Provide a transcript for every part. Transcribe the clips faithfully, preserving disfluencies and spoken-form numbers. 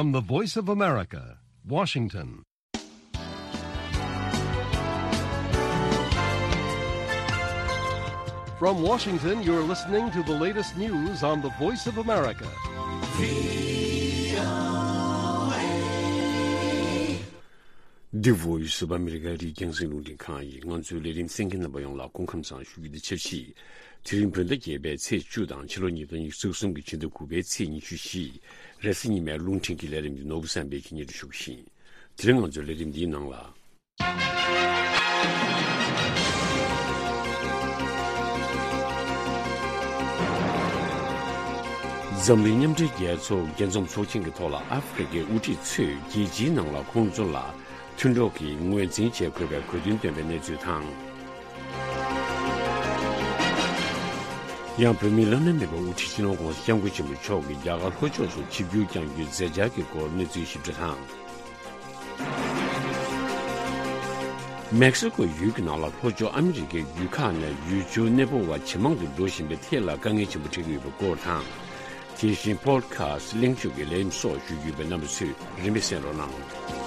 From the Voice of America, Washington. From Washington, you're listening to the latest news on the Voice of America. The Voice of America རི་རྒྱང་སྲིང་རླུང་འཕྲིན་ཁང་ཡིན། ང་ཚོའི་ལས་རིམ་གསན་མཁན་རྣམ་པ་ཡོངས་ལ་སྐུ་ཁམས་བཟང་ཞུ་རྒྱུ་དེ་ཆབས་ཅིག་དེ་རིང་བོད་ཟླ་བརྒྱད་པའི་ཚེས་བཅུ་དང་ཕྱི་ལོ་ཉིས་སྟོང་ཉི་ཤུ་རྩ་གསུམ་གྱི་ཕྱི་ཟླ་དགུ་པའི་ཚེས་ཉི་ཤུ་བཞི། རེས་གཟའ་ཉི་མའི་རླུང་འཕྲིན་གྱི་ལས་རིམ་འདི་ནོར་བུ་བསམ་འཕེལ་གྱིས་སྙན་སྒྲོན་ཞུ་གི་ཡིན། དེ་རིང་ང་ཚོའི་ལས་རིམ་འདིའི་ནང་ལ། འཛམ་གླིང་མཉམ་འབྲེལ་རྒྱལ་ཚོགས་རྒྱལ་འཛོམས་ཚོགས་ཆེན་གྱི་ཐོག་ལ་ཨ་ཧྥེ་རི་ཁའི་དབུ་ཁྲིད་ཚོས་རྒྱལ་སྤྱིའི་ནང་ལ་ཁོང་ཚོ་ལ་མཐུན་གྲོགས་ཀྱི་ངོས་འཛིན་བྱེད་དགོས་པའི་གོ་སྟོན་བཏོན་པའི་གནས་ཚུལ་དང་། ཡང་བོད་མིའི་བླ་ན་མེད་པའི་དབུ་ཁྲིད་སྤྱི་ནོར་༸གོང་ས་༸སྐྱབས་མགོན་ཆེན་པོ་མཆོག་གིས་རྒྱ་གར་ལྷོ་ཕྱོགས་སུ་ཆིབས་བསྒྱུར་བསྐྱང་རྒྱུའི་མཛད་འཆར་གྱི་སྐོར་གནས་ཚུལ་ཞིབ་ཕྲ་དང་། མེག་སི་ཀོ་ཡུལ་གྱི་ནང་ལ་ལྷོ་ཕྱོགས་ཨ་མི་རི་ཀའི་ཡུལ་ཁག་ནས་ཡུལ་སྐྱོར་གནས་སྤོ་བ་ཇེ་མང་དུ་འགྲོ་བཞིན་པའི་ཐད་ལ་དཀའ་ངལ་ཆེན་པོ་འཕྲད་ཀྱི་ཡོད་པའི་སྐོར་དང་། དེ་བཞིན་པོ་ཌི་ཁ་སི་ཊི་གླེང་བརྗོད་ཀྱི་ལས་རིམ་སོགས་ཞུ་རྒྱུ་ཡོད་པས་རྣམ་པ་ཚོས་རིམ་པས་གསན་རོགས་གནང་།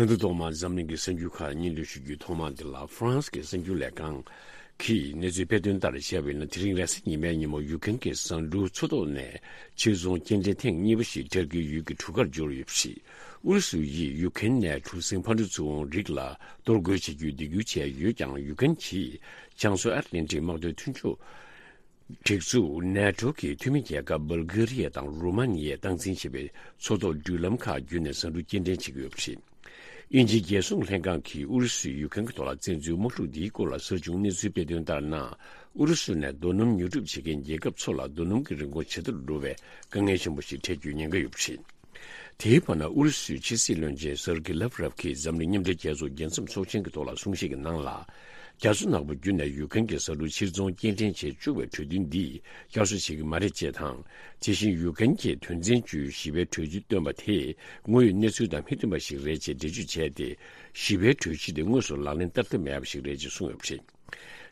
ད་དུང་ཐོག་མར་འཛམ་གླིང་གི་གསར་འགྱུར་ཁག་སྙན་སྒྲོན་ཞུ་རྒྱུའི་ཐོག་མ་འདི་ལ། ཧྥ་རན་སི་གི་གསར་འགྱུར་ལས་ཁང་གིས་གནས་ཚུལ་སྤེལ་དོན་ལྟར་བྱས་པ་ཡིན་ན། དེ་རིང་རེས་གཟའ་ཉི་མའི་ཉིན་མོ་ཡུ་ཀེ་རེན་གྱི་ཟ་འབྲུ་མཚོ་ཐོག་ནས་ཕྱིར་ཚོང་སྐྱེལ་འདྲེན་ཐེངས་གཉིས་པ་ཞིག་ཏུར་ཀིའི་ཡུལ་གྱི་གྲུ་ཁར་འབྱོར་ཡོད་པ་རེད། ཨུ་རུ་སུ་ཡིས་ཡུ་ཀེ་རེན་ནས་གྲུ་གཟིངས་ཕར་འགྲོ་ཚུར་འོང་རིགས་ལ་གཏོར་རྒོལ་བྱེད་རྒྱུའི་འདེད་འགུལ་བྱས་ཡོད་ཀྱང་། ཡུ་ཀེ་རེན་གྱིས་བྱང་མཚོ་ཨེཊ་ལན་ཊིག་དམག་དོན་མཐུན་ཕྱོགས་སྒྲིག་འཛུགས་ནེ་ཊོ་གི་འཐུས་མི་རྒྱལ་ཁབ་བལ་གྷེ་རི་ཡ་དང་རུ་མ་ནི་ཡས་སྟངས་འཛིན་བྱེད་པའི་མཚོ་ཐོག་འགྲུལ་ལམ་ཁག་བརྒྱུད་ནས་ཟ་འབྲུ་སྐྱེལ་འདྲེན་བྱེད་ཀྱི་ཡོད་པ་རེད། དབྱིན་ཇིའི་རྒྱལ་སྲུང་ལྷན་ཁང་གིས་ཨུ་རུ་སུས་ཡུ་ཀེ་རེན་གྱི་ཐོག་ལ་བཙན་འཛུལ་དམག་འཁྲུག་འདིའི་སྐོར་ལ་གསར་བྱུང་གནས་ཚུལ་སྤེལ་དོན་ལྟར་ན། ཨུ་རུ་སུ་ནས་རྡོ་སྣུམ་ཉོ་སྒྲུབ་བྱེད་མཁན་རྒྱལ་ཁབ་ཚོ་ལ་རྡོ་སྣུམ་གྱི་རིན་གོང་ཇེ་མཐོར་འགྲོ་བའི་དཀའ་ངལ་ཆེན་པོ་ཞིག་འཕྲད་རྒྱུའི་ཉེན་ཁ་ཡོད་པ་རེད། དེའི་བར་ན། ཨུ་རུ་སུའི་ཕྱི་སྲིད་བློན་ཆེན་སེར་གི་ལབ་རབ་ཀྱིས་འཛམ་གླིང་མཉམ་འབྲེལ་རྒྱལ་ཚོགས་རྒྱལ་འཛོམས་ཚོགས་ཆེན་གྱི་ཐོག་ལ་གསུང་བཤད་ཀྱི་ནང་ལ། རྒྱ་མཚོ་ནག་པོ་བརྒྱུད་ནས་ཡུཀ་རེན་གྱི་ས་ཁུལ་ཕྱིར་ཚོང་སྐྱེལ་འདྲེན་བྱེད་བཅུག་པའི་གྲོས་མཐུན་འདིས་བསྐྱར་གསོ་བྱེད་ཀྱི་མ་རེད་ཅེས་དང་། དེ་བཞིན་ཡུཀ་རེན་གྱིས་དོན་ཚན་བཅུའི་ཞི་བའི་གྲོས་གཞི་བཏོན་པ་དེ་དངོས་ཡོད་གནས་ཚུལ་དང་མི་མཐུན་པ་ཞིག་རེད་ཅེས་འགྲེལ་བརྗོད་བྱས་ཏེ། ཞི་བའི་གྲོས་གཞི་དེ་དངོས་སུ་ལག་ལེན་བསྟར་ཐབས་མེད་པ་ཞིག་རེད་ཅེས་གསུངས་ཡོད་པ་རེད།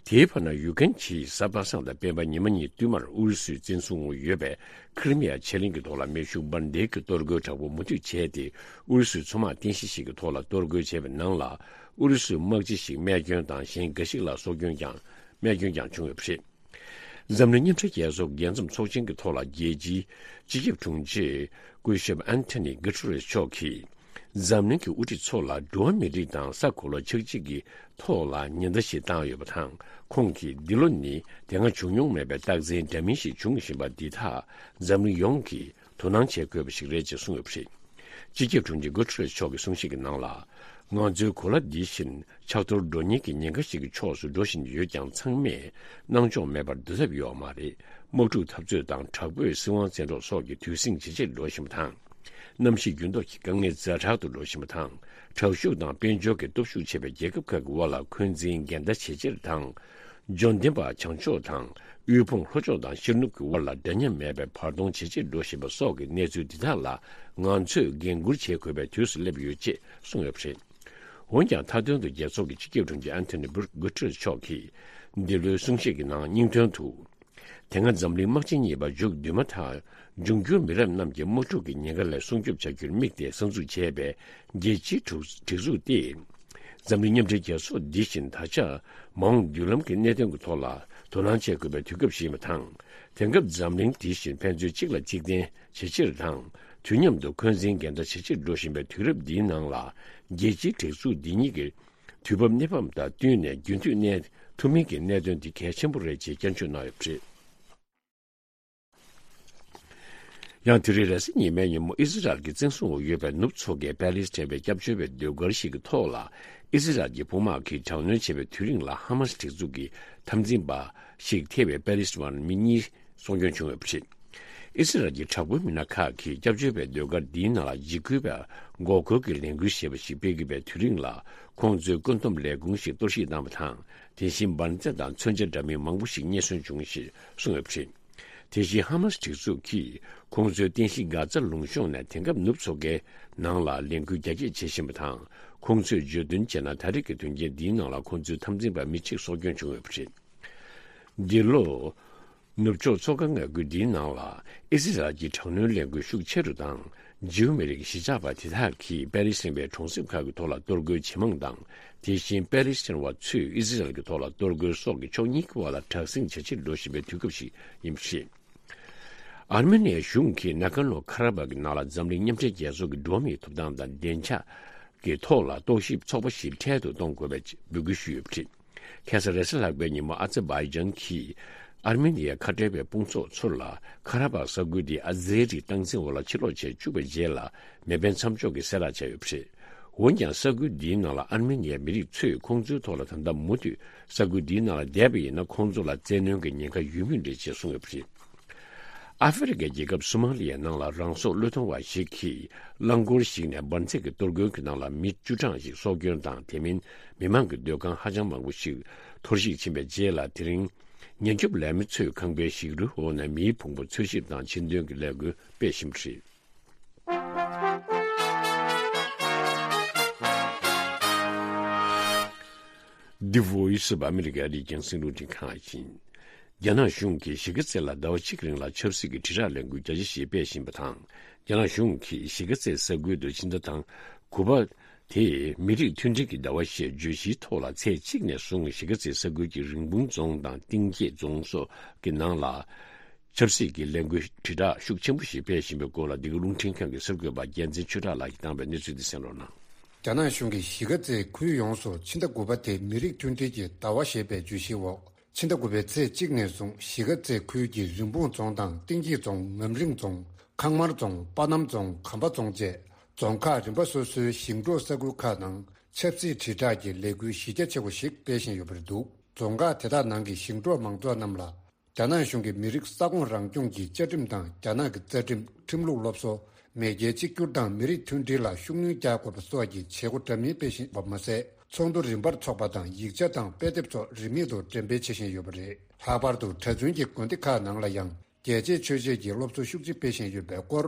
དེའི་བར་ན། ཡུཀ་རེན་གྱིས་གཟའ་པ་སངས་དང་སྤེན་པ་ཉི་མ་གཉིས་བསྟུད་མར་ཨུ་རུ་སུས་བཙན་བཟུང་འོག་ཡོད་པའི་ཁི་རི་མི་ཡ་ཆེ་གླིང་གི་ཐོག་ལ་མེ་ཤུགས་འབར་མདེལ་གྱི་གཏོར་རྒོལ་དྲག་པོ་མུ་མཐུད་བྱས་ཏེ། ཨུ་རུ་སུའི་མཚོ་དམག་རྟེན་གཞི་ཞིག་གི་ཐོག་ལ་གཏོར་རྒོལ་བྱས་པའི་ནང་ལ། ཨུ་རུ་སུའི་དམག་སྤྱི་ཞིག་རྨས་སྐྱོན་དང་། གཞན་འགའ་ཞིག་ལ་སྲོག་སྐྱོན་ཀྱང་། རྨས་སྐྱོན་ཀྱང་བྱུང་ཡོད་པ་རེད། འཛམ་གླིང་མཉམ་འབྲེལ་རྒྱལ་ཚོགས་རྒྱལ་འཛོམས་ཚོགས་ཆེན་གྱི་ཐོག་ལ། རྒྱལ་སྤྱིའི་སྤྱི་ཁྱབ་དྲུང་ཆེ་སྐུ་ཞབས་ཨན་ཐོ་ནི་གྷུ་ཏེ་རེས་མཆོག་གིས། འཛམ་གླིང་གི་དབུ་ཁྲིད་ཚོ་ལ་འགྲོ་བ་མིའི་རིགས་དང་ས་གོ་ལ་ཆགས་འཇིག་གི་ཐོག་ལ་ཉེན་བརྡ་ཞིག་བཏང་ཡོད་པ་དང་། ཁོང་གིས་འདི་ལོ་ནི་དེ་སྔ་བྱུང་མྱོང་མེད་པའི་རྟགས་མཚན་འདྲ་མིན་ཞིག་འབྱུང་བཞིན་པ་འདི་དག་འཛམ་གླིང་ཡོངས་ཀྱིས་དོ་སྣང་བྱེད་དགོས་པ་ཞིག་རེད་ཅེས་གསུངས་ཡོད་པ་རེད། སྤྱི་ཁྱབ་དྲུང་ཆེ་གྷུ་ཏེ་རེས་མཆོག་གི་གསུང་བཤད་ཀྱི་ནང་ལ། ང་ཚོའི་གོ་ལ་འདི་བཞིན་ཆག་གཏོར་འགྲོ་ཉེན་གྱི་ཉེན་ཁ་ཞིག་གི་ཕྱོགས་སུ་འགྲོ་བཞིན་ཡོད་ཀྱང་། ཚང་མས་སྣང་ཕྱོགས་མེད་པར་སྡོད་ཐབས་ཡོད་མ་རེད། དམག་འཁྲུག་འཐབ་རྩོད་དང་དྲག་པོས་སྲིད་དབང་བཙན་འཕྲོག་སོགས་ཀྱི་དུས་ཟིང་ཇེ་ཆེར་འགྲོ་བཞིན་པ་དང་། གནམ་གཤིས་འགྱུར་ལྡོག་གི་དཀའ་ངལ་ཛ་དྲག་ཏུ་འགྲོ་བཞིན་པ་དང་། དྲག་ཤུགས་དང་དཔལ་འབྱོར་གྱི་སྟོབས་ཤུགས་ཆེ་བའི་རྒྱལ་ཁབ་ཁག་གི་དབར་ལ་འཁོན་འཛིན་འགལ་ཟླ་ཇེ་ཆེར་དང་། འབྱོར་ལྡན་པ་བྱང་ཕྱོགས་དང་། དབུལ་ཕོངས་ལྷོ་ཕྱོགས་དང་ཤར་ནུབ་ཀྱི་དབར་ལ་འདྲ་མཉམ་མེད་པའི་བར་སྟོང་ཇེ་ཆེར་འགྲོ་བཞིན་པ་སོགས་ཀྱི་གནས་ཚུལ་འདི་དག་ལ་ང་ཚོས་འགན་འཁུར་བྱེད་དགོས་པའི་དུས་སུ་སླེབས་ཡོད་ཅེས་གསུངས་ཡོད་པ་རེད། འོན་ཀྱང་། མཐའ་དོན་དུ་རྒྱལ་ཚོགས་ཀྱི་སྤྱི་ཁྱབ་དྲུང་ཆེ་ཨན་ཐོ་ནི་གྷུ་ཏེ་རེས་མཆོག་གིས་འདི་ལོའི་གསུང་བཤད་ཀྱི་ནང་སྙིང་དོན་དུ། དེ་སྔ་འཛམ་གླིང་དམག་ཆེན་གཉིས་པ་མཇུག་བསྡུས་མ་ཐག་འབྱུང་འགྱུར་མི་རབས་རྣམས་ཀྱི་དམག་འཁྲུག་གི་ཉེན་ཁ་ལས་སྲུང་སྐྱོབ་བྱ་རྒྱུར་དམིགས་ཏེ་གསར་འཛུགས་བྱས་པའི་རྒྱལ་སྤྱིའི་གྲུ་སྒྲིག་འཛུགས་ཏེ། འཛམ་གླིང་མཉམ་འབྲེལ་རྒྱལ་ཚོགས་འདི་བཞིན་ད་ཆ་མ་འོངས་མདུན་ལམ་གྱི་གནད་དོན་གྱི་ཐོག་ལ་དོ་སྣང་བྱེད་དགོས་པའི་དུས་སྐབས་ཤིག་ཡིན་པ་དང་། དེང་སྐབས་འཛམ་གླིང་འདི་བཞིན་ཕན་ཚུན་གཅིག་ལ་གཅིག་བརྟེན་ཇེ་ཆེར་དང་། དུས་མཉམ་དུ་འཁོན་འཛིན་འགལ་ཟླ་ཇེ་ཆེར་འགྲོ་བཞིན་པའི་དུས་རབས་འདིའི་ནང་ལ། རྒྱལ་སྤྱིའི་སྒྲིག་འཛུགས་འདི་ཉིད་ཀྱི་དུས་བབ་གནས་བབ་དང་བསྟུན་ནས་རྒྱུན་མཐུད་གནས་ཐུབ་མིན་གྱི་གནད་དོན་འདི་གལ་ཆེན་པོ་རེད་ཅེས་བསྐྱར་བརྗོད་གནང་ཡོད་པ་རེད། ཡང་དེ་རིང་རེས་གཟའ་ཉི་མའི་ཉིན་མོ། ཨི་ཟི་རལ་གྱི་བཙན་བཟུང་འོག་ཡོད་པའི་ནུབ་མཚོ་ཁའི་པེ་ལེ་སི་ཐན་པའི་སྐྱབས་བཅོལ་བའི་ཟློས་གར་ཞིག་གི་ཐོག་ལ། ཨི་ཟི་རལ་གྱི་དཔུང་དམག་གིས་དྲག་གནོན་བྱས་པའི་དུས་རིང་ལ་ཧ་མ་སི་སྒྲིག་འཛུགས་ཀྱི་འཐབ་འཛིང་པ་ཞིག་ཐེ་བའི་པེ་ལེ་སི་ཐན་མི་གཉིས་སྲོག་སྐྱོན་བྱུང་ཡོད་པ་རེད། ཨི་ཟི་རལ་གྱི་དྲག་པོའི་མི་སྣ་ཁག་གིས་སྐྱབས་བཅོལ་བའི་ཟློས་གར་འདིའི་ནང་ལ་འཇིགས་སྐུལ་བའི་འགོག་རྒོལ་གྱི་ལས་འགུལ་ཞེས་པ་ཞིག་སྤེལ་གྱི་པའི་དུས་རིང་ལ། ཁོང་ཚོས་བཀོད་འདོམས་ལས་ཁུངས་ཤིག་གཏོར་བཤིག་བཏང་བ་དང་། དེ་བཞིན་འབར་རྫས་དང་མཚོན་ཆ་འདྲ་མིན་མང་པོ་ཞིག་རྙེད་སོན་བྱུང་ཞེས་གསུངས་ཡོད་པ་རེད། དེ་བཞིན་ཧ་མ་སི་སྒྲིག་འཛུགས་ཀྱིས་ཁོང་ཚོའི་རྟེན་གཞི་གྷ་ཛ་ལུང་གཤོང་ནས་དེང་སྐབས་ནུབ་མཚོ་ཁའི་ནང་ལ་ལས་འགུལ་རྒྱ་སྐྱེད་བྱེད་བཞིན་པ་དང་། ཁོང་ཚོས་བརྗོད་དོན་བྱས་ན། ད་རེས་ཀྱི་དོན་རྐྱེན་འདིའི་ནང་ལ་ཁོང་ཚོའི་འཐབ་འཛིང་པ་མི་གཅིག་སྲོག་སྐྱོན་བྱུང་ཡོད་པ་རེད། འདི་ལོ། ནུབ་ཕྱོགས་མཚོ་ཁ་མངའ་ཁུལ་འདིའི་ནང་ལ་ཨི་སི་རལ་གྱི་དྲག་གནོན་ལས་འགུལ་ཤུགས་ཆེ་རུ་དང་། ཇིའུ་མི་རིགས་གཞིས་ཆགས་པ་དེ་དག་གིས་པེ་ལི་སི་ཐན་པའི་གྲོང་གསེབ་ཁག་གི་ཐོག་ལ་གཏོར་རྒོལ་ཇེ་མང་དང་། དེ་བཞིན་པེ་ལི་སི་ཐན་བ་ཚོས་ཨི་སི་རལ་གྱི་ཐོག་ལ་གཏོར་རྒོལ་སོགས་ཀྱི་ཕྱོགས་གཉིས་ཀྱི་བར་ལ་དྲག་ཟིང་ཇེ་ཆེར་འགྲོ་བཞིན་པའི་དུས་སྐབས་ཤིག་ཡིན་པ་རེད། ཨར་མེ་ནི་ཡའི་གཞུང་གིས་ན་ཀན་ལོ་ཁ་ར་བྷག་གི་ནང་ལ་འཛམ་གླིང་མཉམ་འབྲེལ་རྒྱལ་ཚོགས་ཀྱི་འགྲོ་བ་མིའི་ཐོབ་ཐང་དང་བདེ་འཇགས་ཀྱི་ཐོག་ལ་རྟོག་ཞིབ་ཚོགས་པ་ཞིག་འཕྲལ་དུ་གཏོང་དགོས་པའི་འབོད་སྐུལ་ཞུས་ཡོད་པ་རེད། ཁ་སང་རེས་གཟའ་ལྷག་པའི་ཉིན་མོ་ཨ་ཛར་བྷའི་ཇན་གྱིས་ཨར་མེ་ནི་ཡའི་ཁ་བྲལ་བའི་དཔུང་ཚོགས་ཚོར་ལ་ཁ་ར་བྷག་ས་ཁུལ་དེ་ཨ་ཛེ་རི་སྟངས་འཛིན་འོག་ལ་ཕྱིར་སློག་བྱས་བཅུག་པའི་རྗེས་ལ་མེ་འཕེན་མཚམས་འཇོག་གི་གསལ་བསྒྲགས་བྱས་ཡོད་པ་རེད། འོན་ཀྱང་ས་ཁུལ་འདིའི་ནང་ལ་ཨར་མེ་ནི་ཡའི་མི་རིགས་ཚོས་ཁོང་ཚོའི་ཐོག་ལ་ད་ལྟ་མུ་མཐུད་ས་ཁུལ་འདིའི་ནང་ལ་བསྡད་པ་ཡིན་ན་ཁོང་ཚོ་ལ་བཙན་གནོན་གྱི་ཉེན་ཁ་ཡོད་མུས་རེད་ཅེས་གསུངས་ཡོད་པ་རེད། ཨ་ཧྥེ་རི་ཁའི་རྒྱལ་ཁབ་སོ་མ་ལི་ཡའི་ནང་ལ་རང་སྲོག་བློས་གཏོང་བ་ཞིག་གིས་རླངས་འཁོར་ཞིག་ནས་འབར་འཛེག་གི་གཏོར་རྒོལ་གྱི་ནང་ལ་མི་བཅུ་གྲངས་ཤིག་སྲོག་སྐྱོན་དང་། དེ་མིན་མི་མང་གི་སྡོད་ཁང་ཧ་ཅང་མང་པོ་ཞིག་འཐོར་ཞིག་ཕྱིན་པའི་རྗེས་ལ། དེ་རིང་ཉེན་སྐྱོབ་ལས་མི་ཚོས་ཁང་པའི་ཞིག་རོའི་འོག་ནས་མིའི་ཕུང་པོ་འཚོལ་ཞིབ་དང་ཕྱིར་འདོན་གྱི་ལས་འགུལ་སྤེལ་བཞིན་པ་རེད། The Voice of America རིག་གཞུང་སྲིད་བློན་ཁྲིམས་ཁང་ཡིན། རྒྱ་ནག་གཞུང་གིས་གཞིས་ཀ་རྩེ་ལ་ཟླ་བ་གཅིག་རིང་ལ་ཆབ་སྲིད་ཀྱི་དྲིལ་བསྒྲགས་ལས་འགུལ་རྒྱ་ཆེ་ཞིག་སྤེལ་བཞིན་པ་དང་། རྒྱ་ནག་གཞུང་གིས་གཞིས་ཀ་རྩེ་ས་ཁུལ་དུ་ཕྱི་ཟླ་དང་དགུ་པ་དེ་མི་རིགས་མཐུན་སྒྲིལ་གྱི་ཟླ་བ་ཞེས་བརྗོད་གཞིའི་ཐོག་ལ་ཚེས་གཅིག་ནས་བཟུང་གཞིས་ཀ་རྩེ་ས་ཁུལ་གྱི་རིན་སྤུངས་རྫོང་དང་གཏིང་སྐྱེས་རྫོང་སོགས་ཀྱི་ནང་ལ། ཆབ་སྲིད་ཀྱི་ལས་འགུལ་དྲིལ་བསྒྲགས་ཤུགས་ཆེན་པོ་ཞིག་སྤེལ་བཞིན་པའི་སྐོར་ལ། འདི་ག་རླུང་འཕྲིན་ཁང་གི་གསར་འགོད་པ་རྒྱལ་མཚན་ཆོས་གྲགས་ལགས་ཀྱིས་བཏང་བའི་གནས་ཚུལ་འདི་གསན་རོགས་གནང་། རྒྱ་ནག་གཞུང་གིས་གཞིས་ཀ་རྩེའི་ཁུལ་ཡོངས་སུ་ཕྱི་ཟླ་དགུ་པ་དེ་མི་རིགས་མཐུན་སྒྲིལ་གྱི་ཟླ་བ་ཞེས་པའི་བརྗོད་གཞིའི་འོག་ཕྱི་ཟླ་དགུ་པའི་ཚེས་གཅིག་ནས་བཟུང་གཞིས་ཀ་རྩེ་ཁུལ་གྱི་རིན་སྤུངས་རྫོང་དང་གཏིང་སྐྱེས་རྫོང་། ངམ་རིང་རྫོང་། ཁང་དམར་རྫོང་། པ་སྣམ་རྫོང་། གམ་པ་རྫོང་བཅས་རྫོང་ཁག་རིམ་པ་སོ་སོའི་ཞིང་འབྲོག་ས་ཁུལ་ཁག་ནང་ཆབ་སྲིད་དྲིལ་བསྒྲགས་ཀྱི་ལས་འགུལ་གཞི་རྒྱ་ཆེ་བ་ཞིག་སྤེལ་བཞིན་ཡོད་པ་རེད་འདུག་རྫོང་ཁག་དེ་དག་ནང་གི་ཞིང་འབྲོག་མང་ཚོགས་རྣམས་ལ། རྒྱ་ནག་གཞུང་གིས་མི་རིགས་ས་ཁོངས་རང་སྐྱོང་གི་བཅའ་ཁྲིམས་དང་། རྒྱ་ནག་གི་རྩ་ཁྲིམས། ཁྲིམས་ལུགས་སློབ་གསོ། མེས་རྒྱལ་གཅིག་གྱུར་དང་མི་རིགས་མཐུན་སྒྲིལ་ལ་ཤུགས་སྣོན་རྒྱག་དགོས་པ་སོགས་ཀྱི་བྱེད་སྒོ་འདྲ་མིན་སྤེལ་བཞིན་པ་མ་ཟད། ཚོགས་འདུ་རིམ་པར་འཚོགས་པ་དང་། ཡིག་ཆ་དང་དཔེ་དེབ་སོགས་རིན་མེད་དུ་འགྲེམས་སྤེལ་བྱེད་བཞིན་ཡོད་པ་རེད། ལྷག་པར་དུ་གྲྭ་བཙུན་གྱི་དགོན་སྡེ་ཁག་ནང་ལ་ཡང་རྒྱལ་གཅེས་ཆོས་གཅེས་ཀྱི་སློབ་གསོ་ཤུགས་ཆེ་སྤེལ་བཞིན་ཡོད་པའི་སྐོར།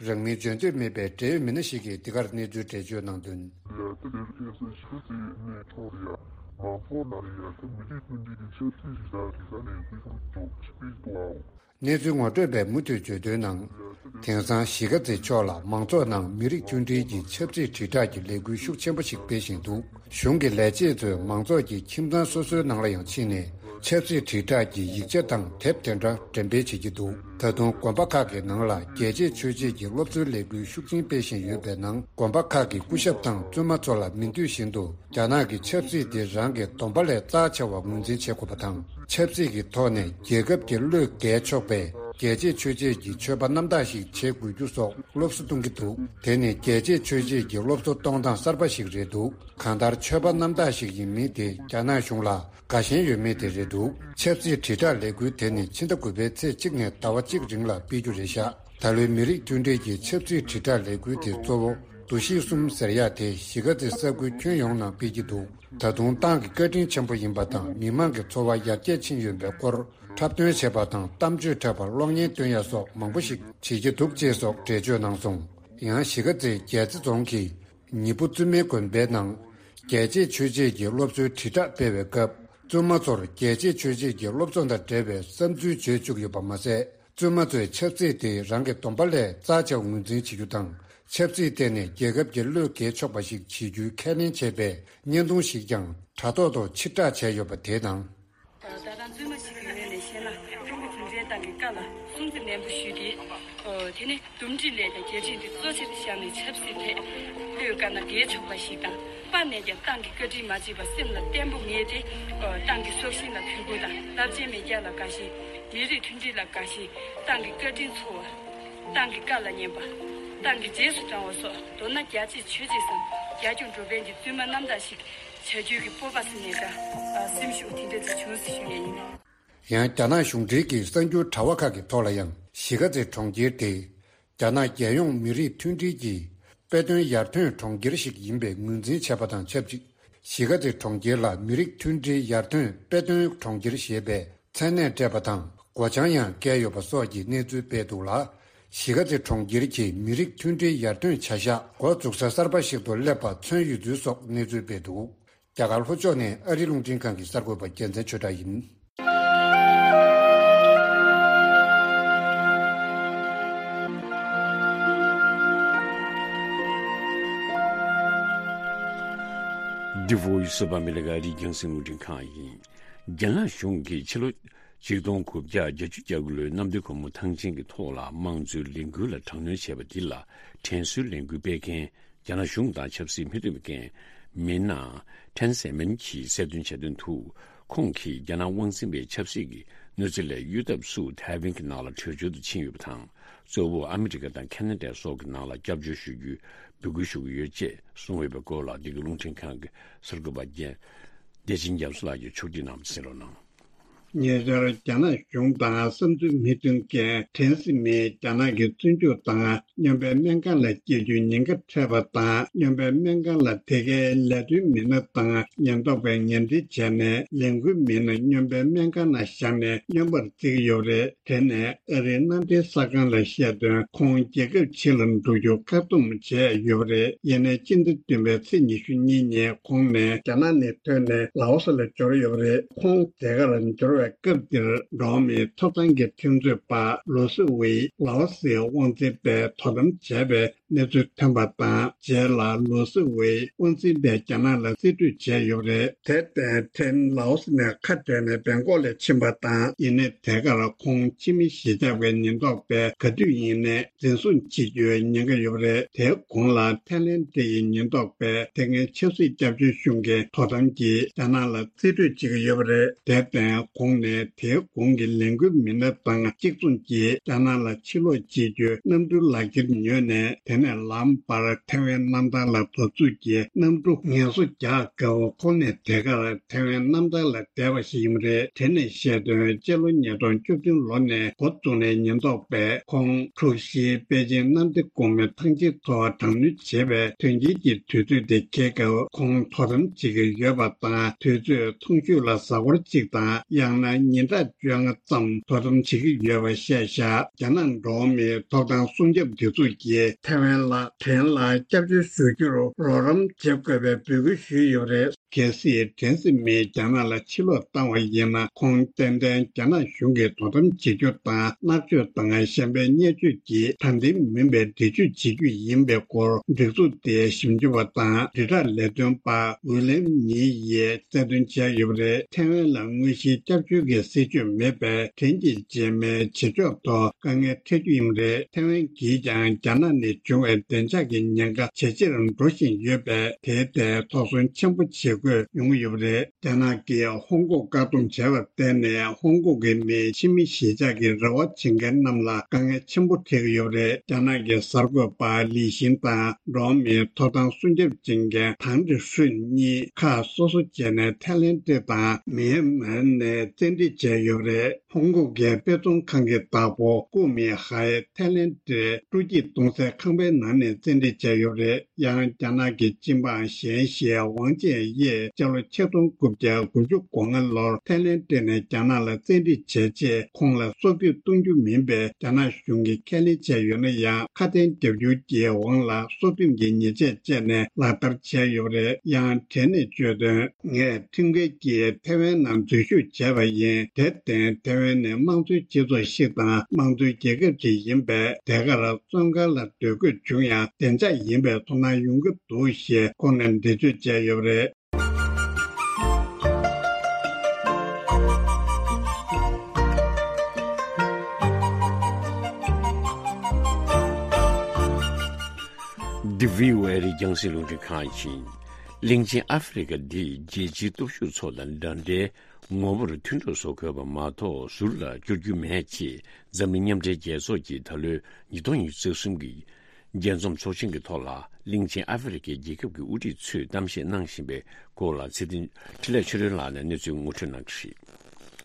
རང་མིང་བརྗོད་འདོད་མེད་པའི་འབྲེལ་ཡོད་མི་སྣ་ཞིག་གིས་འདི་གར་གནས་ཚུལ་འགྲེལ་བརྗོད་གནང་དོན། ལས་དེ་ལས་ཁེ་སང་ཞིག་ཚེ་ནས་ཐོག་ཡ་མང་ཚོགས་ནང་ཡ་ད་མི་རིགས་མཐུན་སྒྲིལ་གྱི་ཆབ་སྲིད་ཞིག་དང་རིག་གནས་ལས་འགུལ་ཞིག་འཇོག་ཆིག་སྤེལ་འདུག་ཨའོ། གནས་ཚུལ་ངོ་སྤྲོད་པས་མུ་མཐུད་བརྗོད་དོན་ནང་། དེང་སང་གཞིས་ཀ་རྩེ་ཕྱོགས་ལ་མང་ཚོགས་ནང་མི་རིགས་མཐུན་སྒྲིལ་གྱི་ཆབ་སྲིད་དྲིལ་བསྒྲགས་ཀྱི་ལས་འགུལ་ཤུགས་ཆེན་པོ་ཞིག་སྤེལ་བཞིན་འདུག་གཞུང་གི་ལས་བྱེད་ཚོས་མང་ཚོགས་ཀྱི་ཁྱིམ་ཚང་སོ་སོའི་ནང་ལ་ཡང་ཕྱིན་ནས་ཆབ་སྲིད་དྲིལ་བསྒྲགས་ཀྱི་ཡིག་ཆ་དང་དེབ་དེ་འདྲ་འགྲེམས་སྤེལ་བྱེད་ཀྱི་འདུག་ད་དུང་དགོན་པ་ཁག་གི་ནང་ལ་རྒྱལ་གཅེས་ཆོས་གཅེས་ཀྱི་སློབ་གསོའི་ལས་འགུལ་ཤུགས་ཆེན་སྤེལ་བཞིན་ཡོད་པའི་ནང་། དགོན་པ་ཁག་གི་སྐུ་ཞབས་དང་བཙུན་མ་ཚོ་ལ་མི་འདོད་བཞིན་དུ་རྒྱ་ནག་གི་ཆབ་སྲིད་དེ་རང་གི་སྡོམ་པ་ལས་རྩ་ཆེ་བ་ངོས་འཛིན་བྱེད་དགོས་པ་དང་། ཆབ་སྲིད་ཀྱི་ཐོག་ནས་རྒྱལ་ཁབ་ཀྱི་བློས་འགེལ་ཆོག་པའི་རྒྱལ་གཅེས་ཆོས་གཅེས་ཀྱི་ཆོས་པ་རྣམ་དག་ཞིག་བྱེད་དགོས་རྒྱུ་སོགས་སློབ་གསོ་གཏོང་གི་འདུག་དེ་ནི་རྒྱལ་གཅེས་ཆོས་གཅེས་ཀྱི་སློབ་གསོ་གཏོང་སྟངས་གསར་པ་ཞིག་རེད་འདུག་གང་ལྟར་ཆོས་པ་རྣམ་དག་ཞིག་ཡིན་མིན་དེ་རྒྱ་ནག་གཞུང་ལ་དགའ་ཞེན་ཡོད་མེད་དེ་རེད་འདུག་ཆབ་སྲིད་དྲིལ་བསྒྲགས་ལས་འགུལ་དེ་ནི་ཕྱི་ཟླ་དགུ་པའི་ཚེས་གཅིག་ནས་ཟླ་བ་གཅིག་རིང་ལ་སྤེལ་རྒྱུ་རེད་ཤག་ད་ལོའི་མི་རིགས་མཐུན་སྒྲིལ་གྱི་ཆབ་སྲིད་དྲིལ་བསྒྲགས་ལས་འགུལ་དེ་གཙོ་བོ་འདུ་ཤེས་གསུམ་ཟེར་ཡག་དེ་གཞིས་ཀ་རྩེ་ས་ཁུལ་ཁྱོན་ཡོངས་ནང་སྤེལ་གྱི་འདུག་ད་དུང་ཏང་གི་བཀའ་དྲིན་ཆེན་པོ་ཡིན་པ་དང་། མི་མང་གི་འཚོ་བ་ཡར་རྒྱས་ཕྱིན་ཡོད་པའི་སྐོར་འཁྲབ་སྟོན་བྱས་པ་དང་། གཏམ་བརྗོད་འཁྲབ་པར་གློག་བརྙན་སྟོན་ཡ་སོགས་མང་པོ་ཞིག་བྱེད་ཀྱི་འདུག་ཅེས་སོགས་འགྲེལ་བརྗོད་གནང་སོང་། ཡང་གཞིས་ཀ་རྩེའི་རྒྱལ་རྩེ་རྫོང་གི་ཉི་པོ་བཙུན་མའི་དགོན་པའི་ནང་རྒྱལ་གཅེས་ཆོས་གཅེས་ཀྱི་སློབ་གསོའི་དྲིལ་བསྒྲགས་སྤེལ་བའི་སྐབས། བཙུན་མ་ཚོར་རྒྱལ་གཅེས་ཆོས་གཅེས་ཀྱི་སློབ་གསོ་དང་འབྲེལ་བའི་བསམ་ཚུལ་བརྗོད་བཅུག་ཡོད་པ་མ་ཟད། བཙུན་མ་ཚོས་ཆབ་སྲིད་དེ་རང་གི་སྡོམ་པ་ལས་རྩ་ཆེ་བ་ངོས་འཛིན་བྱེད་རྒྱུ་དང་། ཆབ་སྲིད་ཐད་ནས་རྒྱལ་ཁབ་ཀྱི་བློས་འགེལ་ཆོག་པ་ཞིག་བྱེད་རྒྱུའི་ཁས་ལེན་བྱས་པའི་བརྙན་ཐུང་ཞིག་ཀྱང་དྲ་ཐོག་ཏུ་ཕྱིར་བསྒྲགས་བྱས་ཡོད་པ་དེ་དང་། ད་ལྟ་བཙུན་མ་ཞིག་གི་ངོས་ནས་བཤད་ན། ཀྲུང་གོ་གུང་ཁྲན་ཏང་གི་བཀའ་ལ་སྲུང་བརྩི་ནན་པོ་ཞུས་ཏེ། དེ་ནི་འདུམ་འགྲིག་ལས་དང་རྒྱལ་ཁྲིམས་དེ་གཙོ་ཆེར་བཞག་ནས་ཆབ་སྲིད་ཐད་བློས་དཀར་ན་འགེལ་ཆོག་པ་ཞིག་དང་། དཔག་ནས་ཀྱང་ཏང་གི་བཀའ་དྲིན་མ་བརྗེད་པར་སེམས་ལ་བརྟན་པོ་ངེས་ཏེ། ཏང་གི་སྲོག་ཤིང་ལ་གུས་བཀུར་དང་། རླབས་ཆེན་མེས་རྒྱལ་ལ་དགའ་ཞེན། མི་རིགས་མཐུན་སྒྲིལ་ལ་དགའ་ཞེན། ཏང་གི་བཀའ་དྲིན་ཚོར་བ། ཏང་གི་བཀའ་ལ་ཉན་པ། ཏང་གི་རྗེས་སུ་འབྲང་བ་སོགས། མདོར་ན་རྒྱལ་གཅེས་ཆོས་གཅེས་སམ། རྒྱལ་སྐྱོང་འགྲོ་ཕན་གྱི་བཙུན་མ་རྣམ་དག་ཞིག་བྱ་རྒྱུའི་གི་སྤོབས་པ་ཟེར་ནས་འདྲ། སེམས་ཤུགས་དེ་འདྲ་ཅིག་བྱུང་ཟེར་ཞུ་ཡས་ཡིན། ཡང་རྒྱ་ནག་གཞུང་འབྲེལ་གྱི་གསར་འགྱུར་དྲ་བ་ཁག་གི་ཐོག་ལ་ཡང་གཞིས་ཀ་རྩེ་གྲོང་ཁྱེར་དེ་རྒྱ་ནག་རྒྱལ་ཡོངས་མི་རིགས་མཐུན་སྒྲིལ་གྱི་དཔེ་སྟོན་ཡར་ཐོན་གྲོང་ཁྱེར་ཞིག་ཡིན་པའི་ངོས་འཛིན་བྱས་པ་དང་ཆབས་ཅིག་གཞིས་ཀ་རྩེ་གྲོང་ཁྱེར་ལ་མི་རིགས་མཐུན་སྒྲིལ་ཡར་ཐོན་དཔེ་སྟོན་གྲོང་ཁྱེར་ཞེས་པའི་མཚན་གནས་སྤྲད་པ་དང་། སྒོ་བྱང་ཡང་བཀལ་ཡོད་པ་སོགས་ཀྱི་གནས་ཚུལ་སྤེལ་འདུག་ལ། གཞིས་ཀ་རྩེ་གྲོང་ཁྱེར་གྱི་མི་རིགས་མཐུན་སྒྲིལ་ཡར་ཐོན་བྱ་གཞག་འགོ་འཛུགས་ས་གསར་པ་ཞིག་ཏུ་སླེབས་པ་མཚོན་ཡོད་ཚུལ་སོགས་གནས་ཚུལ་སྤེལ་འདུག་རྒྱ་གར་ལྷོ་ཕྱོགས་ནས་ཨ་རི་རླུང་འཕྲིན་ཁང་གི་གསར་འགོད་པ་རྒྱལ་མཚན་ཆོས་གྲགས་ཡིན། འདི་Voice of America ཨ་རིའི་རྒྱང་སྲིང་རླུང་འཕྲིན་ཁང་ཡིན། རྒྱ་ནག་གཞུང་གིས་ཕྱི་ལོ་ཆིག་སྟོང་དགུ་བརྒྱ་བརྒྱད་ཅུ་གྱ་དགུ་ལོའི་གནམ་བདེ་སྒོ་མོ་ཐང་ཆེན་གྱི་ཐོག་ལ་དམངས་གཙོའི་ལས་འགུལ་ལ་དྲག་གནོན་བྱས་པ་འདི་ལ་དྲན་གསོའི་ལས་འགུལ་སྤེལ་མཁན་རྒྱ་ནག་གཞུང་དང་ཆབ་སྲིད་མི་མཐུན་པའི་འགན་མི་སྣ་ཁྲེན་སེ་མིན་གྱིས་གསལ་སྟོན་བྱས་དོན་དུ། ཁོང་གིས་རྒྱ་ནག་དབང་འཛིན་པའི་ཆབ་སྲིད་ཀྱི་གནོད་འཚེ་ལས་གཡོལ་ཐབས་སུ་ཐའེ་ཝན་གྱི་ནང་ལ་བྲོས་བྱོལ་དུ་ཕྱིན་ཡོད་པ་དང་། གཙོ་བོ་ཨ་མི་རི་ཀ་དང་ཁེ་ན་ཌ་སོགས་ཀྱི་ནང་ལ་སྐྱབས་བཅོལ་ཞུ་རྒྱུའི་འབོད་སྐུལ་ཞུ་གི་ཡོད་ཅེས་གསུངས་ཡོད་པའི་སྐོར་ལ། འདི་ག་རླུང་འཕྲིན་ཁང་གི་གསར་འགོད་པ་རྒྱལ་བདེ་ཆེན་རྒྱ་མཚོ་ལགས་ཀྱིས་ཕྱོགས་སྒྲིག་གནང་བ་གསན་རོགས་གནང་། ཉེ་ཆར་རྒྱ་ནག་གཞུང་དང་བསམ་ཚུལ་མི་མཐུན་མཁན་ཁྲེན་སི་མིན་རྒྱ་ནག་གི་བཙོན་འཇུག་དང་སྨྱོན་པའི་སྨན་ཁང་ལ་སྐྱེལ་རྒྱུའི་ཉེན་ཁ་འཕྲད་པ་དང་། སྨྱོན་པའི་སྨན་ཁང་ལ་དེ་གའི་ལས་དོན་མི་སྣ་དང་ཉེན་རྟོག་པས་ངན་འབྲེལ་བྱས་ནས་ལས་འགུལ་མི་སྣ་སྨྱོན་པའི་སྨན་ཁང་ནང་བཞག་ནས་སྨྱོན་པར་བརྩི་གི་ཡོད་རེད། དེ་ནས་ཨ་རིའི་མནའ་འབྲེལ་གསར་ཁང་ལ་བཤད་དོན། ཁོང་རྒྱལ་ཁབ་ཕྱི་ལ་འགྲོ་རྒྱུ་བཀག་སྡོམ་བྱས་ཡོད་པ་རེད། ཡིན་ནའི་སྤྱི་ཟླ་བདུན་པའི་ཚེས་ཉི་ཤུ་གཉིས་ཉིན་ཁོང་ནས་རྒྱ་ནག་ནས་ཐོན་ནས་ལའོ་སི་ལ་འབྱོར་ཡོད་པ་རེད། ཁོང་དེ་གར་འབྱོར་བའི་སྐབས་འདིར་འགྲོ་བ་མིའི་ཐོབ་ཐང་གི་ཁྲིམས་རྩོད་པ་ལོ་སི་ཝེ་ལའོ་སིའི་དབང་འཛིན་པས་དོ་དམ་བྱས་པའི་གནས་ཚུལ་ཐོན་པ་དང་། རྗེས་ལ་ལོ་སི་ཝེ་དབང་འཛིན་པས་རྒྱ་ནག་ལ་རྩིས་སྤྲོད་བྱས་ཡོད་པ་རེད། དེར་བརྟེན་ཁྲེན་ལའོ་སི་ནས་ཁ་བྲལ་ནས་བེང་ཀོག་ལ་ཕྱིན་པ་དང་། ཡིན་ནའི་དེ་གར་ཁོང་ཕྱི་མི་གཞིས་ཆགས་པའི་ཉེན་རྟོག་པས་ག་དུས་ཡིན་ནའི་འཛིན་བཟུང་བྱེད་རྒྱུའི་ཉེན་ཁ་ཡོད་པ་རེད། དེའི་གོང་ལ་ཐའི་ལེན་ཌི་ཡི་ཉེན་རྟོག་པས་དེ་སྔའི་ཆབ་སྲིད་སྐྱབས་བཅོལ་གཞུང་གིས་དོ་དམ་གྱིས་རྒྱ་ནག་ལ་རྩིས་སྤྲོད་བྱེད་ཀྱི་ཡོད་པ་རེད། དེར་བརྟེན་ཁོང་ནས་དེའི་གོང་གི་ལས་འགུལ་མི་སྣ་དང་གཅིག་མཚུངས་ཀྱིས་རྒྱ་ནག་ལ་ཕྱིར་ལོག་བྱེད་རྒྱུའི་གནམ་གྲུའི་ལག་འཁྱེར་ཉོས་ནས། དེ་ནས་ལམ་བར་ཐའེ་ཝན་གནམ་ཐང་ལ་འགོ་འཛུགས་ཀྱིས་གནམ་གྲུ་ངལ་གསོ་རྒྱག་སྐབས་ཁོང་ནས་དེ་གར་ཐའེ་ཝན་གནམ་ཐང་ལ་བསྡད་པ་ཞིག་ཡིན་པ་རེད། དེ་ནས་བཤད་དོན། སྤྱི་ལོ་ཉིས་སྟོང་བཅུ་བདུན་ལོ་ནས་འགོ་བཙུགས་ནས་ཉེན་རྟོག་པས་ཁོང་འཁྲུག་གཞིའི་པེ་ཅིང་གནམ་བདེ་སྒོ་མོའི་ཐང་ཆེན་ཐོག་དྲག་གནོན་བྱེད་པའི་དོན་རྐྱེན་གྱི་དུས་ཚོད་དེ་འཁེལ་སྐབས་ཁོང་དོ་དམ་བྱེད་ཀྱི་ཡོད་པ་དང་། དུས་ཚོད་ཐུང་ཤོས་ལ་གཟའ་འཁོར་གཅིག་དང་། ཡང་ན་ཉིན་གྲངས་བཅོ་ལྔ་ཙམ་དོ་དམ་བྱེད་ཀྱི་ཡོད་པ་བཤད་བཞག་རྒྱ་ནག་འགྲོ་བ་མིའི་ཐོབ་ཐང་སྲུང་སྐྱོབ་སྡེ་ཚོགས་ཀྱིས་ཐའེ་ཝན་ལ་ཁྲེན་ལ་སྐྱབས་བཅོལ་ཞུ་རྒྱུར་རོགས་རམ་བྱེད་དགོས་པའི་འབོད་སྐུལ་ཞུས་ཡོད་པ་རེད། གལ་སྲིད་ཁྲེན་སི་མིན་རྒྱ་ནག་ལ་ཕྱིར་ལོག་བཏང་བ་ཡིན་ན། ཁོང་ཏན་ཏན་རྒྱ་ནག་གཞུང་གིས་དོ་དམ་བྱེད་རྒྱུ་དང་། མནར་གཅོད་དང་གཞན་པའི་བརྙས་བཅོས་ཀྱིས་དྲང་བདེན་མིན་པའི་འདྲི་གཅོད་བྱེད་རྒྱུ་ཡིན་པའི་སྐོར་སྒྲིག་འཛུགས་དེའི་ཞིབ་འཇུག་པ་དང་དྲིལ་བསྒྲགས་ལས་དོན་པ་ཝི་ལེམ་ཉི་ཡིས་གསལ་སྟོན་བྱས་ཡོད་པ་རེད། ཐའེ་ཝན་ལ་དངོས་གཞིའི་སྐྱབས་བཅོལ་གྱི་སྲིད་བྱུས་མེད་པས། དྲིན་གྱི་རྗེས་མའི་བྱེད་ཕྱོགས་ཐོག་དཀའ་ངལ་འཕྲད་རྒྱུ་ཡིན་པ་རེད། ཐའེ་ཝན་གྱིས་ཀྱང་རྒྱ་ནག་ནས་བྱུང་བའི་བདེ་འཇགས་ཀྱི་ཉེན་ཁ་ཇེ་ཆེར་འགྲོ་བཞིན་ཡོད་པས། དེའི་ཐད་དོགས་ཟོན་ཆེན་པོ་བྱེད་དགོས་ཡོང་གི་ཡོད་པ་རེད། རྒྱ་ནག་གིས་ཧོང་ཀོང་བཀག་སྡོམ་བྱས་པར་བརྟེན་ནས། ཧོང་ཀོང་གི་མིའི་ཕྱི་མི་གཞིས་ཆགས་ཀྱི་རེ་བ་བྱེད་མཁན་རྣམས་ལ་དཀའ་ངལ་ཆེན་པོ་འཕྲད་ཀྱི་ཡོད་པ་རེད། རྒྱ་ནག་གི་གསར་འགོད་པ་ལི་ཞིན་དང་འགྲོ་བ་མིའི་ཐོབ་ཐང་སྲུང་སྐྱོབ་བྱེད་མཁན་ཐང་ཀྲི་ཧྲུན་གཉིས་ཁ་སོ་སོ་བྱས་ནས་ཐའི་ལེན་ཏེ་དང་མེན་མཱར་ནས་བཙན་ཁྲིད་བྱས་ཡོད་པ་རེད། ཧོང་ཀོང་གི་དཔེ་ཚོང་ཁང་གི་བདག་པོ་ཀུའུ་མི་ཧའེ་ཐའི་ལེན་ཏེའི་སྤྲོ་སྐྱིད་གཏོང་སའི་ཁང་པའི་ནང་ནས་བཙན་ཁྲིད་བྱས་ཡོད་པ་རེད། ཡང་རྒྱ་ནག་གི་སྤྱི་འབངས་གཞན་ཞིག་ཝང་ཅན་ཡེ་སྤྱི་ལོ་ཆིག་སྟོང་དགུ་བརྒྱ་དགུ་བཅུ་གོ་ལྔ་ལོར་ཐའི་ལེན་ཏེ་ནས་རྒྱ་ནག་ལ་བཙན་ཁྲིད་བྱས་རྗེས། ཁོང་ལ་སྲོག་སྐྱོབ་གཏོང་རྒྱུ་མིན་པའི་རྒྱ་ནག་གཞུང་གིས་ཁས་ལེན་བྱས་ཡོད་ན་ཡང་། ཁ་དན་རྒྱབ་སྐྱོར་གྱི་དབང་ལ་སྲོག་ཁྲིམས་ཀྱི་ཉེས་ཆད་བཅད་ནས་ལག་བསྟར་བྱས་ཡོད་པ་རེད། ཡང་བྲན་ནས་བཅོས་དོན། ངས་ཁྲིམས་འགལ་གྱིས་ཐའེ་ཝན་ནང་འཛུལ་ཞུགས་བྱས་པ་ཡིན། དེར་བརྟེན་ཐའེ་ཝན་ནི་དམངས་གཙོའི་སྤྱི་ཚོགས་ཤིག་དང་དམངས་གཙོའི་རྒྱལ་ཁབ་ཅིག་ཡིན་པས། དེ་གར་བཙོན་ཁང་ལ་སྡོད་དགོས་བྱུང་ཡང་བདེ་འཇགས་ཡིན་པའི་ཚོར་སྣང་ཡོང་གི་འདུག་ཞེས་ཁོང་ནས་འགྲེལ་བརྗོད་བྱས་ཡོད་པ་རེད། འདི་བྷི་ཨོ་ཨེ་རེད། རྒྱང་སྲིང་རླུང་འཕྲིན་ཁང་ཡིན། གླིང་ཆེན་ཨ་ཧྥེ་རི་ཁ་འདི་རྒྱལ་སྤྱིའི་སྟོབས་ཤུགས་ཚོ་དང་འདྲ་འདྲའི་ངོ་བོར་མཐུན་གྲོགས་བཟོ་དགོས་པ་མ་གཏོགས་ཟུར་ལ་བསྐྱུར་རྒྱུ་མེད་ཅེས་འཛམ་གླིང་མཉམ་འབྲེལ་རྒྱལ་ཚོགས་ཀྱིས་ད་ལོའི་ཉིས་སྟོང་ཉི་ཤུ་རྩ་གསུམ་གྱི་རྒྱས་འཛོམས་ཚོགས་ཆེན་གྱི་ཐོག་ལ་གླིང་ཆེན་ཨ་ཧྥེ་རི་ཁའི་རྒྱལ་ཁབ་ཀྱི་དབུ་ཁྲིད་ཚོས་གཏམ་བཤད་གནང་བཞིན་པའི་སྐོར་ལ་ཚེ་བརྟན་འཕྲིན་ལས་ཆོས་སྒྲོན་ལགས་ནས་གནས་ཚུལ་ངོ་སྤྲོད་གནང་གི་རེད།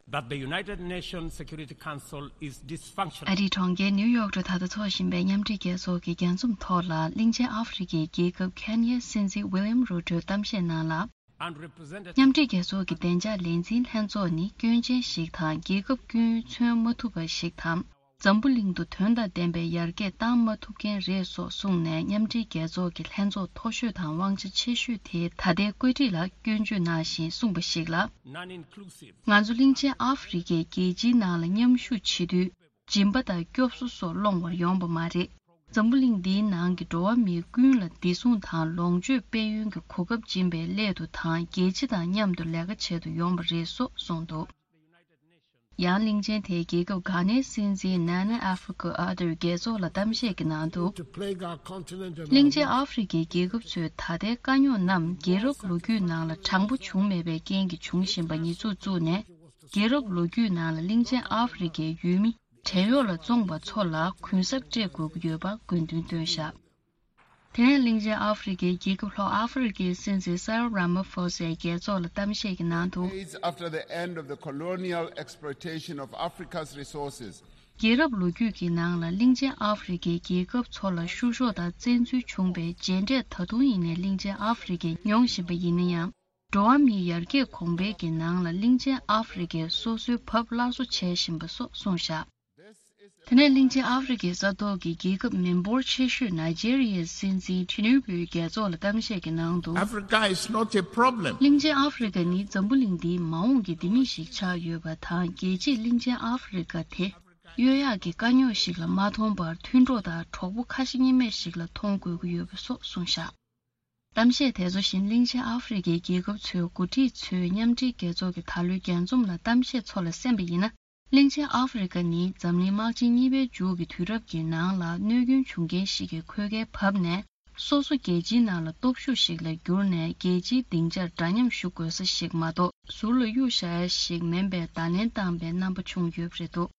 That the United Nations Security Council is dysfunctional. ཨ་རིའི་གྲོང་ཁྱེར་ནིའུ་ཡོག་ཏུ་ད་ལྟ་འཚོགས་བཞིན་པའི་མཉམ་འབྲེལ་རྒྱལ་ཚོགས་ཀྱི་རྒྱས་འཛོམས་ཐོག་ལ་གླིང་ཆེན་ཨ་ཧྥེ་རི་ཁའི་རྒྱལ་ཁབ་ཁེན་ཡའི་སྲིད་འཛིན་ཝི་ལི་ཡམ་རུ་ཏོས་གཏམ་བཤད་ནང་ལ། མཉམ་འབྲེལ་རྒྱལ་ཚོགས་ཀྱི་བདེ་འཇགས་ལས་འཛིན་ལྷན་ཚོགས་ནི་སྐྱོན་ཅན་ཞིག་དང་རྒྱལ་ཁབ་ཀུན་མཚོན་མ་ཐུབ་པ་ཞིག་དང་། འཛམ་བུ་གླིང་དུ་དོན་དང་ལྡན་པའི་ཡར་རྒྱས་བཏང་མ་ཐུབ་མཁན་རེད་སོགས་གསུངས་ནས། མཉམ་འབྲེལ་རྒྱལ་ཚོགས་ཀྱི་ལྷན་ཚོགས་མཐོ་ཤོས་དང་དབང་ཆ་ཆེ་ཤོས་དེའི་ད་ལྟའི་བཀོད་སྒྲིག་ལ་སྐྱོན་བརྗོད་གནང་བཞིན་གསུངས་པ་ཞིག་ལ། ང་ཚོ་གླིང་ཆེན་ཨ་ཧྥེ་རི་ཁའི་རྒྱལ་སྤྱིའི་ནང་ལ་མཉམ་ཞུགས་བྱེད་དུས། སྦྱིན་པ་དང་སྐྱོབ་གསོ་སོགས་སློང་བར་ཡོང་པ་མ་རེད། འཛམ་བུ་གླིང་འདིའི་ནང་གི་འགྲོ་བ་མི་ཀུན་ལ་བདེ་སྲུང་དང་ལོངས་སྤྱོད་སྤེལ་ཡུན་གྱི་གོ་སྐབས་སྦྱིན་པའི་སླད་དུ་དང་། རྒྱལ་སྤྱི་དང་མཉམ་དུ་ལས་ཀ་བྱེད་དུ་ཡོང་པ་རེད་སོགས་གསུངས་འདུག། ཡང་གླིང་ཆེན་དེའི་རྒྱལ་ཁབ་གྷ་ནའི་སྲིད་འཛིན་ནཱ་ན་ཨ་ཧྥེ་ཀོ་ཨ་ཏོས་རྒྱལ་ཚོགས་ལ་གཏམ་བཤད་ཀྱི་ནང་དུ། གླིང་ཆེན་ཨ་ཧྥེ་རི་ཁའི་རྒྱལ་ཁབ་ཚོས་ད་ལྟའི་དཀའ་རྙོག་རྣམས་རྒྱལ་རབས་ལོ་རྒྱུས་ནང་ལ་དྲང་པོ་བྱུང་མེད་པའི་རྐྱེན་གྱིས་བྱུང་བཞིན་པ་ཉེས་འཛུགས་བཙུགས་ནས། རྒྱལ་རབས་ལོ་རྒྱུས་ནང་ལ་གླིང་ཆེན་ཨ་ཧྥེ་རི་ཁའི་ཡུལ་མི་བྲན་གཡོག་ལ་བཙོངས་པ་ཚོ་ལ་གུན་གསབ་སྤྲད་དགོས་ཀྱི་ཡོད་པ་དགོས་འདུན་བཏོན་བཞག། དེ་ནས་གླིང་ཆེན་ཨ་ཧྥེ་རི་ཁའི་རྒྱལ་ཁབ་ལྷོ་ཨ་ཧྥེ་རི་ཁའི་སྲིད་འཛིན་སེ་རིལ་ར་མ་ཕོ་སའི་རྒྱལ་ཚོགས་ལ་གཏམ་བཤད་ཀྱི་ནང་དུ། Decades after the end of the colonial exploitation of Africa's resources, རྒྱལ་རབས་ལོ་རྒྱུས་ཀྱི་ནང་ལ་གླིང་ཆེན་ཨ་ཧྥེ་རི་ཁའི་རྒྱལ་ཁབ་ཚོ་ལ་བཤུ་གཞོག་དང་བཙན་འཛུལ་བྱུང་བའི་རྗེས་འབྲས་ད་དུང་ཡིན་ནའི་གླིང་ཆེན་ཨ་ཧྥེ་རི་ཁས་མྱོང་བཞིན་པ་ཡིན་ན་ཡང་། འགྲོ་བ་མིའི་ཡར་རྒྱས་གོང་འཕེལ་གྱི་ནང་ལ་གླིང་ཆེན་ཨ་ཧྥེ་རི་ཁས་སོ་སོའི་བབ་སླར་གསོ་བྱེད་བཞིན་པ་སོགས་གསུངས་བཞག། དེ་ནས་གླིང་ཆེན་ཨ་ཧྥེ་རི་ཁའི་ས་ཐོག་གི་རྒྱལ་ཁབ་མི་འབོར་ཆེ་ཤོས་ནཱི་ཇེ་རི་ཡའི་སྲིད་འཛིན་ཐི་ནུ་བུའི་རྒྱལ་ཚོགས་ལ་གཏམ་བཤད་ཀྱི་ནང་དུ། Africa is not a problem. གླིང་ཆེན་ཨ་ཧྥེ་རི་ཁ་ནི་འཛམ་བུ་གླིང་འདིའི་མ་འོངས་ཀྱི་ལྡེ་མིག་ཞིག་ཆགས་ཡོད་པ་དང་། རྒྱལ་སྤྱིས་གླིང་ཆེན་ཨ་ཧྥེ་རི་ཁ་དེ་གཡོལ་ཡག་གི་དཀའ་རྙོག་ཞིག་ལ་མ་མཐོང་བར། མཐུན་གྲོགས་དང་གྲོགས་པོ་ཁ་ཞེ་གཉིས་མེད་ཞིག་ལ་མཐོང་དགོས་ཀྱི་ཡོད་པ་སོགས་གསུངས་བཞག། གཏམ་བཤད་དེ་ཚོ་བཞིན་གླིང་ཆེན་ཨ་ཧྥེ་རི་ཁའི་རྒྱལ་ཁབ་ཚོའི་འགོ་ཁྲིད་ཚོས་མཉམ་འབྲེལ་རྒྱལ་ཚོགས་ཀྱི་ད་ལོའི་རྒྱས་འཛོམས་ལ་གཏམ་བཤད་ཚོ་ལ་གསན་པ་ཡིན་ན། གླིང་ཆེན་ཨ་ཧྥེ་རི་ཁ་ནི་འཛམ་གླིང་དམག་ཆེན་གཉིས་པའི་མཇུག་གི་དུས་རབས་ཀྱི་ནང་ལ་གནོད་སྐྱོན་བྱུང་མཁན་ཞིག་གི་ཁོལ་ཁའི་བབ་ནས། སོ་སོ་རྒྱལ་སྤྱིའི་ནང་ལ་སྟོབས་ཤུགས་ཤིག་ལ་གྱུར་ནས། རྒྱལ་སྤྱིའི་སྡིངས་ཆར་འདྲ་མཉམ་ཞུ་དགོས་ས་ཞིག་མ་གཏོགས། ཟུར་ལ་གཡུག་བཞག་ཡ་ཞིག་མིན་པའི་བརྡ་ལན་བཏང་པའི་རྣམ་པ་བྱུང་ཡོད་པ་རེད་འདུག།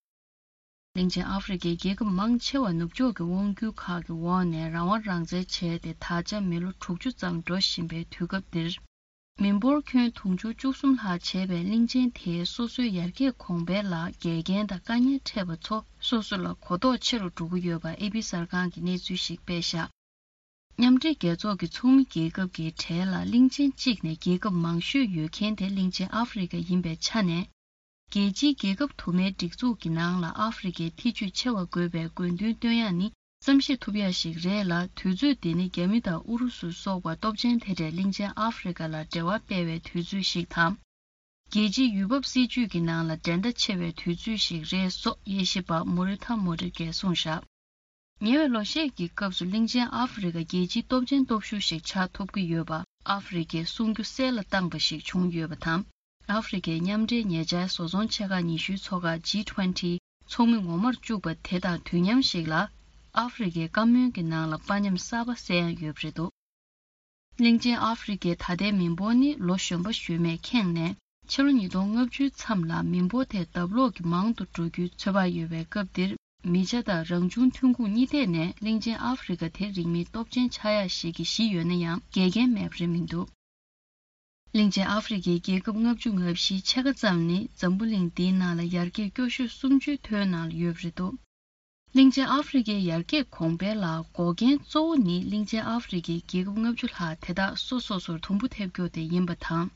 གླིང་ཆེན་ཨ་ཧྥེ་རི་ཁའི་རྒྱལ་ཁབ་མང་ཆེ་བ་ནུབ་ཕྱོགས་ཀྱི་དབང་སྒྱུར་ཁག་གི་འོག་ནས་རང་དབང་རང་བཙན་བྱས་ཏེ། ད་ཆ་མི་ལོ་དྲུག་ཅུ་ཙམ་འགྲོ་བཞིན་པའི་དུས་སྐབས་འདིར། མི་འབོར་ཁྱོན་དུང་ཕྱུར་བཅུ་གསུམ་ལྷག་བྱས་པའི་གླིང་ཆེན་དེས་སོ་སོའི་ཡར་རྒྱས་གོང་འཕེལ་ལ་འགལ་རྐྱེན་དང་དཀའ་ངལ་འཕྲད་པ་ཚོ་སོ་སོ་ལ་གོ་རྟོགས་ཆེ་རུ་འགྲོ་གི་ཡོད་པ་ཨེ་པི་གསར་ཁང་གིས་གནས་ཚུལ་ཞིག་སྤེལ་བཞག། མཉམ་འབྲེལ་རྒྱལ་ཚོགས་ཀྱི་ཚོགས་མི་རྒྱལ་ཁབ་ཀྱི་གྲས་ལ་གླིང་ཆེན་གཅིག་ནས་རྒྱལ་ཁབ་མང་ཤོས་ཡོད་མཁན་དེ་གླིང་ཆེན་ཨ་ཧྥེ་རི་ཁ་ཡིན་པའི་ཆ་ནས། རྒྱལ་སྤྱིའི་རྒྱལ་ཁབ་དུ་མའི་སྒྲིག་འཛུགས་ཀྱི་ནང་ལ་ཨ་ཧྥེ་རི་ཁའི་ཐེ་བྱུས་ཆེ་བ་དགོས་པའི་དགོས་འདུན་བཏོན་ཡག་ནི་བསམ་ཤེས་ཐུབ་ཡག་ཞིག་རེད་ལ། དུས་ཚོད་འདི་ནི་རྒྱ་མི་དང་ཨུ་རུ་སུ་སོགས་པ་སྟོབས་ཆེན་དེ་འདྲས་གླིང་ཆེན་ཨ་ཧྥེ་རི་ཁ་ལ་འབྲེལ་བ་སྤེལ་བའི་དུས་ཚོད་ཞིག་དང་། རྒྱལ་སྤྱིའི་ཡུལ་བབ་སྲིད་ཇུས་ཀྱི་ནང་ལ་འགྲན་ཟླ་ཆེ་བའི་དུས་ཚོད་ཞིག་རེད་སོགས་དབྱེ་ཞིབ་པ་མོ་རི་ཐ་མོ་རི་གས་གསུངས་བཞག། ཉེ་བའི་ལོ་ཤས་ཀྱི་སྐབས་སུ་གླིང་ཆེན་ཨ་ཧྥེ་རི་ཁ་རྒྱལ་སྤྱིའི་སྟོབས་ཆེན་སྟོབས་ཤུགས་ཤིག་ཆགས་ཐུབ་ཀྱི་ཡོད་པ་ཨ་ཧྥེ་རི་ཁས་གསུང་རྒྱུ་གསལ་ལ་བཏང་པ་ཞིག་བྱུང་ཡོད་པ་དང་། ཨ་ཧྥེ་རི་ཁའི་མཉམ་འབྲེལ་ཉེ་ཆར་བཟོ་ཚོང་ཆེ་ཁག་ཉི་ཤུའི་ཚོགས་ཁག་ཇི་ཊུ་ཝེན་ཊི་ཚོགས་མི་ངོ་མར་བཅུག་པ་དེ་དང་དུས་མཉམ་ཞིག་ལ། ཨ་ཧྥེ་རི་ཁའི་བཀའ་མོལ་གྱི་ནང་ལ་དཔའ་ཉམས་གསར་པ་གསལ་ཡང་ཡོད་པ་རེད་འདུག། གླིང་ཆེན་ཨ་ཧྥེ་རི་ཁའི་ད་ལྟའི་མི་འབོར་ནི་ལོ་གཞོན་པ་གཞོན་མས་ཁེངས་ནས། ཕྱི་ལོ་ཉིས་སྟོང་ལྔ་བཅུའི་མཚམས་ལ་མི་འབོར་དེ་ལྡབ་ལོག་གིས་མང་དུ་འགྲོ་རྒྱུའི་ཚོད་དཔག་ཡོད་པའི་སྐབས་འདིར། མི་ཆ་དང་རང་བྱུང་ཐོན་ཁུངས་གཉིས་ཐད་ནས་གླིང་ཆེན་ཨ་ཧྥེ་རི་ཁ་དེ་རིང་མིན་སྟོབས་ཆེན་ཆགས་ཡག་ཞིག་གི་གཞི་ཡོད་ན་ཡང་འགལ་རྐྱེན་མེད་པ་རེད་མི་འདུག། གླིང་ཆེན་ཨ་ཧྥེ་རི་ཁའི་རྒྱལ་ཁབ་ལྔ་བཅུ་ང་བཞིའི་ཕྱེད་ཀ་ཙམ་ནི་འཛམ་བུ་གླིང་འདིའི་ནང་ལ་ཡར་རྒྱས་སྐྱོ་ཤོས་སུམ་ཅུའི་ཐོའི་ནང་ལ་ཡོད་པ་རེད་འདུག། གླིང་ཆེན་ཨ་ཧྥེ་རི་ཁའི་ཡར་རྒྱས་གོང་འཕེལ་ལ་འགོག་རྐྱེན་གཙོ་བོ་ནི་གླིང་ཆེན་ཨ་ཧྥེ་རི་ཁའི་རྒྱལ་ཁབ་ལྔ་བཅུ་ལྷག་དེ་དག་སོ་སོ་སོར་དུམ་བུ་ཐེབས་རྒྱུ་དེ་ཡིན་པ་དང་།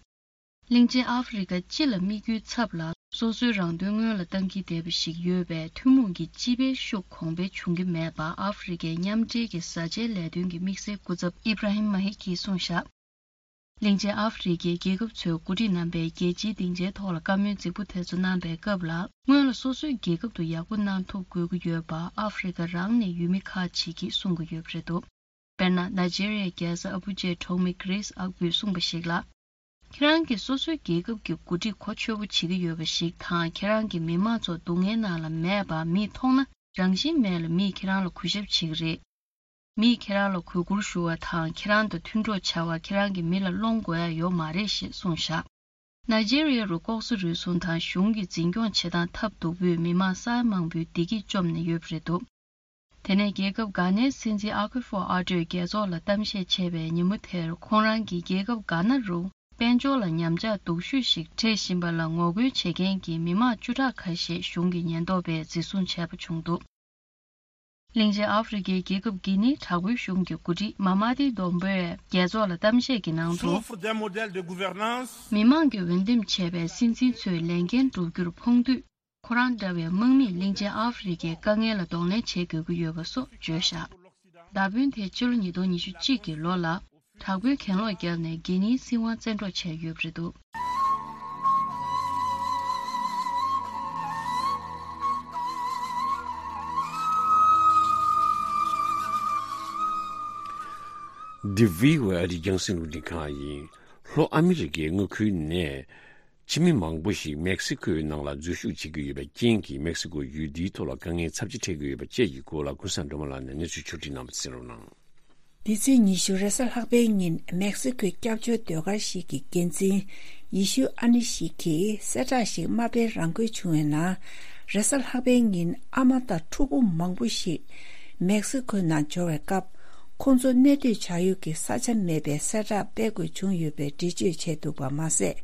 གླིང་ཆེན་ཨ་ཧྥེ་རི་ཁ་སྤྱི་ལ་དམིགས་རྒྱུའི་ཚབ་ལ་སོ་སོའི་རང་དོན་སྔོན་ལ་བཏང་གིན་བསྡད་པ་ཞིག་ཡོད་པས། ཐུན་མོང་གི་སྤྱི་པའི་ཤུགས་གོང་འཕེལ་བྱུང་གི་མེད་པ་ཨ་ཧྥེ་རི་ཁའི་མཉམ་འབྲེལ་གྱི་བཟའ་བཅའི་ལས་དོན་གྱི་དམིགས་བསལ་སྐུ་ཚབ་ཨི་བྷ་ར་ཧིམ་མ་ཧི་ཀིས་གསུངས་བཞག། གླིང་ཆེན་ཨ་ཧྥེ་རི་ཁའི་རྒྱལ་ཁབ་ཚོའི་འགོ་ཁྲིད་རྣམ་པས་རྒྱལ་སྤྱིའི་སྡིངས་ཆའི་ཐོག་ལ་བཀའ་མོལ་རྫིག་པོ་དེ་ཚོ་གནང་པའི་སྐབས་ལ། སྔོན་ལ་སོ་སོའི་རྒྱལ་ཁབ་ཏུ་ཡག་པོ་གནང་ཐུབ་དགོས་ཀྱི་ཡོད་པ་ཨ་ཧྥེ་རི་ཁ་རང་ནས་ཡུལ་མི་ཁག་ཅིག་གིས་གསུང་གི་ཡོད་པ་རེད་འདུག། དཔེར་ན། ནཱི་ཇེ་རི་ཡའི་རྒྱལ་ས་ཨ་བུ་ཇའི་གྲོང་མི་ཀི་རིས་ཨག་བུས་གསུངས་པ་ཞིག་ལ། ཁྱེད་རང་གིས་སོ་སོའི་རྒྱལ་ཁབ་ཀྱི་འགོ་ཁྲིད་གོ་ཆོད་པོ་བྱེད་ཀྱི་ཡོད་པ་ཞིག་དང་། ཁྱེད་རང་གིས་མི་མང་ཚོ་སྡུག་བསྔལ་ནང་ལ་མེད་པ་མིས་མཐོང་ན། རང་བཞིན་མེད་ལ་མིས་ཁྱེད་རང་ལ་གུས་ཞབས་བྱེད་ཀྱི་རེད། མིས་ཁྱེད་རང་ལ་གུས་བཀུར་ཞུ་བ་དང་། ཁྱེད་རང་དང་མཐུན་གྲོགས་བྱ་བ་ཁྱེད་རང་གིས་མི་ལ་སློང་དགོས་ཡ་ཡོད་མ་རེད་ཞེས་གསུངས་བཞག། ནཱི་ཇེ་རི་ཡ་རུ་ལྐོག་ཟ་རུལ་སུངས་དང་གཞུང་གི་འཛིན་སྐྱོང་བྱེད་སྟངས་ཐབས་སྡུག་པོས་མི་མང་ས་ཡ་མང་པོའི་བདེ་སྐྱིད་བཅོམ་ནས་ཡོད་པ་རེད་འདུག། དེ་ནས་རྒྱལ་ཁབ་གྷ་ནའི་སྲིད་འཛིན་ཨ་ཁུ་ཧྥོ་ཨ་ཏོས་རྒྱལ་ཚོགས་ལ་གཏམ་བཤད་བྱས་པའི་ཉིན་མོ་དེར། ཁོང་རང་གིས་རྒྱལ་ཁབ་གྷ་ན་རུ་དཔལ་འབྱོར་ལ་ཉམས་ཆག་སྡུག་ཤོས་ཤིག་འཕྲད་བཞིན་པ་ལ་ངོ་རྒོལ་བྱེད་མཁན་གྱི་མི་མང་བཅུ་ཕྲག་ཁ་ཤས་གཞུང་གི་ཉེན་རྟོག་པས་འཛིན་བཟུང་བྱས་པ་བྱུང་འདུག། གླིང་ཆེན་ཨ་ཧྥེ་རི་ཁའི་རྒྱལ་ཁབ་གྷི་ནིའི་དྲག་པོའི་གཞུང་གི་འགོ་ཁྲིད་མ་མ་ཏི་དོམ་བྷོས་རྒྱལ་ཚོགས་ལ་གཏམ་བཤད་ཀྱི་ནང་དུ། Souffre d'un modèle de gouvernance. མི་མང་གིས་འོས་འདེམས་བྱས་པའི་སྲིད་འཛིན་ཚོས་ལས་འགན་བསྒྲུབ་རྒྱུར་ཕོངས་དུས། ཁོ་རང་འདྲ་བའི་དམག་མིས་གླིང་ཆེན་ཨ་ཧྥེ་རི་ཁའི་དཀའ་ངལ་ལ་གདོང་ལེན་བྱེད་དགོས་ཀྱི་ཡོད་པ་སོགས་བརྗོད་བཞག་མདའ་དཔོན་དེ་ཕྱི་ལོ་ཉིས་སྟོང་ཉི་ཤུ་གཅིག་གི་ལོ་ལ་དྲག་པོའི་གྱེན་ལོག་བརྒྱབ་ནས་གྷི་ནིའི་སྲིད་དབང་བཙན་འཕྲོག་བྱས་ཡོད་པ་རེད་འདུག་འདི་བྷི་ཨོ་ཨེ་ཨ་རིའི་རྒྱང་སྲིང་རླུང་འཕྲིན་ཁང་ཡིན། ལྷོ་ཨ་མི་རི་ཀའི་མངའ་ཁུལ་ནས། ཕྱི་མི་མང་པོ་ཞིག་མེག་སི་ཁོའི་ནང་ལ་འཛུལ་ཞུགས་བྱེད་ཀྱི་ཡོད་པའི་རྐྱེན་གྱིས། མེག་སི་ཁོ་ཡུལ་འདིའི་ཐོག་ལ་དཀའ་ངལ་ཚབས་ཆེ་འཕྲད་ཀྱི་ཡོད་པ་བཅས་ཀྱི་སྐོར་ལ་ཀུན་བཟང་སྒྲོལ་མ་ལགས་ནས་གནས་ཚུལ་ཕྱོགས་སྒྲིག་གནང་བ་གསན་རོགས་གནང་། འདི་ཚེས་ཉི་ཤུ་རེས་གཟའ་ལྷག་པའི་ཉིན་མེག་སི་ཁོའི་སྐྱབས་བཅོལ་ཟློས་གར་ཞིག་གི་འགན་འཛིན་ཡེ་ཤུ་ཨ་ནི་ཞིག་གིས་གསལ་བསྒྲགས་ཤིག་མ་སྤེལ་རང་འཁུལ་བྱུང་བའི་ནང་། རེས་གཟའ་ལྷག་པའི་ཉིན་ཨ་མ་དང་ཕྲུ་གུ་མང་པོ་ཞིག་མེག་སི་ཁོའི་ནང་འབྱོར་བའི་སྐབས། ཁོང་ཚོ་གནས་སྡོད་བྱ་ཡུལ་གྱི་ས་ཆ་མེད་པའི་གསལ་བསྒྲགས་སྤེལ་དགོས་བྱུང་ཡོད་པའི་འགྲེལ་བརྗོད་བྱས་འདུག་པ་མ་ཟད།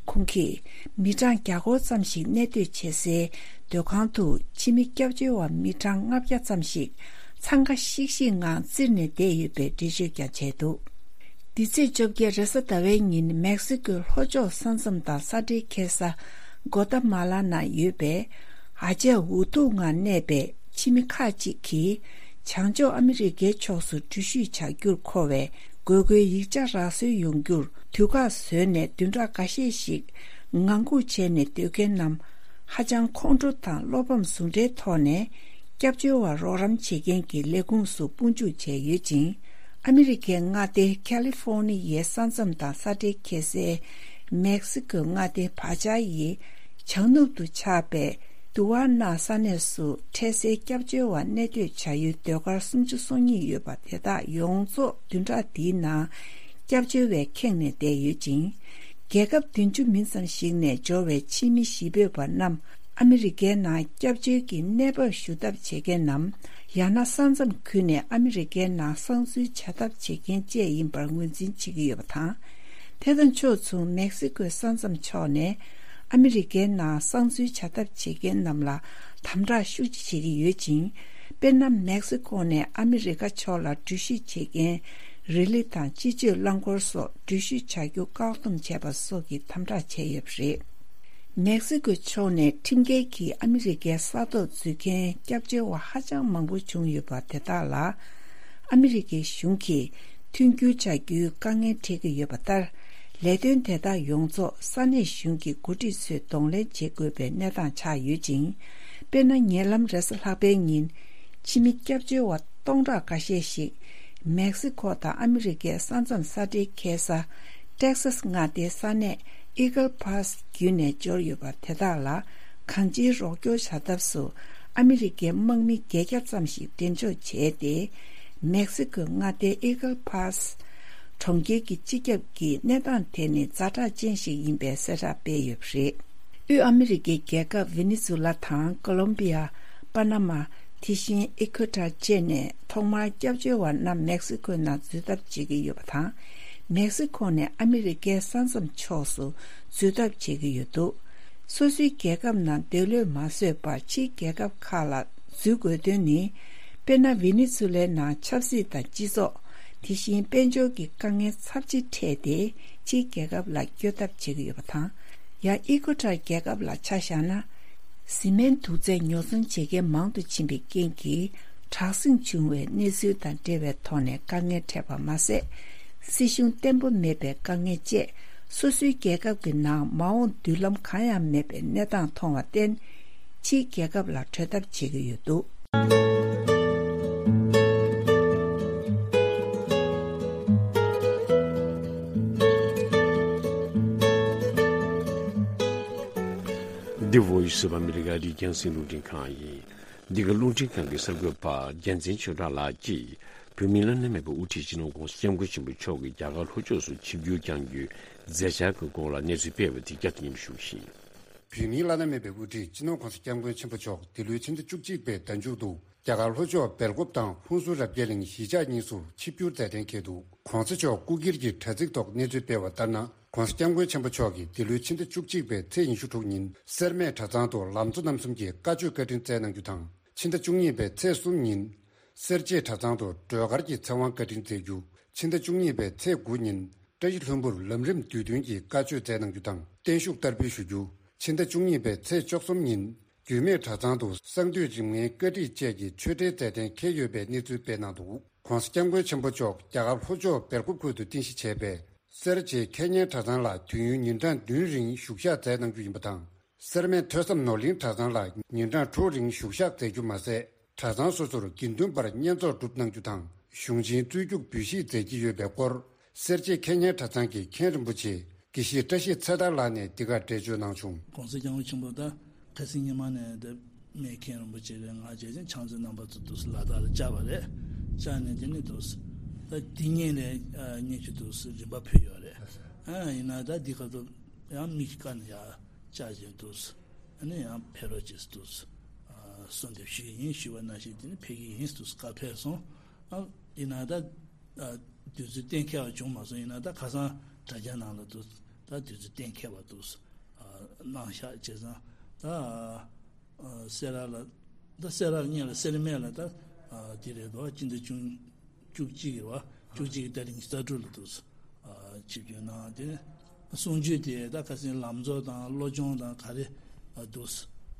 ཁོང་གིས་མི་གྲངས་བརྒྱ་སྐོར་ཙམ་ཞིག་གནས་སྡོད་བྱེད་སའི་སྡོད་ཁང་དུ་ཕྱི་མི་སྐྱབས་བཅོལ་བ་མི་གྲངས་ལྔ་བརྒྱ་ཙམ་ཞིག་འཚང་ཁ་ཤིག་ཤིག་ངང་བཙིར་ནས་བསྡད་ཡོད་པའི་འགྲེལ་བརྗོད་ཀྱང་བྱས་འདུག་འདི་ཚེས་བཅོ་བརྒྱད་རེས་གཟའ་ཟླ་བའི་ཉིན་མེག་སི་ཁོའི་ལྷོ་ཕྱོགས་ས་མཚམས་དང་ས་འབྲེལ་འཁེལ་ས་གོ་ཏ་མ་ལ་ནང་ཡོད་པའི་ཨ་ཅེ་འུ་ཐུག་ངང་གནས་པའི་ཕྱི་མི་ཁག་ཅིག་གིས་བྱང་ཕྱོགས་ཨ་མི་རི་ཀའི་ཕྱོགས་སུ་འགྲུལ་བཞུད་བྱ་རྒྱུར་མཁོ་བའི་དགོས་མཁོའི་ཡིག་ཆ་རག་སོན་ཡོང་རྒྱུར་དུས་བཀག་བཟོས་ནས་བདུན་ཕྲག་འགའ་ཤས་ཤིག་ངང་སྒུག་བྱས་ནས་སྡོད་མཁན་རྣམས་ཧ་ཅང་ཁོང་ཁྲོ་དང་བློ་ཕམ་ཟུང་འབྲེལ་ཐོག་ནས་སྐྱབས་བཅོལ་བ་རོགས་རམ་བྱེད་མཁན་གྱི་ལས་ཁུངས་སུ་དཔུང་འཇུག་བྱས་ཡོད་ཅིང་། ཨ་མི་རི་ཀའི་མངའ་སྡེ་ཁ་ལི་ཧྥོར་ནི་ཡའི་ས་མཚམས་དང་ས་འབྲེལ་འཁེལ་སའི་མེག་སི་ཁོའི་མངའ་སྡེ་བྷ་ཅཱ་ཡི་བྱང་ནུབ་ཏུ་ཆགས་པའི་དུ་ཝ་ན་ས་གནས་སུ་འཕྲལ་སེལ་སྐྱབས་བཅོལ་བ་གནས་སྡོད་བྱ་ཡུལ་ཟློས་གར་སུམ་ཅུ་སོ་གཉིས་ཡོད་པ་དེ་དག་ཡོངས་རྫོགས་བདུན་ཕྲག་འདིའི་ནང་སྐྱབས་བཅོལ་བས་ཁེངས་ནས་བསྡད་ཡོད་ཅིང་། རྒྱལ་ཁབ་བདུན་ཅུ་མིན་ཙམ་ཞིག་ནས་འབྱོར་བའི་ཕྱི་མི་གཞིས་སྤོས་པ་རྣམས་ཨ་མི་རི་ཀའི་ནང་སྐྱབས་བཅོལ་གྱི་གནས་བབ་ཞུ་ཐབས་བྱེད་མཁན་ནམ། ཡང་ན་ས་མཚམས་ཁུལ་ནས་ཨ་མི་རི་ཀའི་ནང་གསང་འཛུལ་བྱ་ཐབས་བྱེད་མཁན་བཅས་ཡིན་པར་ངོས་འཛིན་བྱེད་ཀྱི་ཡོད་པ་དང་། དེ་དང་ཕྱོགས་མཚུངས་མེག་སི་ཁོའི་ས་མཚམས་ཕྱོགས་ནས་ཨ་མི་རི་ཀའི་ནང་གསང་འཛུལ་བྱ་ཐབས་བྱེད་མཁན་རྣམས་ལ་དམ་དྲག་ཤུགས་ཆེ་བྱེད་ཀྱི་ཡོད་ཅིང་། དཔེར་ན། མེག་སི་ཁོ་ནས་ཨ་མི་རི་ཀ་ཕྱོགས་ལ་འགྲུལ་བཞུད་བྱེད་མཁན་རི་ལི་དང་སྤྱི་སྤྱོད་རླངས་འཁོར་སོགས་འགྲུལ་བཞུད་བྱ་རྒྱུ་བཀག་སྡོམ་བྱས་པ་སོགས་ཀྱི་དམ་དྲག་བྱས་ཡོད་པ་རེད། མེག་སི་ཁོའི་ཕྱོགས་ནས་ཁྲིམས་འགལ་གྱིས་ཨ་མི་རི་ཀའི་ས་ཐོག་འཛུལ་མཁན་སྐྱབས་བཅོལ་བ་ཧ་ཅང་མང་པོ་བྱུང་ཡོད་པ་དེ་དག་ལ། ཨ་མི་རི་ཀའི་གཞུང་གིས་མཐུན་འགྱུར་བྱ་རྒྱུའི་དཀའ་ངལ་འཕྲད་ཀྱི་ཡོད་པ་ལྟར། ལས་དོན་དེ་དག་ཡོངས་རྫོགས་ས་གནས་གཞུང་གི་འགོ་ཁྲིད་ཚོས་གདོང་ལེན་བྱེད་དགོས་པའི་གནས་སྟངས་ཆགས་ཡོད་ཅིང་། དཔེར་ན། ཉེ་ལམ་རེས་གཟའ་ལྷག་པའི་ཉིན། ཕྱི་མི་སྐྱབས་བཅོལ་བ་སྟོང་ཕྲག་འགའ་ཤས་ཤིག་མེག་སི་ཁོ་དང་ཨ་མི་རི་ཀའི་ས་མཚམས་ས་འབྲེལ་འཁེལ་ས་ཏེག་སཱས་མངའ་སྡེའི་ས་གནས་ཨི་གལ་ཕཱ་སི་བརྒྱུད་ནས་འབྱོར་ཡོད་པ་དེ་དག་ལ་གང་ཅིའི་རོགས་སྐྱོར་བྱ་ཐབས་སུ་ཨ་མི་རི་ཀའི་དམག་མི་བརྒྱད་བརྒྱ་ཙམ་ཞིག་འགྲེམས་འཇོག་བྱས་ཏེ། མེག་སི་ཁོའི་མངའ་སྡེའི་ཨི་གལ་ཕཱ་སི་གྲོང་ཁྱེར་གྱི་སྤྱི་ཁྱབ་ཀྱིས་གནས་སྟངས་དེ་ནི་ཛ་དྲག་ཅན་ཞིག་ཡིན་པའི་གསལ་བསྒྲགས་སྤེལ་ཡོད་པ་རེད། དབུས་ཨ་མི་རི་ཀའི་རྒྱལ་ཁབ་ཝེ་ནེ་ཛུ་ལ་དང་ཀོ་ལོམ་བི་ཡ། པ་ན་མ། དེ་བཞིན་ཨི་ཁོ་ཊར་བཅས་ནས་ཐོག་མར་སྐྱབས་བཅོལ་བ་རྣམས་མེག་སི་ཁོའི་ནང་འཛུལ་ཐབས་བྱེད་ཀྱི་ཡོད་པ་དང་། མེག་སི་ཁོ་ནས་ཨ་མི་རི་ཀའི་ས་མཚམས་ཕྱོགས་སུ་འཛུལ་ཐབས་བྱེད་ཀྱི་ཡོད་འདུག་སོ་སོའི་རྒྱལ་ཁབ་ནང་འདོད་བློས་མ་བཟོད་པར་ཕྱིའི་རྒྱལ་ཁབ་ཁག་ལ་འཛུལ་དགོས་དོན་ནི། དཔེར་ན། ཝེ་ནེ་ཛུ་ལའི་ནང་ཆབ་སྲིད་དང་སྤྱི་ཚོགས། དེ་བཞིན་དཔལ་འབྱོར་གྱི་དཀའ་ངལ་ཚབས་ཆེ་འཕྲད་དེ། ཕྱིའི་རྒྱལ་ཁབ་ལ་བསྐྱོད་ཐབས་བྱེད་ཀྱི་ཡོད་པ་དང་། ཡང་ཨི་ཁོ་ཊར་རྒྱལ་ཁབ་ལ་ཆ་བཞག་ན། བཟི་སྨན་དུག་རྫས་ཉོ་ཚོང་བྱེད་མཁན་མང་དུ་ཕྱིན་པའི་རྐྱེན་གྱིས། དྲག་ཟིང་བྱུང་བའི་གནས་ཚུལ་དང་འབྲེལ་བའི་ཐོག་ནས་དཀའ་ངལ་འཕྲད་པ་མ་ཟད། སྲིད་གཞུང་བརྟན་པོ་མེད་པའི་དཀའ་ངལ་བཅས། སོ་སོའི་རྒྱལ་ཁབ་ཀྱི་ནང་མ་འོངས་མདུན་ལམ་གང་ཡང་མེད་པའི་གནས་སྟངས་མཐོང་བར་བརྟེན། ཕྱིའི་རྒྱལ་ཁབ་ལ་བྲོས་ཐབས་བྱེད་ཀྱི་ཡོད་འདུག་འདི་Voice of America རི་རྒྱང་སྲིང་རླུང་འཕྲིན་ཁང་ཡིན། འདི་ག་རླུང་འཕྲིན་ཁང་གི་གསར་འགོད་པ་རྒྱལ་མཚན་ཆོས་གྲགས་ལགས་ཀྱིས། བོད་མིའི་བླ་ན་མེད་པའི་དབུ་ཁྲིད་སྤྱི་ནོར་༸གོང་ས་༸སྐྱབས་མགོན་ཆེན་པོ་མཆོག་གིས་རྒྱ་གར་ལྷོ་ཕྱོགས་སུ་ཆིབས་བསྒྱུར་བསྐྱང་རྒྱུའི་མཛད་འཆར་གྱི་སྐོར་ལ་གནས་ཚུལ་སྤེལ་བ་དེ་བསྐྱར་དུ་སྙན་སྒྲོན་ཞུ་གི་ཡིན། བོད་མིའི་བླ་ན་མེད་པའི་དབུ་ཁྲིད་སྤྱི་ནོར་༸གོང་ས་༸སྐྱབས་མགོན་ཆེན་པོ་མཆོག་འདི་ལོའི་ཕྱི་ཟླ་བཅུ་གཅིག་པའི་ཟླ་མཇུག་ཏུ་རྒྱ་གར་ལྷོ་ཕྱོགས་སྦེལ་ཀོབ་དང་ཧུན་སུར་རབ་རྒྱས་གླིང་གཞིས་ཆགས་གཉིས་སུ་ཆིབས་བསྒྱུར་མཛད་གཏན་འཁེལ་འདུག ༸གོང་ས་མཆོག་སྐུ་སྒེར་གྱི་དྲ་ཚིགས་ཐོག་གནས་ཚུལ་སྤེལ་བ་ལྟར་ན། ༸གོང་ས་༸སྐྱབས་མགོན་ཆེན་པོ་མཆོག་གིས་འདི་ལོའི་ཕྱི་ཟླ་བཅུ་གཅིག་པའི་ཚེས་ཉི་ཤུ་དྲུག་ཉིན་སེར་སྨད་གྲྭ་ཚང་དུ་ལམ་གཙོ་རྣམ་གསུམ་གྱི་བཀའ་ཆོས་བཀའ་དྲིན་སྩལ་གནང་རྒྱུ་དང་། ཕྱི་ཟླ་བཅུ་གཉིས་པའི་ཚེས་གསུམ་ཉིན། སེར་བྱེས་གྲྭ་ཚང་དུ་སྒྲོལ་དཀར་གྱི་ཚེ་དབང་བཀའ་དྲིན་སྩལ་རྒྱུ། ཕྱི་ཟླ་བཅུ་གཉིས་པའི་ཚེས་དགུ་ཉིན་བཀྲ་ཤིས་ལྷུན་པོར་ལམ་རིམ་དུས་སྟོན་གྱི་བཀའ་ཆོས་སྩལ་གནང་རྒྱུ་དང་བརྟན་བཞུགས་བསྟར་འབུལ་ཞུ་རྒྱུ། ཕྱི་ཟླ་བཅུ་གཉིས་པའི་ཚེས་བཅུ་གསུམ་ཉིན་རྒྱུད་སྨད་གྲྭ་ཚང་དུ་གསང་འདུས་རིམ་ལྔའི་བཀའ་ཁྲིད་བཅས་ཀྱི་ཆོས་འབྲེལ་མཛད་གཏན་འཁེལ་ཡོད་པའི་གནས་ཚུལ་སྤེལ་གནང་འདུག ྋགོང་ས་ྋསྐྱབས་མགོན་ཆེན་པོ་མཆོག་རྒྱ་གར་ལྷོ་ཕྱོགས་སྦེལ་ཀོབ་ཁུལ་དུ་རྟེན་གཞི་བྱས་པའི་སེར་བྱེས་ཁེ་ཉན་གྲྭ་ཚང་ལ་དུས་ཡུན་ཉིན་གྲངས་བདུན་རིང་བཞུགས་ཞག་སྩལ་གནང་རྒྱུ་ཡིན་པ་དང་། སེར་སྨད་ཐོས་བསམ་ནོར་གླིང་གྲྭ་ཚང་ལ་ཉིན་གྲངས་དྲུག་རིང་བཞུགས་ཞག་སྩལ་རྒྱུ་མ་ཟད། གྲྭ་ཚང་སོ་སོར་དགེ་འདུན་པར་བསྙེན་རྫོགས་སྒྲུབ་གནང་རྒྱུ་དང་གཞུང་ཆེན་རྩོད་རྒྱུགས་འབུལ་བཞེས་མཛད་ཀྱི་ཡོད་པའི་སྐོར། སེར་བྱེས་ཁེ་ཉན་གྲྭ་ཚང་གི་མཁན་རིན་པོ་ཆེ་དགེ་བཤེས་བཀྲ་ཤིས་ཚེ་ཐར་ལགས་ནས་འདི་གར་འགྲེལ་བརྗོད་གནང་བྱུང་། ྋགོང་ས་ྋསྐྱབས་མགོན་ཆེན་པོ་ད་ཁ་སང་ཉི་མ་ནས་ད་སྨད་མཁན་རིན་པོ་ཆེ་རེད། ང་བྱས་ཙང་ཕྱག་མཛོད་རྣམ་པ་ཚོ་འདུག་སེ་ལ་དྭགས་ལ་བཅར་བ་རེད། བཅར་ནས་དེ་ནས་འདུག་སེ་ད་དེ་ཉིན་ལས་ཉིན་གཅིག་འདུག་སེ་རིམ་པ་ཕུལ་ཡོད་རེད། ཨ་ཡིན་ན་ད་འདི་ག་ཚོད་ཡང་མིག་གི་ཀ་ནས་ཡར་བཅར་བྱས་འདུག་སེ་ཨ་ནི་ཡང་ཕེབས་རོགས་བྱེད་འདུག་སེ་གསོལ་འདེབས་ཞུས་ཡིན། ཞུས་པ་ནང་བཞིན་དེ་ནི་ཕེབས་ཀྱི་ཡིན་འདུག་སེ་བཀའ་ཕེབས་སོང་། ཨ་ཡིན་ན་ད་དུས་ཚོད་གཏན་འཁེལ་བ་བྱུང་མ་སོང་། ཡིན་ན་ད་ཁ་སང་དྲ་རྒྱ་ནང་ལ་འདུག་ད་དུས་ཚོད་གཏན་འཁེལ་བ་འདུག་སེ་གནང་ཤག་བྱས་ཙང་ད། སེ་ར་ལ། ད་སེ་ར་གཉིས་ལ་སེར་སྨད་ལ་ད་དེ་རེད་དོ། སྤྱི་ཟླ་བཅུ་བཅུ་གཅིག་རེད་བ། བཅུ་གཅིག་གི་ཏ་རིག་ཉི་ཤུ་རྩ་དྲུག་ལ་འདུག་ཆིབས་བསྒྱུར་གནང་། དེ་ནས་གསུང་ཆོས་དེ་ད་ཁ་སང་ལམ་གཙོ་དང་བློ་སྦྱོང་དང་ག་རེ་འདུག་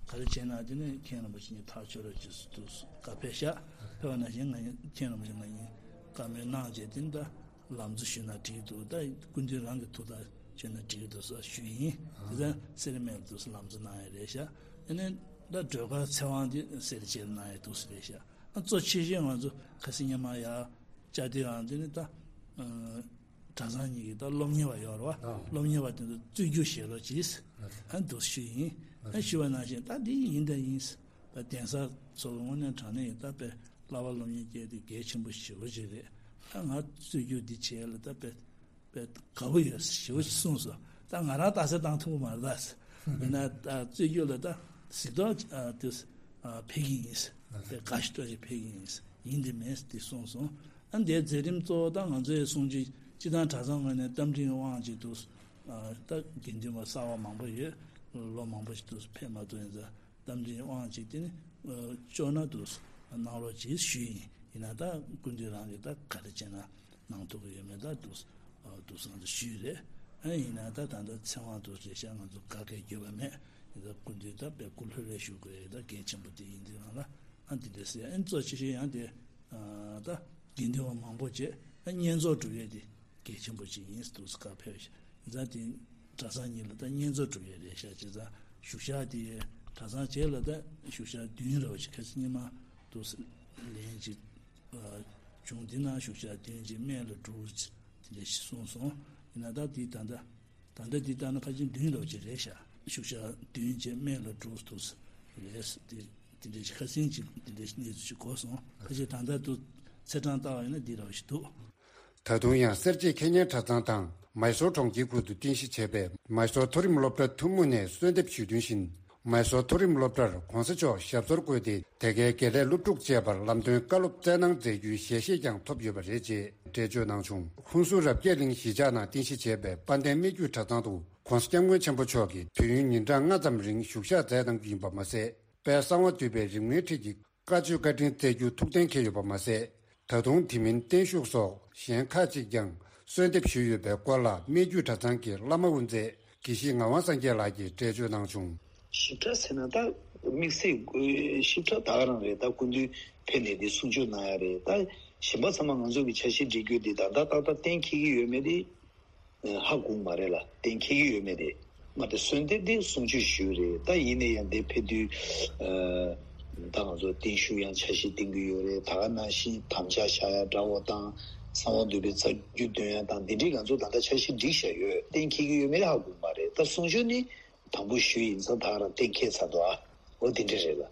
ག་རེ་བྱས་ན་དེ་ནས་མཁན་རིན་པོ་ཆེ་གཉིས་ཐག་ཆོད་རོགས་ཅེས་འདུག་བཀའ་ཕེབས་ཤག་ཕེབས་པ་ནང་བཞིན་ང་མཁན་རིན་པོ་ཆེ་ང་གཉིས་བཀའ་མོལ་གནང་བྱས་དེ་ནས་ད། ལམ་གཙོ་ཞུས་ན་འགྲིག་འདུག་ད་སྐུ་མདུན་རང་གི་ཐུགས་ཐག་བཅད་ན་འགྲིག་འདུག་ཟེར་ཞུས་ཡིན། དེ་ཚོ་སེར་སྨད་ལ་འདུག་སེ་ལམ་གཙོ་གནང་ཡ་རེད་ཤག་ཨ་ནི་ད་སྒྲོལ་དཀར་ཚེ་དབང་དེ་སེར་བྱེས་ལ་གནང་ཡ་འདུག་སེ་རེད་ཤག་ཨ་གཙོ་ཆེ་ཤོས་ང་ཚོ་ཁ་སང་ཉི་མ་ཡར་བཅར་དུས་ཨང་དེ་ནི་ད་གྲྭ་ཚང་གཉིས་ཀྱི་ད་སློབ་གཉེར་བ་ཡོད་རེད་བ། སློབ་གཉེར་བ་དེ་ཚོ་རྩོད་རྒྱུགས་བཞེས་རོགས་གྱིས་ཨ་འདུག་ཞུས་ཡིན། ཨ་ཞུས་པ་ནང་བཞིན་ད་འདི་ཡིན་ད་ཡིན། ད་གདན་ས་ཚོ་གི་དངོས་གནས་དྲང་གནས་ཡིན་ད་དཔེ་བསླབ་པ་སློབ་གཉེར་སྐྱེལ་དེ་གལ་ཆེན་པོ་ཞེ་པོ་ཅིག་རེད། ད་ང་རྩོད་རྒྱུགས་འདི་བྱས་ལ་ད་དཔེ་དཔེ་དགའ་པོ་ཡོད་ཞེ་པོ་ཅིག་གསུངས་སོང་། ད་ང་རང་རྟགས་གསལ་བཏང་ཐུབ་ཀྱི་མ་རེད་ད། ཡིན་ན་ད་རྩོད་རྒྱུགས་ལ་ད་གཟིགས་རྟོག་དེ་ཕེབས་ཀྱི་ཡིན། དཔེ་དགའ་ཞིག་སྤྲོ་ཞིག་ཕེབས་ཀྱི་ཡིན། ཡིན་དེ་མེད་དེ་གསུངས་སོང་། ཨ་འདིའི་མཛད་རིམ་གཙོ་བོ་ད་ང་ཚོའི་གསུང་ཆོས་སྤྱི་བཏང་གྲྭ་ཚང་ངོས་ནས་རྟ་མགྲིན་དབང་ཅིག་འདུག་ད་དགེ་འདུན་པ་གསར་བ་མང་པོ་ཡོད། ལོ་མང་པོ་ཞིག་འདུག་ཕེབས་མ་ཐུབ་ཡིན་ཙང་། རྟ་མགྲིན་དབང་ཅིག་དེ་ནི་ཨ་ལྕོགས་ན་དུ་གནང་རོགས་ཅེས་ཞུས་ཡིན། ཡིན་ན་ད་སྐུ་མདུན་རང་གིས་ད་ག་རེ་བྱས་ན་གནང་ཐུབ་ཀྱི་ཡོད་མེད་ད་དུ་ཨ་དུ་སང་དུ་ཞུས་རེད། ཨ་ཡིན་ན་ད་ད་ལྟ་ཚེ་དབང་དུ་རེ་ཤག་ང་ཚོ་ག་གེ་འགྱོད་པ་མེད། ཡིན་ད་སྐུ་མདུན་ད་དཔེ་སྐུ་ལྷོད་ལྷོད་བཞུགས་དགོས་ཡ་ད་གལ་ཆེན་པོ་དེ་ཡིན་དུས་རང་ལ་ཨ་དེ་འདྲ་ཟེར། ཨ་གཙོ་ཆེ་ཤོས་ཡང་དེ་ཨ་ད་དགེ་འདུན་པ་མང་པོ་བྱས་ཨ་བསྙེན་རྫོགས་སྒྲུབ་ཡས་དེ་གལ་ཆེན་པོ་ཅིག་ཡིན་དུས་ག་ཕེབས་ཤག་ད་དེ་གྲྭ་ཚང་གཉིས་ལ་ད་བསྙེན་རྫོགས་སྒྲུབ་ཡས་རེད་ཤག་བྱས་ཙང་བཞུགས་ཞག་དེ་གྲྭ་ཚང་བྱས་ལ་ད་བཞུགས་ཞག་བདུན་རེ་བ་ཅིག་ཁ་སང་ཉི་མ་དུ་ལན་ཅིག་བྱུང་། དེ་ན་བཞུགས་ཞག་བདུན་ཅིག་སྨད་ལ་དྲུག་ཅིག་དེ་འདྲ་ཞིག་གསུངས་སོང་། ཡིན་ན་ད་དེ་ད་ལྟ་ད་ལྟ་དེ་ལྟར་ན་ཕལ་ཆེར་བདུན་རེ་བ་ཅིག་རེད་ཤག་བཞུགས་ཞག་བདུན་ཅིག་སྨད་ལ་དྲུག་དུ་རེད་དེ། དེ་འདྲའི་ཁ་སང་ཅིག་དེ་འདྲའི་གནས་ཚུལ་ཞིག་གོ་སོང་། ཕལ་ཆེར་ད་ལྟ་དུ་ཚེས་གྲངས་ལྟ་བ་ཡིན་ན་འདི་རང་ཞིག་འདུག་ད་དུང་ཡང་སེར་བྱེས་ཁེ་ཉན་གྲྭ་ཚང་དང་མའི་སོར་གྲོང་ཁྱེར་ཁུལ་དུ་རྟེན་གཞི་བྱས་པའི་མའི་སོར་མཐོ་རིམ་སློབ་གྲྭ་ཐུན་མོང་ནས་གསོལ་འདེབས་ཞུས་དོན་བཞིན། མའི་སོར་མཐོ་རིམ་སློབ་གྲྭར་གོང་ས་མཆོག་ཞབས་སོར་བཀོད་དེ་དེ་གའི་དགེ་ལས་སློབ་ཕྲུག་བཅས་པར་ལམ་སྟོན་བཀའ་སློབ་སྩལ་གནང་མཛད་རྒྱུའི་ཞལ་བཞེས་ཀྱང་ཐོབ་ཡོད་པ་རེད་ཅེས་འགྲེལ་བརྗོད་གནང་བྱུང་། ཧུན་སུར་རབ་རྒྱས་གླིང་གཞིས་ཆགས་ནང་རྟེན་གཞི་བྱས་པའི་དཔལ་ལྡན་སྨད་རྒྱུད་གྲྭ་ཚང་དུ་གོང་ས་སྐྱབས་མགོན་ཆེན་པོ་མཆོག་གིས་དུས་ཡུན་ཉིན་གྲངས་ལྔ་ཙམ་རིང་བཞུགས་ཞག་མཛད་གནང་རྒྱུ་ཡིན་པ་མ་ཟད། དཔལ་གསང་བ་འདུས་པའི་རིམ་ལྔའི་ཁྲིད་ཀྱི་བཀའ་ཆོས་བཀའ་དྲིན་སྩལ་རྒྱུ་ཐུགས་གཏན་འཁེལ་ཡོད་པ་མ་ཟད། ད་དུང་དེ་མིན་བརྟན་བཞུགས་སོགས་གཞན་ཁག་ཅིག་ཀྱང་གསོལ་འདེབས་ཞུས་ཡོད་པའི་སྐོར་ལ་སྨད་རྒྱུད་གྲྭ་ཚང་གི་བླ་མ་དབུ་མཛད་དགེ་བཤེས་ངག་དབང་སངས་རྒྱས་ལགས་ཀྱིས་འགྲེལ་བརྗོད་གནང་བྱུང་། ཞིབ་ཕྲ་ཟེར་ན་ད་དམིགས་བསལ་ཞིབ་ཕྲ་ད་ག་རང་རེད། ད་སྐུ་མདུན་ཕེབས་ནས་འདི་གསུང་ཆོས་གནང་ཡ་རེད། ད་གཞན་པ་ཚང་མ་ང་ཚོ་གི་འཆར་གཞི་སྒྲིག་རྒྱུ་འདི་ད་ལྟ་ཏག་ཏག་གཏན་འཁེལ་གྱི་ཡོད་མེད་དེ། ཧ་གོ་མ་རེད་ལ་གཏན་འཁེལ་གྱི་ཡོད་མེད་དེ། མ་དེ་གསོལ་འདེབས་དེ་གསུང་ཆོས་ཞུས་རེད། ད་ཡིན་ནའི་ཡང་འདི་ཕེབས་དུས་ཨ་ད་ང་ཚོ་བརྟན་བཞུགས་ཡང་འཆར་གཞི་བཏིང་གི་ཡོད་རེད། ད་ག་ནང་བཞིན་དམ་བཅའ་བཞག་ཡ་འདྲ་བོ་དང་གསང་བ་འདུས་པའི་རྩ་རྒྱུད་འདོན་ཡ་དང་འདི་འདྲའི་ང་ཚོ་ད་ལྟ་འཆར་གཞི་སྒྲིག་བཞག་ཡོད། གཏན་འཁེལ་གྱི་ཡོད་མེད་ཧ་གོ་མ་རེད། ད་གསུང་ཆོས་ནི་དང་པོ་ཞུས་ཡིན་ཙང་ད་ག་རང་གཏན་འཁེལ་ཚར་འདུག་ཨ་འོ་འདི་འདྲ་རེད་ལ།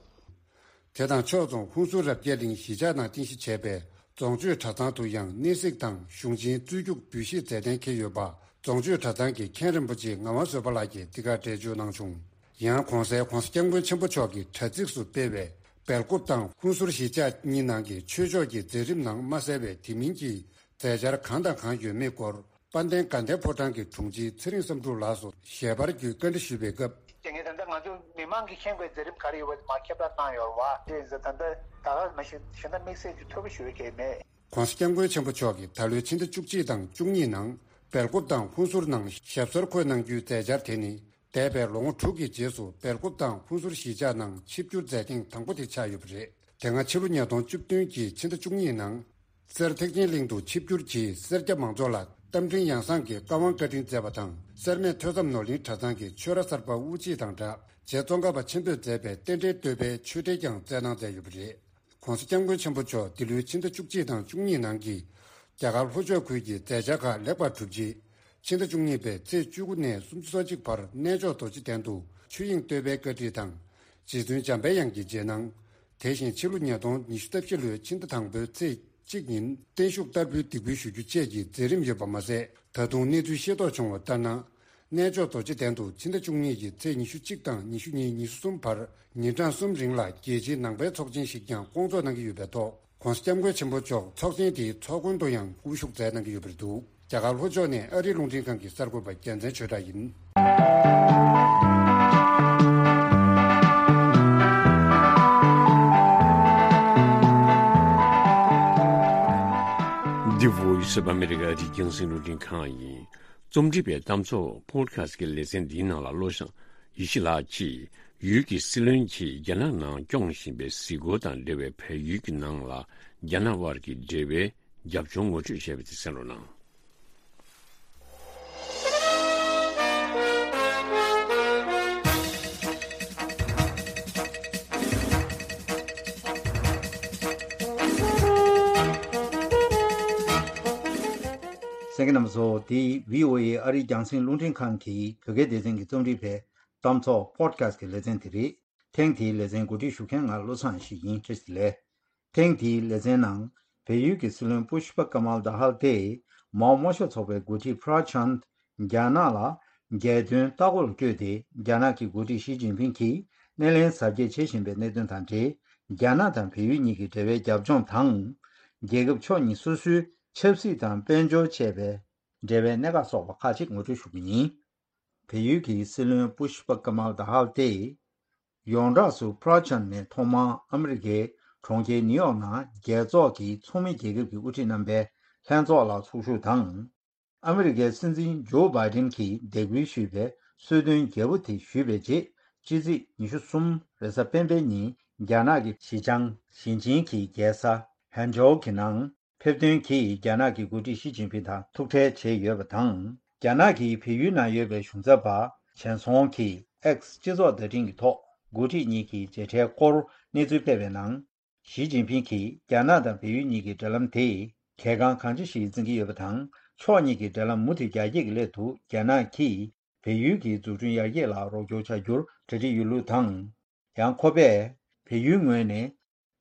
དེ་དང་ཕྱོགས་མཚུངས་ཧུན་སུར་རབ་རྒྱས་གླིང་གཞིས་ཆགས་ནང་རྟེན་གཞི་བྱས་པའི་རྫོང་ཆོས་གྲྭ་ཚང་དུ་ཡང་གནས་གཟིགས་དང་གཞུང་ཆེན་རྩོད་རྒྱུགས་འབུལ་བཞེས་མཛད་གཏན་འཁེལ་ཡོད་པ་རྫོང་ཆོས་གྲྭ་ཚང་གི་མཁན་རིན་པོ་ཆེ་ངག་དབང་བཟོད་པ་ལགས་ཀྱིས་འདི་གར་འགྲེལ་བརྗོད་གནང་བྱུང་། ཡང་གོང་གསལ་གོང་ས་སྐྱབས་མགོན་ཆེན་པོ་མཆོག་གིས་དྲ་ཚིགས་སུ་སྤེལ་བའི་སྦེལ་ཀོབ་དང་ཧུན་སུར་གཞིས་ཆགས་གཉིས་ནང་གི་ཆོས་ཕྱོགས་ཀྱི་མཛད་རིམ་ནང་མ་གསལ་བའི་དེ་མིན་གྱི་མཛད་འཆར་གང་དང་གང་ཡོད་མེད་སྐོར། དཔལ་ལྡན་དགའ་ལྡན་ཕོ་བྲང་གི་དྲུང་ཆེ་ཚེ་རིང་བསམ་འགྲུབ་ལགས་སུ་ཞལ་པར་བརྒྱུད་བཀའ་འདྲི་ཞུས་པའི་སྐབས། དེ་ངས་ད་ལྟ་ང་ མི་མང་གིས་མཁྱེན་དགོས་མཛད་རིམ་ག་རེ་ཡོད་པ་མར་ཁྱབ་བསྒྲགས་གནང་ཡོད་རེད་བ། དེ་ཡིན་ཙང་ད་ལྟ་ད་ག་མ་གཞི་གཞན་དག་དམིགས་བསལ་གྱི་ཐོས་པ་ཞུ་ཡ་གང་ཡང་མེད། ྋགོང་ས་ྋསྐྱབས་མགོན་ཆེན་པོ་མཆོག་གིས་ད་ལོའི་ཕྱི་ཟླ་བཅུ་གཅིག་དང་བཅུ་གཉིས་ནང་སྦེལ་ཀོབ་དང་ཧུན་སུར་ནང་ཞབས་སོར་འཁོད་གནང་རྒྱུའི་མཛད་འཆར་དེ་ནི། འདས་པའི་ལོ་ངོ་དྲུག་གི་རྗེས་སུ་སྦེལ་ཀོབ་དང་ཧུན་སུར་གཞིས་ཆགས་ནང་ཆིབས་བསྒྱུར་མཛད་ཐེངས་དང་པོ་དེ་ཆགས་ཡོད་པ་རེད། དེ་སྔ་ཕྱི་ལོ་ཉིས་སྟོང་བཅུ་བདུན་གྱི་ཕྱི་ཟླ་བཅུ་གཉིས་ནང་། སེར་ཐེག་ཆེན་གླིང་དུ་ཆིབས་བསྒྱུར་གྱིས་སེར་སྐྱ་མང་ཚོགས་ལ་རྟ་མགྲིན་ཡང་གསང་གི་བཀའ་དབང་བཀའ་དྲིན་སྩལ་བ་དང་། སེར་སྨད་ཐོས་བསམ་ནོར་གླིང་གྲྭ་ཚང་གི་ཆོས་ར་གསར་པ་དབུ་འབྱེད་དང་སྦྲགས། རྗེ་ཙོང་ཁ་པ་ཆེན་པོས་མཛད་པའི་རྟེན་འབྲེལ་བསྟོད་པའི་ཆོས་འབྲེལ་ཀྱང་སྩལ་གནང་མཛད་ཡོད་པ་རེད། ྋགོང་ས་ྋསྐྱབས་མགོན་ཆེན་པོ་མཆོག་འདི་ལོའི་ཕྱི་ཟླ་བཅུ་གཅིག་དང་བཅུ་གཉིས་ནང་གི་རྒྱ་གར་ལྷོ་ཕྱོགས་ཁུལ་གྱི་མཛད་འཆར་ཁག་ལེགས་པར་གྲུབ་རྗེས། ཕྱི་ཟླ་བཅུ་གཉིས་པའི་ཚེས་བཅུ་དགུ་ནས་སུམ་ཅུ་སོ་གཅིག་བར་གནས་མཆོག་རྡོ་རྗེ་གདན་དུ་ཆོས་དབྱིངས་བསྟོད་པའི་བཀའ་ཁྲིད་དང་། རྗེ་བཙུན་འཇམ་པའི་དབྱངས་ཀྱི་རྗེས་གནང་། དེ་བཞིན་ཕྱི་ལོ་ཉིས་སྟོང་ཉི་ཤུ་རྩ་བཞི་ལོའི་ཕྱི་ཟླ་དང་པོའི་ཚེས་གཅིག་ཉིན་བརྟན་བཞུགས་བསྟར་འབུལ་འདེགས་འབུལ་ཞུ་རྒྱུ་བཅས་ཀྱི་མཛད་རིམ་ཡོད་པ་མ་ཟད། ད་དུང་གནས་ཚུལ་ཤེས་རྟོགས་བྱུང་བ་ལྟར་ན། གནས་མཆོག་རྡོ་རྗེ་གདན་དུ་ཕྱི་ཟླ་བཅུ་གཉིས་ཀྱི་ཚེས་ཉི་ཤུ་གཅིག་དང་ཉི་ཤུ་གཉིས་ཉི་ཤུ་གསུམ་བར་ཉིན་གྲངས་གསུམ་རིང་ལ་རྒྱལ་སྤྱིའི་ནང་པའི་ཚོགས་ཆེན་ཞིག་ཀྱང་བསྐོང་ཚོགས་གནང་གི་ཡོད་པའི་ཐོག ྋགོང་ས་ྋསྐྱབས་མགོན་ཆེན་པོ་མཆོག་ཚོགས་ཆེན་དེའི་ཚོགས་མགོན་དུ་ཡང་དབུ་བཞུགས་མཛད་གནང་གི་ཡོད་པ་རེད་འདུག་རྒྱ་གར་ལྷོ་ཕྱོགས་ནས་ཨ་རིའི་རླུང་འཕྲིན་ཁང་གི་གསར་འགོད་པ་རྒྱལ་མཚན་ཆོས་གྲགས་ཡིན། འདི་Voice of America ཨ་རིའི་རྒྱང་སྲིང་རླུང་འཕྲིན་ཁང་ཡིན། རྩོམ་སྒྲིག་པའི་གཏམ་ཚོགས་Podcast ཀྱི་ལེ་ཚན་འདིའི་ནང་ལ་བློ་བཟང་ཡེ་ཤེས་ལགས་ཀྱིས་ཡུལ་གྱི་སྲིད་བློན་གྱིས་རྒྱ་ནག་ནང་སྐྱོང་བཞིན་པའི་གཟིགས་སྐོར་དང་འབྲེལ་བའི་བལ་ཡུལ་གྱི་ནང་ལ་རྒྱ་ནག་དབར་གྱི་འབྲེལ་བའི་རྒྱབ་ལྗོངས་ངོ་སྤྲོད་བྱས་པ་དེ་གསན་རོགས་གནང་། གསན་མཁན་རྣམ་པ་ཚོ། འདི་བྷི་ཨོ་ཨེ་ཨ་རིའི་རྒྱང་སྲིང་རླུང་འཕྲིན་ཁང་གི་བོད་སྐད་སྡེ་ཚན་གྱིས་རྩོམ་སྒྲིག་པའི་གཏམ་ཚོགས་Podcast ཀྱི་ལེ་ཚན་དེ་རེད། ཐེངས་འདིའི་ལེ་ཚན་གོ་སྒྲིག་ཞུ་མཁན་ང་བློ་བཟང་ཡེ་ཤེས་ཡིན། བཀྲ་ཤིས་བདེ་ལེགས། ཐེངས་འདིའི་ལེ་ཚན་ནང་བལ་ཡུལ་གྱི་སྲིད་བློན་པུཤ་པ་ཀ་མལ་དྷ་ཧལ་དེས་མའོ་དམར་ཤོག་ཚོགས་པའི་འགོ་ཁྲིད་པྲ་ཆན་རྒྱ་ནག་ལ་རྒྱལ་དོན་ལྟ་སྐོར་བསྐྱོད་དེ། རྒྱ་ནག་གི་འགོ་ཁྲིད་ཞི་ཅིན་ཕིང་གིས་སྣེ་ལེན་གཟབ་རྒྱས་བྱེད་བཞིན་པའི་གནད་དོན་དང་འབྲེལ། རྒྱ་ནག་དང་བལ་ཡུལ་གཉིས་ཀྱི་འབྲེལ་བའི་རྒྱབ་ལྗོངས་དང་། རྒྱལ་ཁབ་ཕྱོགས་གཉིས་སོ་སོའི་ཆབ་སྲིད་དང་དཔལ་འབྱོར་བཅས་པའི་འབྲེལ་བའི་གནད་འགག་སོགས་པ་ཁག་ཅིག་ངོ་སྤྲོད་ཞུ་གི་ཡིན། བལ་ཡུལ་གྱི་སྲིད་བློན་པུཤ་པ་ཀ་མལ་དྷ་ཧལ་དེས། ཡོངས་གྲགས་སུ་པྲ་ཆན་ནས་ཐོག་མར་ཨ་མི་རི་ཀའི་གྲོང་ཁྱེར་ནིའུ་ཡོག་ནང་རྒྱལ་ཚོགས་ཀྱི་ཚོགས་མི་རྒྱལ་ཁབ་ཀྱི་དབུ་ཁྲིད་རྣམ་པའི་ལྷན་ཚོགས་ལ་ཚོགས་ཞུགས་དང་། ཨ་མི་རི་ཀའི་སྲིད་འཛིན་ཇོ་བྷའི་ཏིན་གྱིས་འདེགས་འབུལ་ཞུས་པའི་གསོལ་སྟོན་རྒྱས་པོ་དེ་ཞུས་པའི་རྗེས། ཕྱི་ཚེས་ཉི་ཤུ་གསུམ་རེས་གཟའ་སྤེན་པའི་ཉིན་རྒྱ་ནག་གི་ཞི་ཅང་ཞིང་ཆེན་གྱི་རྒྱལ་ས་ཧན་ཇོའུ་གི་ནང་ཕེབས་ཐོན་གྱིས་རྒྱ་ནག་གི་འགོ་ཁྲིད་ཞི་ཅིན་ཕིང་དང་ཐུག་འཕྲད་བྱས་ཡོད་པ་དང་། རྒྱ་ནག་གིས་བལ་ཡུལ་ནང་ཡོད་པའི་གཞུང་ཚབ་པ་ཆན་སོང་གིས་X་སྤྱི་ཚོགས་བརྡ་འཕྲིན་གྱི་ཐོག་འགོ་ཁྲིད་གཉིས་ཀྱི་མཇལ་འཕྲད་སྐོར་གནས་ཚུལ་སྤེལ་བའི་ནང་། ཞི་ཅིན་ཕིང་གིས་རྒྱ་ནག་དང་བལ་ཡུལ་གཉིས་ཀྱི་འབྲེལ་ལམ་དེ་གལ་འགངས་གང་ཆེ་ཞིག་འཛིན་གྱི་ཡོད་པ་དང་། ཕྱོགས་གཉིས་ཀྱི་འབྲེལ་ལམ་མུ་མཐུད་རྒྱ་སྐྱེད་ཀྱི་སླད་དུ་རྒྱ་ནག་གིས་བལ་ཡུལ་གྱི་འཛུགས་སྐྲུན་ཡར་རྒྱས་ལ་རོགས་སྐྱོར་བྱ་རྒྱུར་གྲ་སྒྲིག་ཡོད་ལུགས་དང་། ཡང་ཁོ་པས་བལ་ཡུལ་ངོས་ནས་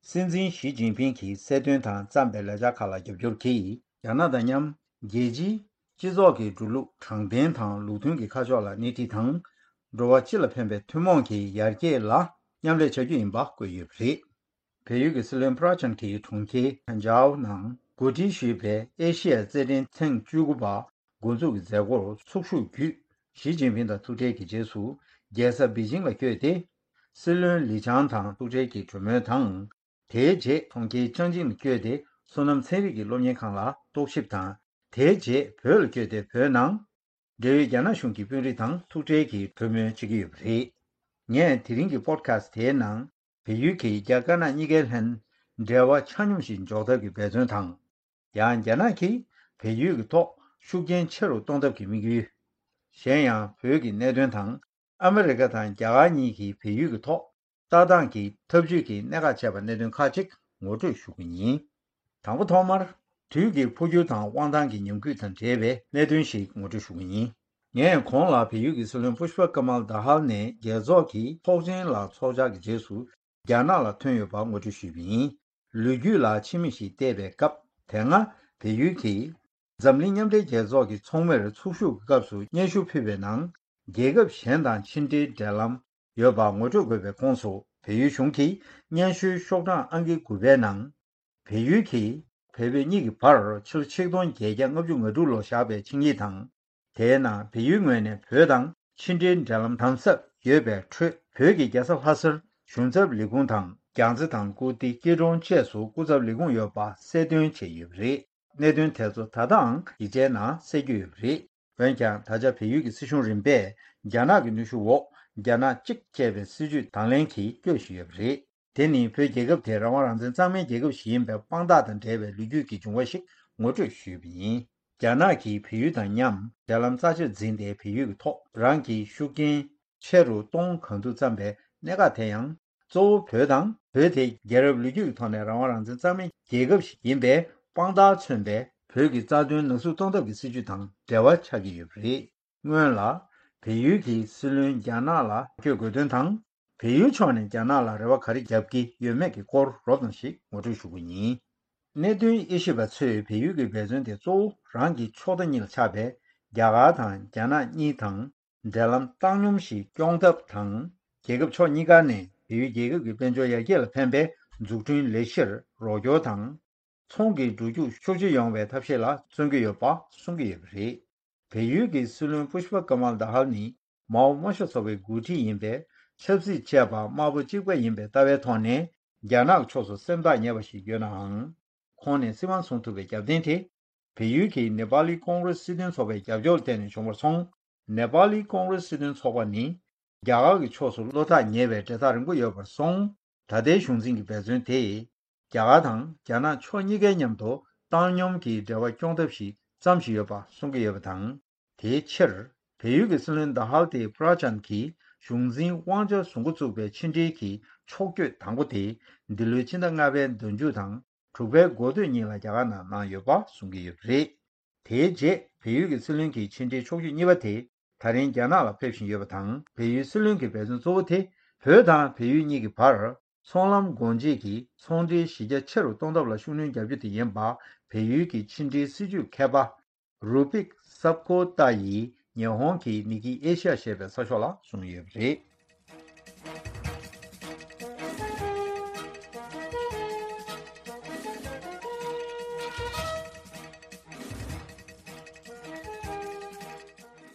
སྲིད་འཛིན་ཞི་ཅིན་ཕིང་གིས་གསལ་སྟོན་དང་བརྩམས་པའི་ལས་འཆར་ཁག་ལ་རྒྱབ་སྐྱོར་གྱིས། རྒྱ་ནག་དང་མཉམ་རྒྱལ་སྤྱིའི་སྤྱི་ཚོགས་ཀྱི་འགྲོ་ལུགས་དྲང་བདེན་དང་ལུགས་མཐུན་གྱི་ཁ་ཕྱོགས་ལ་སྣེ་ཁྲིད་དང་། འགྲོ་བ་སྤྱི་ལ་ཕན་པའི་ཐུན་མོང་གི་ཡར་རྒྱས་ལ་མཉམ་ལས་བྱ་རྒྱུ་ཡིན་པ་བཀོད་ཡོད་པ་རེད། བལ་ཡུལ་གྱི་སྲིད་བློན་པྲ་ཆན་གྱིས་གྲོང་ཁྱེར་ཧན་ཇའོ་ནང་གོ་སྒྲིག་ཞུས་པའི་ཨེ་ཤི་ཡའི་རྩེད་འགྲན་ཐེངས་བཅུ་དགུ་པ་འགོ་འཛུགས་ཀྱི་མཛད་སྒོར་ཚོགས་ཞུགས་བརྒྱུད། ཞི་ཅིན་ཕིང་དང་ཐུག་འཕྲད་ཀྱི་རྗེས་སུ་རྒྱལ་ས་པེ་ཅིང་ལ་བསྐྱོད་དེ། སྲིད་བློན་ལི་ཆང་དང་ཐུག་འཕྲད་ཀྱི་གྲོས་མོལ་དང་། དེའི་རྗེས་གྲོང་ཁྱེར་ཅང་ཅིང་ལ་བསྐྱོད་དེ། བསོད་ནམས་ཚན་རིག་གི་སློབ་གཉེར་ཁང་ལ་རྟོག་ཞིབ་དང་། དེའི་རྗེས་བོད་ལ་བསྐྱོད་དེ། བོད་ནང་འབྲེལ་ཡོད་རྒྱ་ནག་གཞུང་གི་དཔོན་རིགས་དང་ཐུག་འཕྲད་ཀྱིས་གྲོས་མོལ་བྱེད་ཀྱི་ཡོད་པ་རེད། ངས་དེ་རིང་གི་པོ་ཌི་ཁ་སི་ཊི་དེའི་ནང་། བལ་ཡུལ་གྱིས་རྒྱ་དཀར་ནག་གཉིས་ཀའི་ལྷན་འབྲེལ་བ་ཆ་སྙོམས་ཤིག་འཇོག་ཐབས་ཀྱི་འབད་བརྩོན་དང་། ཡང་རྒྱ་ནག་གིས་བལ་ཡུལ་གྱི་ཐོག་ཤུགས་རྐྱེན་ཆེ་རུ་གཏོང་ཐབས་ཀྱི་དམིགས་ཡུལ། གཞན་ཡང་བོད་ཀྱི་གནད་དོན་དང་། ཨ་མི་རི་ཀ་དང་རྒྱ་གར་གཉིས་ཀྱིས་བལ་ཡུལ་གྱི་ཐོག་ལྟ་སྟངས་ཀྱི་འཐབ་ཇུས་ཀྱི་གནད་འགག་བྱས་པ་གནད་དོན་ཁག་ཅིག་ངོ་སྤྲོད་ཞུ་གི་ཡིན། དང་པོ་ཐོག་མར། དུས་ཀྱི་འཕོ་འགྱུར་དང་དབང་ཐང་གི་ཉམས་རྒུད་དང་འབྲེལ་བའི་གནད་དོན་ཞིག་ངོ་སྤྲོད་ཞུ་གི་ཡིན། ངས་གོང་ལ་བལ་ཡུལ་གྱི་སྲིད་བློན་པུཤ་པ་ཀ་མལ་དྷ་ཧལ་ནས་རྒྱལ་ཚོགས་ཀྱི་ཚོགས་ཆེན་ལ་ཚོགས་བཅར་གྱི་རྗེས་སུ་རྒྱ་ནག་ལ་ཐོན་ཡོད་པ་ངོ་སྤྲོད་ཞུས་པ་ཡིན། ལོ་རྒྱུས་ལ་ཕྱི་མིག་ཞིག་བལྟས་པའི་སྐབས། དེ་སྔ་བལ་ཡུལ་གྱིས་འཛམ་གླིང་མཉམ་འབྲེལ་རྒྱལ་ཚོགས་ཀྱི་ཚོགས་མིར་ཚོགས་ཞུགས་ཀྱི་སྐབས་སུ་སྙན་ཞུ་ཕུལ་བའི་ནང་། རྒྱལ་ཁབ་གཞན་དང་ཕྱི་འབྲེལ་འབྲེལ་ལམ་ཡོད་པ་ངོ་སྤྲོད་དགོས་པའི་ཁོངས་སུ། བལ་ཡུལ་གཞུང་གིས་སྙན་ཞུའི་ཤོག་གྲངས་ཨང་ཀི་དགུ་པའི་ནང་། བལ་ཡུལ་གྱིས་བལ་བོད་གཉིས་ཀྱི་བར་ཕྱི་ལོ་ཆིག་སྟོང་བརྒྱད་བརྒྱ་ལྔ་བཅུ་ང་དྲུག་ལོར་བཞག་པའི་ཆིངས་ཡིག་དང་། དེའི་ནང་བལ་ཡུལ་ངོས་ནས་བོད་དང་ཕྱི་འབྲེལ་འབྲེལ་ལམ་དམ་ཟབ་ཡོད་པའི་ཁྲོད། བོད་ཀྱི་རྒྱལ་ས་ལྷ་སར་གཞུང་ཚབ་ལས་ཁུངས་དང་རྒྱལ་རྩེ་དང་ཀིརྟི་སྐྱིད་གྲོང་བཅས་སུ་སྐུ་ཚབ་ལས་ཁུངས་ཡོད་པ་གསལ་སྟོན་བྱས་ཡོད་པ་རེད། གནད་དོན་དེ་ཚོ་ད་ལྟའང་ཡིག་ཆའི་ནང་གསལ་རྒྱུ་ཡོད་པ་རེད། འོན་ཀྱང་ད་ཆ་བལ་ཡུལ་གྱི་སྲིད་གཞུང་རིམ་པས་རྒྱ་ནག་གི་ནུས་ཤུགས་འོག་རྒྱ་ནག་གཅིག་ཅེས་པའི་སྲིད་ཇུས་དང་ལེན་གྱིས་སྐྱོད་བཞིན་ཡོད་པ་རེད། དེ་ནི་བོད་རྒྱལ་ཁབ་དེ་རང་དབང་རང་བཙན་གཙང་མའི་རྒྱལ་ཁབ་ཞིག་ཡིན་པའི་དཔང་རྟགས་དང་འབྲེལ་བའི་ལོ་རྒྱུས་ཀྱི་འབྱུང་བ་ཞིག་ངོ་སྤྲོད་ཞུས་པ་ཡིན། རྒྱ་ནག་གིས་བལ་ཡུལ་དང་མཉམ་འབྲེལ་ལམ་རྩ་ཆེར་འཛིན་ཏེ། བལ་ཡུལ་གྱི་ཐོག་རང་གི་ཤུགས་རྐྱེན་ཆེ་རུ་གཏོང་གང་ཐུབ་བརྩམས་པའི་གནད་འགག་དེ་ཡང་། གཙོ་བོ་བོད་དང་། བོད་དེ་རྒྱལ་རབས་ལོ་རྒྱུས་ཀྱི་ཐོག་ནས་རང་དབང་རང་བཙན་གཙང་མའི་རྒྱལ་ཁབ་ཞིག་ཡིན་པའི་དཔང་རྟགས་མཚོན་པའི་བོད་ཀྱི་རྩ་དོན་ནག་གསུབ་གཏོང་ཐབས་ཀྱི་སྲིད་ཇུས་དང་འབྲེལ་བ་ཆགས་ཀྱི་ཡོད་པ་རེད། སྔོན་ལ། བལ་ཡུལ་གྱི་སྲིད་བློན་རྒྱ་ནག་ལ་བསྐྱོད་དགོས་དོན་དང་། བལ་ཡུལ་ཕྱོགས་ནས་རྒྱ་ནག་ལ་རེ་བ་ག་རེ་བརྒྱབ་ཀྱི་ཡོད་མེད་ཀྱི་སྐོར་རོབ་ཙམ་ཞིག་ངོ་སྤྲོད་ཞུ་རྒྱུ་ཡིན། གནད་དོན་དབྱེ་ཞིབ་པ་ཚོས་བལ་ཡུལ་གྱི་འབད་བརྩོན་དེ་གཙོ་བོ་རང་གི་ཕྱོགས་མཐའ་གཉིས་ལ་ཆགས་པའི་རྒྱ་གར་དང་རྒྱ་ནག་གཉིས་དང་འབྲེལ་ལམ་བཏང་སྙོམས་ཤིག་སྐྱོང་ཐབས་དང་། རྒྱལ་ཁབ་ཕྱོགས་གཉིས་ཀ་ནས་བལ་ཡུལ་རྒྱལ་ཁབ་ཀྱི་དཔལ་འབྱོར་ཡར་རྒྱས་ལ་ཕན་པའི་འཛུགས་སྐྲུན་ལས་གཞིར་རོགས་སྐྱོར་དང་། ཚོང་གི་འགྲོ་རྒྱུག་ཤུགས་ཆེ་ཡོང་བའི་ཐབས་ཤེས་ལ་བརྩོན་གྱི་ཡོད་པ་གསུང་གི་ཡོད་པ་རེད། བལ་ཡུལ་གྱི་སྲིད་བློན་པུཤ་པ་ཀ་མལ་དཱ་ཧལ་ནི་མའོ་དམར་ཤོག་ཚོགས་པའི་འགོ་ཁྲིད་ཡིན་པས། ཆབ་སྲིད་བཅས་པ་དམར་པོ་གཅིག་པ་ཡིན་པའི་ལྟ་བའི་ཐོག་ནས་རྒྱ་ནག་ཕྱོགས་སུ་སེམས་ཐག་ཉེ་བ་ཞིག་ཡོད་ནའང་། ཁོང་ནས་སྲིད་དབང་བཟུང་ཐུབ་པའི་རྒྱབ་རྟེན་དེ། བལ་ཡུལ་གྱི་ནེ་པ་ལི་ཀོང་རེ་སི་སྲིད་དོན་ཚོགས་པའི་རྒྱབ་སྐྱོར་ལ་བརྟེན་ནས་བྱུང་བར་སོང་། ནེ་པ་ལི་ཀོང་རེ་སི་སྲིད་དོན་ཚོགས་པ་ནི། རྒྱ་གར་གྱི་ཕྱོགས་སུ་བློ་ཐག་ཉེ་བའི་འབྲེལ་ཐག་རིང་པོ་ཡོད་པར་སོང་། ད་ལྟའི་གཞུང་འཛིན་གྱི་འབད་བརྩོན་དེས། རྒྱ་གར་དང་རྒྱ་ནག་ཕྱོགས་གཉིས་ཀའི་མཉམ་དུ་བཏང་སྙོམས་ཀྱི་འབྲེལ་བ་སྐྱོང་ཐབས་ཤིག་བརྩམས་བཞིན་ཡོད་པ་གསུང་གི་ཡོད་པ་དང་། དེའི་ཕྱིར། བལ་ཡུལ་གྱི་སྲིད་བློན་དཱ་ཧལ་དེས་པྲ་ཅན་གྱི་གཞུང་འཛིན་དབང་ཆ་བཟུང་འགོ་བཙུགས་པའི་ཕྱི་འབྲེལ་གྱི་ཕྱོགས་བསྐྱོད་དང་པོ་དེ། འདི་ལོའི་ཕྱི་ཟླ་ལྔ་པའི་ཟླ་མཇུག་དང་། དྲུག་པའི་འགོ་སྟོད་གཉིས་ལ་རྒྱ་གར་ནང་གནང་ཡོད་པ་གསུང་གི་ཡོད་པ་རེད། དེའི་རྗེས་བལ་ཡུལ་གྱི་སྲིད་བློན་གྱི་ཕྱི་འབྲེལ་ཕྱོགས་བསྐྱོད་གཉིས་པ་དེ་ད་རིང་རྒྱ་ནག་ལ་ཕེབས་བཞིན་ཡོད་པ་དང་། བལ་ཡུལ་སྲིད་བློན་གྱི་འབད་བརྩོན་གཙོ་བོ་དེ། བོད་དང་བལ་ཡུལ་གཉིས་ཀྱི་བར་ཚོང་ལམ་སྒོ་འབྱེད་ཀྱིས་ཚོང་འབྲེལ་གཞི་རྒྱ་ཆེ་རུ་གཏོང་ཐབས་ལ་ཤུགས་སྣོན་རྒྱག་རྒྱུ་དེ་ཡིན་པ། བལ་ཡུལ་གྱི་ཕྱི་འབྲེལ་སྲིད་ཇུས་མཁས་པ་རུ་པིག་སབ་ཀོ་ཏཱ་ཡིས་ཉི་ཧོང་གི་ནི་ཀི་ཨེ་ཤི་ཡ་ཞེས་པའི་གསར་ཤོག་ལ་གསུངས་ཡོད་པ་རེད།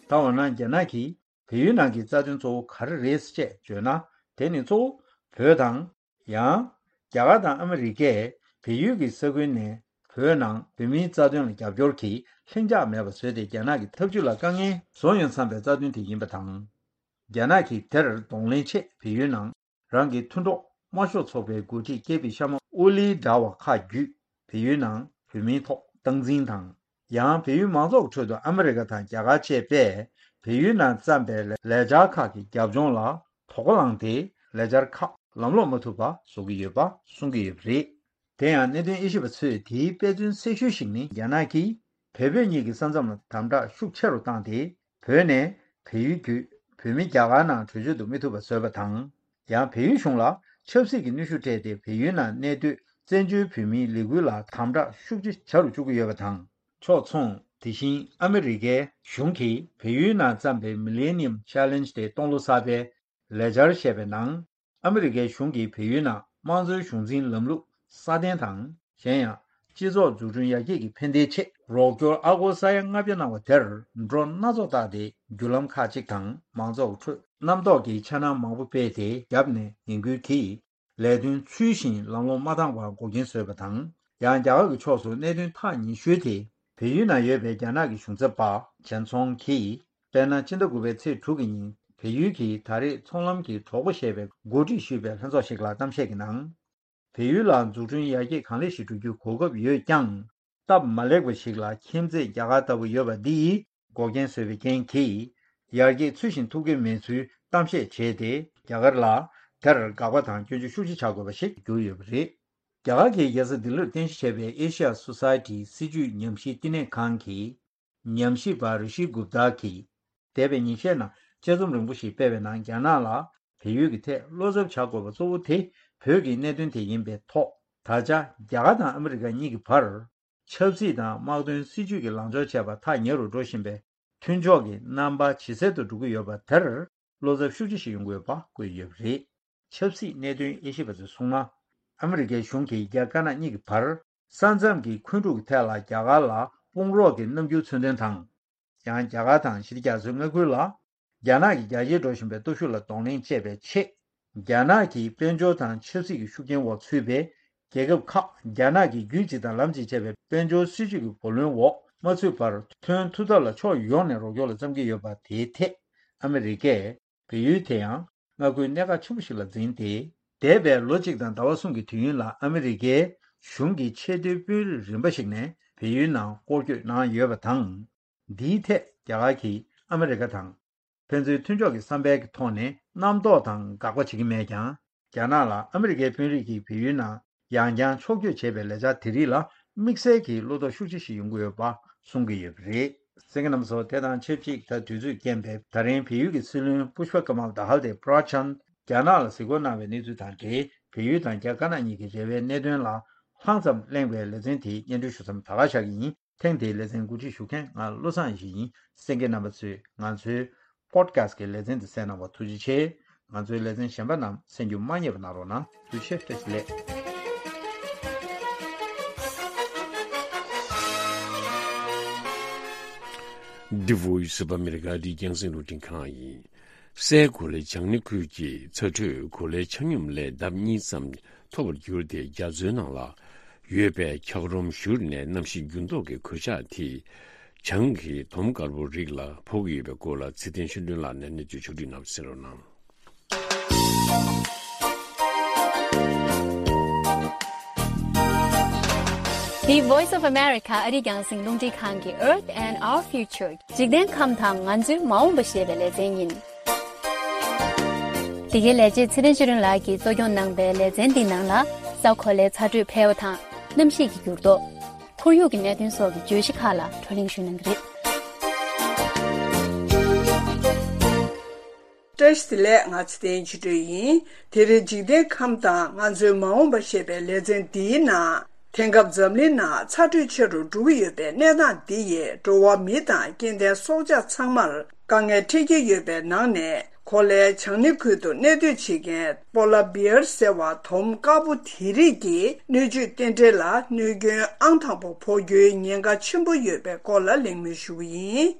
ད་འོ་ན་རྒྱ་ནག་གིས་བལ་ཡུལ་ནང་གི་རྩ་དོན་གཙོ་བོ་ག་རེ་རེད་ཅེས་བརྗོད་ན། དེ་ནི་གཙོ་བོ་བོད་དང་། ཡང་། རྒྱ་གར་དང་ཨ་མི་རི་ཀས་བལ་ཡུལ་གྱི་ས་ཁུལ་ནས་བོད་ནང་བོད་མིའི་རྩ་དོན་ལ་རྒྱབ་སྐྱོར་གྱི་ལྷིང་འཇགས་མེད་པ་བཟོས་ཏེ། རྒྱ་ནག་གི་ཐབས་ཇུས་ལ་དཀའ་ངལ་བཟོ་ཡོང་བསམ་པའི་རྩ་དོན་དེ་ཡིན་པ་དང་། རྒྱ་ནག་གིས་དེར་གདོང་ལེན་ཆེད་བལ་ཡུལ་ནང་རང་གི་མཐུན་གྲོགས་དམར་ཤོག་ཚོགས་པའི་འགོ་ཁྲིད་ཀེ་པི་ཤར་མ་ཨོ་ལིའི་དྲ་བ་ཁག་བརྒྱུད། བལ་ཡུལ་ནང་བོད་མིའི་ཐོག་སྟངས་འཛིན་དང་། ཡང་བལ་ཡུལ་མང་ཚོགས་ཁྲོད་དུ་ཨ་མི་རི་ཀ་དང་རྒྱ་གར་བཅས་པས་བལ་ཡུལ་ནང་བརྩམས་པའི་ལས་འཆར་ཁག་གི་རྒྱབ་ལྗོངས་ལ་དོགས་པ་ལངས་ཏེ། ལས་འཆར་ཁག་ལམ་ལྷོང་མ་ཐུབ་པ་བཟོ་གི་ཡོད་པ་གསུང་གི་ཡོད་པ་རེད། དེ་ཡང་གནད་དོན་དབྱེ་ཞིབ་པ་ཚོས་དེའི་དཔེ་མཚོན་གསལ་ཤོས་ཤིག་ནི། རྒྱ་ནག་གིས་བལ་བོད་གཉིས་ཀྱི་ས་མཚམས་ལ་དམ་དྲག་ཤུགས་ཆེ་རུ་བཏང་སྟེ། བོད་ནས་བལ་ཡུལ་བརྒྱུད་བོད་མི་རྒྱ་གར་ནང་བྲོས་བྱོལ་དུ་མི་ཐུབ་པ་བཟོས་པ་དང་། ཡང་བལ་ཡུལ་གཞུང་ལ་ཆབ་སྲིད་ཀྱི་གནོན་ཤུགས་སྤྲད་དེ། བལ་ཡུལ་ནང་གནས་སྡོད་བཙན་བྱོལ་བོད་མིའི་ལས་འགུལ་ལ་དམ་དྲག་ཤུགས་ཆེ་བྱ་རུ་བཅུག་གི་ཡོད་པ་དང་། ཕྱོགས་མཚུངས། དེ་བཞིན་ཨ་མི་རི་ཀའི་གཞུང་གིས་བལ་ཡུལ་ནང་བརྩམས་པའི་Millennium Challenge དེ་སྟོང་ལོ་གསར་པའི་ལས་འཆར་ཞེས་པའི་ནང་། ཨ་མི་རི་ཀའི་གཞུང་གིས་བལ་ཡུལ་ནང་དམངས་གཙོའི་གཞུང་འཛིན་ལམ་ལུགས་སྲ་བརྟན་དང་། གཞན་ཡང་། སྤྱི་ཚོགས་འཛུགས་སྐྲུན་ཡར་རྒྱས་ཀྱི་ཕན་བདེའི་ཆེད་རོགས་སྐྱོར་ཨ་སྒོར་ས་ཡ་ལྔ་བརྒྱ་གནང་བ་དེར་འགྲོ་སྣ་ཚོགས་བཏགས་ཏེ། བརྒྱུད་ལམ་ཁག་ཅིག་དང་མང་ཚོགས་ཁྲོད་རྣམ་རྟོག་གི་འཆར་སྣང་མང་པོ་སྤེལ་ཏེ། རྒྱབ་ནས་ངན་སྐུལ་གྱིས་ལས་དོན་ཚུལ་བཞིན་ལམ་ལྷོང་མ་བཏང་བར་འགོག་རྐྱེན་བཟོས་པ་དང་། ཡང་རྒྱ་གར་གྱི་ཕྱོགས་སུ་གནད་དོན་ཐག་ཉེ་ཤོས་དེ། བལ་ཡུལ་ནང་ཡོད་པའི་རྒྱ་ནག་གི་གཞུང་ཚབ་པ་ཆན་ཚོང་གིས། དཔེར་ན། ཕྱི་ཟླ་དགུ་པའི་ཚེས་དྲུག་གི་ཉིན། བལ་ཡུལ་གྱིས་ད་རེས་ཚོང་ལམ་གྱི་གྲོགས་པོ་ཞེས་པའི་འགོ་ཁྲིད་ཞུས་པའི་ལྷན་ཚོགས་ཤིག་ལ་གཏམ་བཤད་ཀྱི་ནང་། བལ་ཡུལ་ལ་འཛུགས་སྐྲུན་ཡར་རྒྱས་གང་ལེགས་ཤིག་འགྲོ་རྒྱུའི་གོ་སྐབས་ཡོད་ཀྱང་། སྟབས་མ་ལེགས་པ་ཞིག་ལ་ཁྱིམ་མཚེས་རྒྱ་གར་ལྟ་བུ་ཡོད་པ་འདིས་འགོག་རྐྱེན་བཟོས་པའི་རྐྱེན་གྱིས། ཡར་རྒྱས་ཚུལ་བཞིན་ཐུབ་ཀྱི་མེད་ཚུལ་གཏམ་བཤད་བྱས་ཏེ། རྒྱ་གར་ལ་དེར་དགག་པ་དང་སྐྱོན་བརྗོད་ཤུགས་ཆེ་བྱ་དགོས་པ་ཞིག་གྱུར་ཡོད་པ་རེད། རྒྱ་གར་གྱི་རྒྱལ་ས་ལྡི་ལིར་རྟེན་གཞི་བྱས་པའི་ཨེ་ཤི་ཡ་སོ་སའི་ཊིའི་སྲིད་བྱུས་ཉམས་ཞིབ་བསྟི་གནས་ཁང་གི་ཉམས་ཞིབ་པ་རི་ཤི་གུབ་ཏཱ་གིས། འདས་པའི་ཉིན་ཤས་ནང་དཔྱད་རྩོམ་རིང་པོ་ཞིག་སྤེལ་བའི་ནང་། རྒྱ་ནག་ལ་བལ་ཡུལ་གྱི་ཐད་བློ་འཚབ་བྱ་དགོས་པ་གཙོ་བོ་དེ། བོད་ཀྱི་གནད་དོན་དེ་ཡིན་པའི་ཐོག་ད་ཆ་རྒྱ་གར་དང་ཨ་མི་རི་ཀ་གཉིས་ཀྱི་བར། ཆབ་སྲིད་དང་དམག་དོན་སྲིད་ཇུས་ཀྱི་ལངས་ཕྱོགས་བཅས་པ་ཐག་ཉེ་རུ་འགྲོ་བཞིན་པའི་མཐུན་ཕྱོགས་ཀྱི་རྣམ་པ་ཇེ་གསལ་དུ་འགྲོ་གི་ཡོད་པ་དེར། བློ་འཚབ་ཤུགས་ཆེ་ཞིག་ཡོང་གི་ཡོད་པ་བཀོད་ཡོད་པ་རེད། ཆབ་སྲིད་གནད་དོན་དབྱེ་ཞིབ་པ་ཚོས་གསུངས་ན། ཨ་མི་རི་ཀའི་གཞུང་གིས་རྒྱ་དཀར་ནག་གཉིས་ཀྱི་བར་ས་མཚམས་ཀྱི་འཁོན་འཁྲུག་གི་ཐད་ལ་རྒྱ་གར་ལ་དཔུང་རོགས་ཀྱི་རྣམ་འགྱུར་མཚོན་དོན་དང་། ཡང་རྒྱ་གར་དང་ཕྱི་རྒྱལ་ཚོའི་མངའ་ཁུལ་ལ་ རྒྱ་ནག་གི་རྒྱ་ཆེར་འགྲོ་བཞིན་པའི་སྟོབས་ཤུགས་ལ་གདོང་ལེན་བྱེད་པའི་ཆེད། རྒྱ་ནག་གི་དཔལ་འབྱོར་དང་ཆབ་སྲིད་ཀྱི་ཤུགས་རྐྱེན་འོག་ཚུད་པའི་རྒྱལ་ཁབ་ཁག་རྒྱ་ནག་གི་རྒྱུད་གཅིག་དང་ལམ་གཅིག་བྱས་པའི་དཔལ་འབྱོར་སྲིད་ཇུས་ཀྱི་བུ་ལོན་འོག་མ་ཚུད་པར་ཐོན་ཐུབ་ཐབས་ལ་ཕྱོགས་ཡོངས་ནས་རོགས་སྐྱོར་ལ་བརྩམས་ཀྱི་ཡོད་པ་དེའི་ཐད། ཨ་མི་རི་ཀས་བལ་ཡུལ་དེ་ཡང་མངའ་ཁུལ་གནད་འགག་ཆེན་པོ་ཞིག་ལ་འཛིན་ཏེ། འདས་པའི་ལོ་གཅིག་དང་ཟླ་བ་གསུམ་གྱི་དུས་ཡུན་ལ་ཨ་མི་རི་ཀའི་གཞུང་གི་ཆེས་མཐོའི་དཔོན་རིགས་རིམ་པ་ཞིག་ནས་བལ་ཡུལ་ནང་སྐོར་སྐྱོད་གནང་ཡོད་པ་དང་། འདིའི་ཐད་རྒྱ་གར་གྱིས་ཨ་མི་རི་ཀ་དང་། ཕན་ཚུན་མཐུན་ཕྱོགས་ཀྱི་བསམ་པའི་ཐོག་ནས་རྣམ་རྟོག་དང་དགག་པ་བྱེད་ཀྱི་མེད་ཀྱང་། རྒྱ་ནག་ལ་ཨ་མི་རི་ཀའི་དཔོན་རིགས་ཀྱིས་བལ་ཡུལ་ནང་ཡང་བསྐྱར་ཕྱོགས་བསྐྱོད་བྱས་པའི་ལས་འཆར་དེ་རིགས་ལ་དམིགས་བསལ་གྱིས་བློ་དོགས་ཤུགས་ཆེ་ཞིག་ཡོང་གི་ཡོད་པ་གསུང་གི་ཡོད་པ་རེད། གསན་མཁན་རྣམ་པ་ཚོ། དེ་དང་ཆབས་ཅིག་ད་དུས་ཚོད་རྐྱེན་པས་ད་རིང་བལ་ཡུལ་གྱི་སྲིད་བློན་Pushpa Kamal Dahal དེ་པྲ་ཆན་རྒྱ་ནག་ལ་གཟིགས་སྐོར་གནང་བའི་གནས་ཚུལ་དང་འབྲེལ། བལ་ཡུལ་དང་རྒྱ་དཀར་ནག་གཉིས་ཀྱི་འབྲེལ་བའི་གནད་དོན་ལ་ལྷང་ཙམ་གླེང་བའི་ལེ་ཚན་དེ་སྙན་སྒྲོན་ཞུ་མཚམས་ད་ག་བཞག་གི་ཡིན། ཐེངས་འདིའི་ལེ་ཚན་གོ་སྒྲིག་ཞུ་མཁན་ང་བློ་བཟང་ཡེ་ཤེས་ཡིན། གསན་མཁན་རྣམ་པ་ཚོས་ང་ཚོའི་པོ་ཌི་ཁ་སི་ཊི་གི་ལེ་ཚན་འདི་གསན་གནང་བར་ཐུགས་རྗེ་ཆེ། ང་ཚོའི་ལེ་ཚན་གཞན་པ་རྣམས་གསན་རྒྱུ་མ་བསྙེལ་བ་གནང་རོགས་གནང་། ཐུགས་རྗེ་ཆེ། བཀྲ་ཤིས་བདེ་ལེགས། The Voice of America ཨ་རིའི་རྒྱང་སྲིང་རླུང་འཕྲིན་ཁང་ཡིན། སའི་གོ་ལའི་བྱང་སྣེ་ཁུལ་གྱི་ཚ་དྲོད་གོ་ལའི་ཆ་སྙོམས་ལས་ལྡབ་གཉིས་ཙམ་མཐོ་བར་གྱུར་ཏེ། རྒྱ་མཚོའི་ནང་ལ་ཡོད་པའི་འཁྱགས་རོམ་བཞུར་ནས་གནམ་གཤིས་འགྱུར་ལྡོག་གི་གོད་ཆག་དེས་བྱང་གི་དོམ་དཀར་པོ་རིགས་ལ་ཕོག་གི་ཡོད་པའི་སྐོར་ལ་ཚེ་བརྟན་ཆོས་སྒྲོན་ལགས་ནས་གནས་ཚུལ་ཕྱོགས་བསྒྲིགས་གནང་བ་གསན་རོགས་གནང་། The Voice of America ཨ་རིའི་རྒྱང་སྲིང་རླུང་འཕྲིན་ཁང་གི་Earth and Our Future འཇིག་རྟེན་ཁམས་དང་ང་ཚོའི་མ་འོངས་པ་ཞེས་པའི་ལེ་ཚན་ཡིན། འདི་གའི་ལས་བྱེད་ཚེ་བརྟན་ཆོས་སྒྲོན་ལགས་ཀྱིས་གཙོ་སྐྱོང་གནང་པའི་ལེ་ཚན་འདིའི་ནང་ལ། ས་གོ་ལའི་ཚ་དྲོད་འཕེལ་བ་དང་། གནམ་གཤིས་ཀྱི་འགྱུར་ལྡོག་ཁོར་ཡུག་གི་གནད་དོན་སོགས་ཀྱི་བརྗོད་གཞི་ཁག་ལ་བགྲོ་གླེང་ཞུས་གནང་གི་རེད། བཀྲ་ཤིས་བདེ་ལེགས། ང་ཚེ་བརྟན་ཆོས་སྒྲོན་ཡིན། དེ་རིང་འཇིག་རྟེན་ཁམས་དང་ང་ཚོའི་མ་འོངས་པ་ཞེས་པའི་ལེ་ཚན་འདིའི་ནང་། དེང་སྐབས་འཛམ་གླིང་ནང་ཚ་དྲོད་ཆེ་རུ་འགྲོ་གི་ཡོད་པའི་གནས་སྟངས་འདི་ཡིས་འགྲོ་བ་མི་དང་སྐྱེ་ལྡན་སྲོག་ཆགས་ཚང་མར་དཀའ་ངལ་འཕྲད་ཀྱི་ཡོད་པའི་ནང་ནས། གོ་ལའི་བྱང་སྣེ་ཁུལ་དུ་གནས་སྡོད་བྱེད་མཁན་པོ་ལ་བེར་ཟེར་བ་དོམ་དཀར་པོ་དེ་རིགས་ཀྱི་སྣོད་བཅུད་རྟེན་འབྲེལ་ལ་གནོད་སྐྱོན་ཨང་དང་པོ་ཕོག་རྒྱུའི་ཉེན་ཁ་ཆེན་པོ་ཡོད་པའི་སྐོར་ལ་གླེང་མོལ་ཞུ་གི་ཡིན།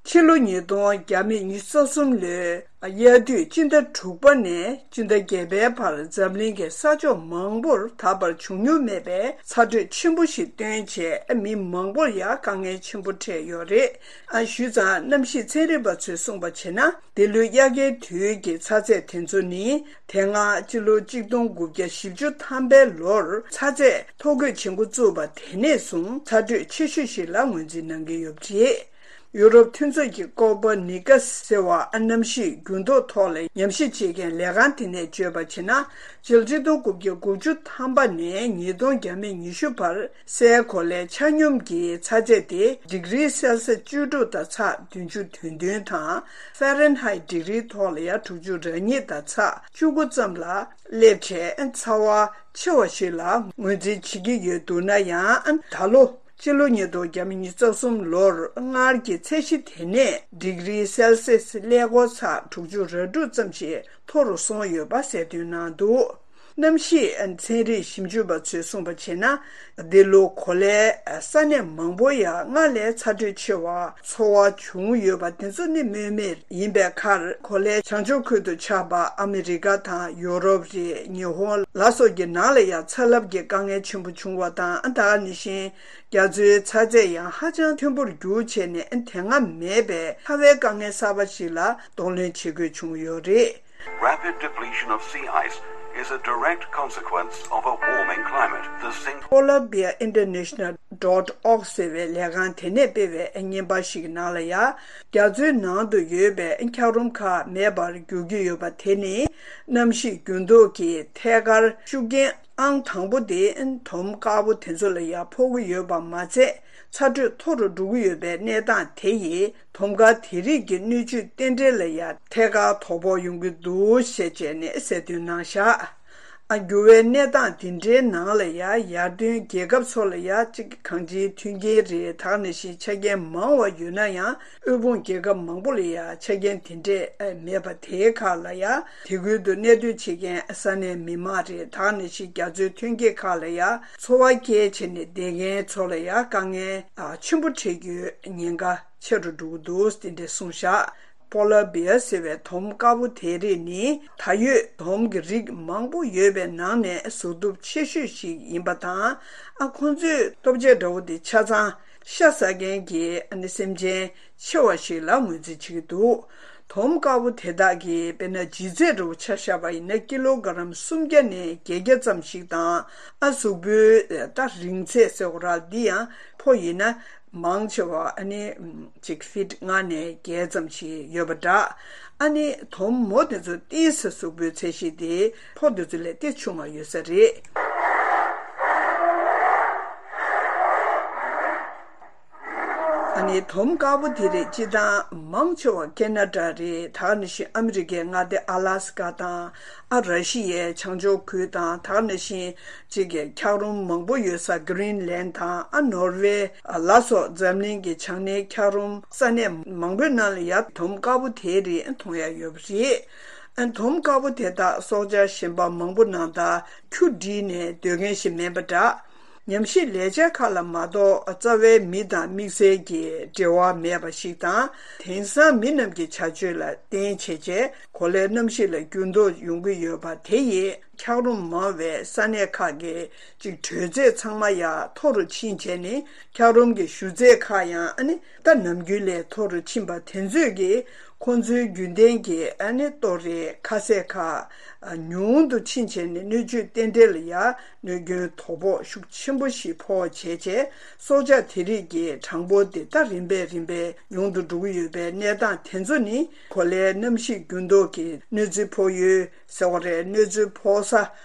ཕྱི་ལོ་ཉིས་སྟོང་བརྒྱ་མེད་ཉི་ཤུ་རྩ་གསུམ་ལོའི་དབྱར་དུས་སྤྱི་ཟླ་དྲུག་པ་ནས་སྤྱི་ཟླ་བརྒྱད་པའི་བར་འཛམ་གླིང་གི་ས་ཕྱོགས་མང་པོར་ད་བར་བྱུང་མྱོང་མེད་པའི་ཚ་དྲོད་ཆེན་པོ་ཞིག་བཏོན་རྗེས། མི་མང་པོར་ཡང་དཀའ་ངལ་ཆེན་པོ་འཕྲད་ཡོད་རེད། ཨ། ཞུས་ཙང་། གནམ་གཤིས་ཚན་རིག་པ་ཚོས་གསུངས་པ་བྱས་ན། འདི་ལོའི་དབྱར་ཁའི་དུས་ཀྱི་ཚ་ཚད་དེ་ཚོ་ནི། དེ་སྔ་སྤྱི་ལོ་གཅིག་སྟོང་དགུ་བརྒྱ་བཞི་བཅུ་ཐམ་པའི་ལོར་ཚ་ཚད་མཐོ་འགོས་བྱེད་འགོ་བཙུགས་པ་དེ་ནས་བཟུང་ཚ་དྲོད་ཆེ་ཤོས་ཤིག་ལ་ངོས་འཛིན་གནང་གི་ཡོད་པ་རེད། ཡུ་རོབ་མཐུན་ཚོགས་ཀྱི་ཀོ་པར་ནི་ཀ་ཟེར་བ། ཨ། གནམ་གཤིས་འགྱུར་ལྡོག་ཐོག་ལ་ཉམས་ཞིབ་བྱེད་མཁན་ལས་ཁང་དེ་ནས་བརྗོད་པ་བྱས་ན། སྤྱི་ལོ་གཅིག་སྟོང་དགུ་བརྒྱ་དགུ་བཅུ་ཐམ་པ་ནས་ཉིས་སྟོང་བརྒྱ་མེད་ཉི་ཤུ་བར་སའི་གོ་ལའི་ཆ་སྙོམས་ཀྱི་ཚ་ཚད་དེ་ཌིག་རི་སེལ་སི་བཅུ་དྲུག་དང་ཚེག་བདུན་ཅུ་དོན་བདུན་དང་། ཧྥ་རན་ཧའེ་ཌིག་རིའི་ཐོག་ལ་ཡང་དྲུག་ཅུ་རེ་གཉིས་དང་ཚེག་བཅུ་དགུ་ཙམ་ལ་སླེབས་བྱས། ཚ་བ་ཆེ་བ་ཞིག་ལ་ངོས་འཛིན་བྱེད་ཀྱི་ཡོད་འདུག་ན་ཡང་། ད་ལོ་སྤྱི་ལོ་ཉིས་སྟོང་བརྒྱ་མེད་ཉི་ཤུ་རྩ་གསུམ་ལོར་སྔར་གྱི་ཚད་གཞི་དེ་ནས་ཌིག་རི་སེལ་སིས་ཀླད་ཀོར་ཚེག་དྲུག་ཅུ་རེ་དྲུག་ཙམ་ཞིག་མཐོ་རུ་སོང་ཡོད་པ་གསལ་སྟོན་གནང་འདུག་གནམ་གཤིས་ཚན་རིག་ཞིབ་འཇུག་པ་ཚོས་གསུངས་པ་བྱས་ན། འདི་ལོ་གོ་ལའི་ས་གནས་མང་པོ་ཡང་སྔར་ལས་ཚ་དྲོད་ཆེ་བ་ཚོར་བ་བྱུང་ཡོད་པ་དེ་ཚོ་ནི་སྨོས་མེད་ཡིན་པའི་ཁར། གོ་ལའི་བྱང་ཕྱོགས་ཁུལ་དུ་ཆགས་པ་ཨ་མི་རི་ཀ་དང་ཡོ་རོབ་རེད། ཉི་ཧོང་ལ་སོགས་ཀྱི་ནང་ལ་ཡང་ཚ་རླབས་ཀྱི་དཀའ་ངལ་ཆེན་པོ་བྱུང་བ་དང་། ད་ག་ནང་བཞིན། རྒྱ་མཚོའི་ཚ་ཚད་ཡང་ཧ་ཅང་མཐོན་པོར་རྒྱུག་བྱས་ནས། དེ་སྔ་མེད་པའི་ཚ་བའི་དཀའ་ངལ་གསར་པ་ཞིག་ལ་གདོང་ལེན་བྱེད་དགོས་བྱུང་ཡོད་རེད། Rapid depletion of sea ice is a direct consequence of a warming climate. The sink Polar Bear International dot org ཟེར་བའི་ལས་ཁང་དེ་ནས་སྤེལ་བའི་བརྙན་པར་ཞིག་གི་ནང་ལ་ཡང་། རྒྱ་མཚོའི་ནང་དུ་ཡོད་པའི་འཁྱགས་རོམ་ཁག་མེད་པར་འགྱུར་གྱི་ཡོད་པ་དེ་ནི། གནམ་གཤིས་འགྱུར་ལྡོག་གིས་ཐད་ཀར་ཤུགས་རྐྱེན་ཨང་དང་པོ་དེ་དོམ་དཀར་པོ་དེ་ཚོ་ལ་ཡང་ཕོག་གི་ཡོད་པ་མ་ཚད། ཚ་དྲོད་མཐོ་རུ་འགྲོ་གི་ཡོད་པའི་གནས་སྟངས་དེ་ཡིས་དོམ་དཀར་དེ་རིགས་ཀྱི་སྣོད་བཅུད་རྟེན་འབྲེལ་ལ་ཡང་ཐད་ཀར་དོ་ཕོག་ཡོང་གི་འདུག་ཞེས་བྱས་ནས་གསལ་སྟོན་གནང་བཞག་ཨ། འགྱུར་བའི་གནས་སྟངས་འདི་འདྲའི་ནང་ལ་ཡང་། ཡར་ཐོན་རྒྱལ་ཁབ་ཚོ་ལ་ཡང་གཅིག་གང་ཅིའི་མཐུན་རྐྱེན་རེད། ད་ག་ནང་བཞིན་ཆ་རྐྱེན་མང་བ་ཡོད་ན་ཡང་། དབུལ་ཕོངས་རྒྱལ་ཁབ་མང་པོ་ལ་ཡང་ཆ་རྐྱེན་དེ་འདྲས་མེད་པ། དེའི་ཁག་ལ་ཡང་དེ་ཁུལ་དུ་གནས་སྡོད་བྱེད་མཁན་ས་གནས་མི་མང་རེད། ད་ག་ནང་བཞིན་རྒྱ་མཚོའི་ཐོན་སྐྱེད་ཁག་ལ་ཡང་འཚོ་བ་སྐྱེལ་བྱས་ནས་བསྡད་མཁན་ཚོ་ལ་ཡང་དཀའ་ངལ་ཆེན་པོ་འཕྲད་རྒྱུའི་ཉེན་ཁ་ཆེ་རུ་འགྲོ་གི་འདུག་དེ་འདྲས་གསུངས་བཞག་པོ་ལར་བེར་ཟེར་བའི་དོམ་དཀར་པོ་དེ་རིགས་ནི་ད་ཡོད་དོམ་གྱི་རིགས་མང་པོ་ཡོད་པའི་ནང་ནས་གཟུགས་སྟོབས་ཆེ་ཤོས་ཤིག་ཡིན་པ་དང་། ཨ་ཁོང་ཚོས་ལྟོ་ཆས་འདྲ་བོ་དེ་ཆ་ཚང་ཤ་ཟ་མཁན་གྱི་ཨ་ནི་སེམས་ཅན་ཆེ་བ་ཞིག་ལ་ངོས་འཛིན་བྱེད་ཀྱི་འདུག་དོམ་དཀར་པོ་དེ་དག་གི་དཔེར་ན་ལྗིད་ཚད་འདྲ་བོ་ཆ་བཞག་པ་ཡིན་ན་ཀི་ལོ་ག་རམ་སུམ་བརྒྱ་ནས་བརྒྱད་བརྒྱ་ཙམ་ཞིག་དང་། ཨ་གཟུགས་པོའི་ད་རིང་ཚད་ཟེར་བ་ར་འདི་ཡང་ཕོ་ཡིན་ན་མང་ཆེ་བ་ཨ་ནི་ཅིག་ཕིཊ་ལྔ་ནས་བརྒྱད་ཙམ་ཞིག་ཡོད་པ་འདྲ། ཨ་ནི་དོམ་མོ་དེ་ཚོ་ཏིས་གཟུགས་པོའི་ཚད་གཞི་དེ་ཕོ་དེ་ཚོ་ལས་ཏིས་ཆུང་བ་ཡོད་ས་རེད། ཨ་ནི་དོམ་དཀར་པོ་དེ་རིགས་སྤྱི་བཏང་མང་ཆེ་བ་ཁེ་ན་ཌ་རེད། ད་ག་ནང་བཞིན་ཨ་མི་རི་ཀའི་མངའ་སྡེ་ཨ་ལ་སི་ཀ་དང་། ཨ་ར་ཤི་ཡའི་བྱང་ཕྱོགས་ཁུལ་དང་། ད་ག་ནང་བཞིན་གཅིག་གི་འཁྱགས་རོམ་མང་པོ་ཡོད་ས་གྷི་རིན་ལན་དང་། ཨ་ནོར་ཝེ་ལ་སོགས་འཛམ་གླིང་གི་བྱང་སྣེའི་འཁྱགས་རོམ་ས་གནས་མང་པོའི་ནང་ལ་ཡ་དོམ་དཀར་པོ་དེ་རིགས་མཐོང་ཡ་ཡོད་པ་རེད། ཨ་དོམ་དཀར་པོ་དེ་དག་སྲོག་ཆགས་གཞན་པ་མང་པོ་ནང་ལྟར་ཁྱུ་བསྒྲིལ་ནས་སྡོད་མཁན་ཞིག་མིན་པ་འདྲ། ཉམས་ཞིབ་ལས་འཆར་ཁག་ལ་མ་གཏོགས་རྩ་བའི་མི་དང་དམིགས་བསལ་གྱི་འབྲེལ་བ་མེད་པ་ཞིག་དང་། དེང་སང་མི་རྣམས་ཀྱི་བྱ་སྤྱོད་ལ་བརྟེན་བྱས་རྗེས་གོ་ལའི་གནམ་གཤིས་ལ་འགྱུར་ལྡོག་ཡོང་གི་ཡོད་པ་དེ་ཡིས་འཁྱགས་རོམ་མང་བའི་ས་གནས་ཁག་གི་ཅིག་དྲོད་ཚད་ཚང་མ་ཡང་མཐོ་རུ་ཕྱིན་བྱས་ནས། འཁྱགས་རོམ་གྱི་ཞུ་ཚད་ཁག་ཡང་ཨ་ནི་ད་ནམ་རྒྱུན་ལས་མཐོ་རུ་ཕྱིན་པ་དེ་ཚོས་ཀྱིས་ཁོང་ཚོའི་རྒྱུན་ལྡན་གྱི་ཨ་ནི་ལྟོ་རེད། ཁ་ཟས་ཁག་ཉུང་དུ་ཕྱིན་བྱས་ནས་སྣོད་བཅུད་རྟེན་འབྲེལ་ལ་ཡང་གནོད་སྐྱོན་དོ་ཕོག་ཤུགས་ཆེན་པོ་ཞིག་ཕོག་བྱས་རྗེས། སྲོག་ཆགས་དེ་རིགས་ཀྱི་གྲངས་འབོར་དེ་ད་རིམ་པས་རིམ་པས་ཉུང་དུ་འགྲོ་གི་ཡོད་པའི་གནས་སྟངས་དེ་ཚོ་ནི་གོ་ལའི་གནམ་གཤིས་འགྱུར་ལྡོག་གི་གནོད་འཚེ་ཕོག་ཡུལ་ཟེར་བ་རེད། གནོད་འཚེ་ཕོག་ས་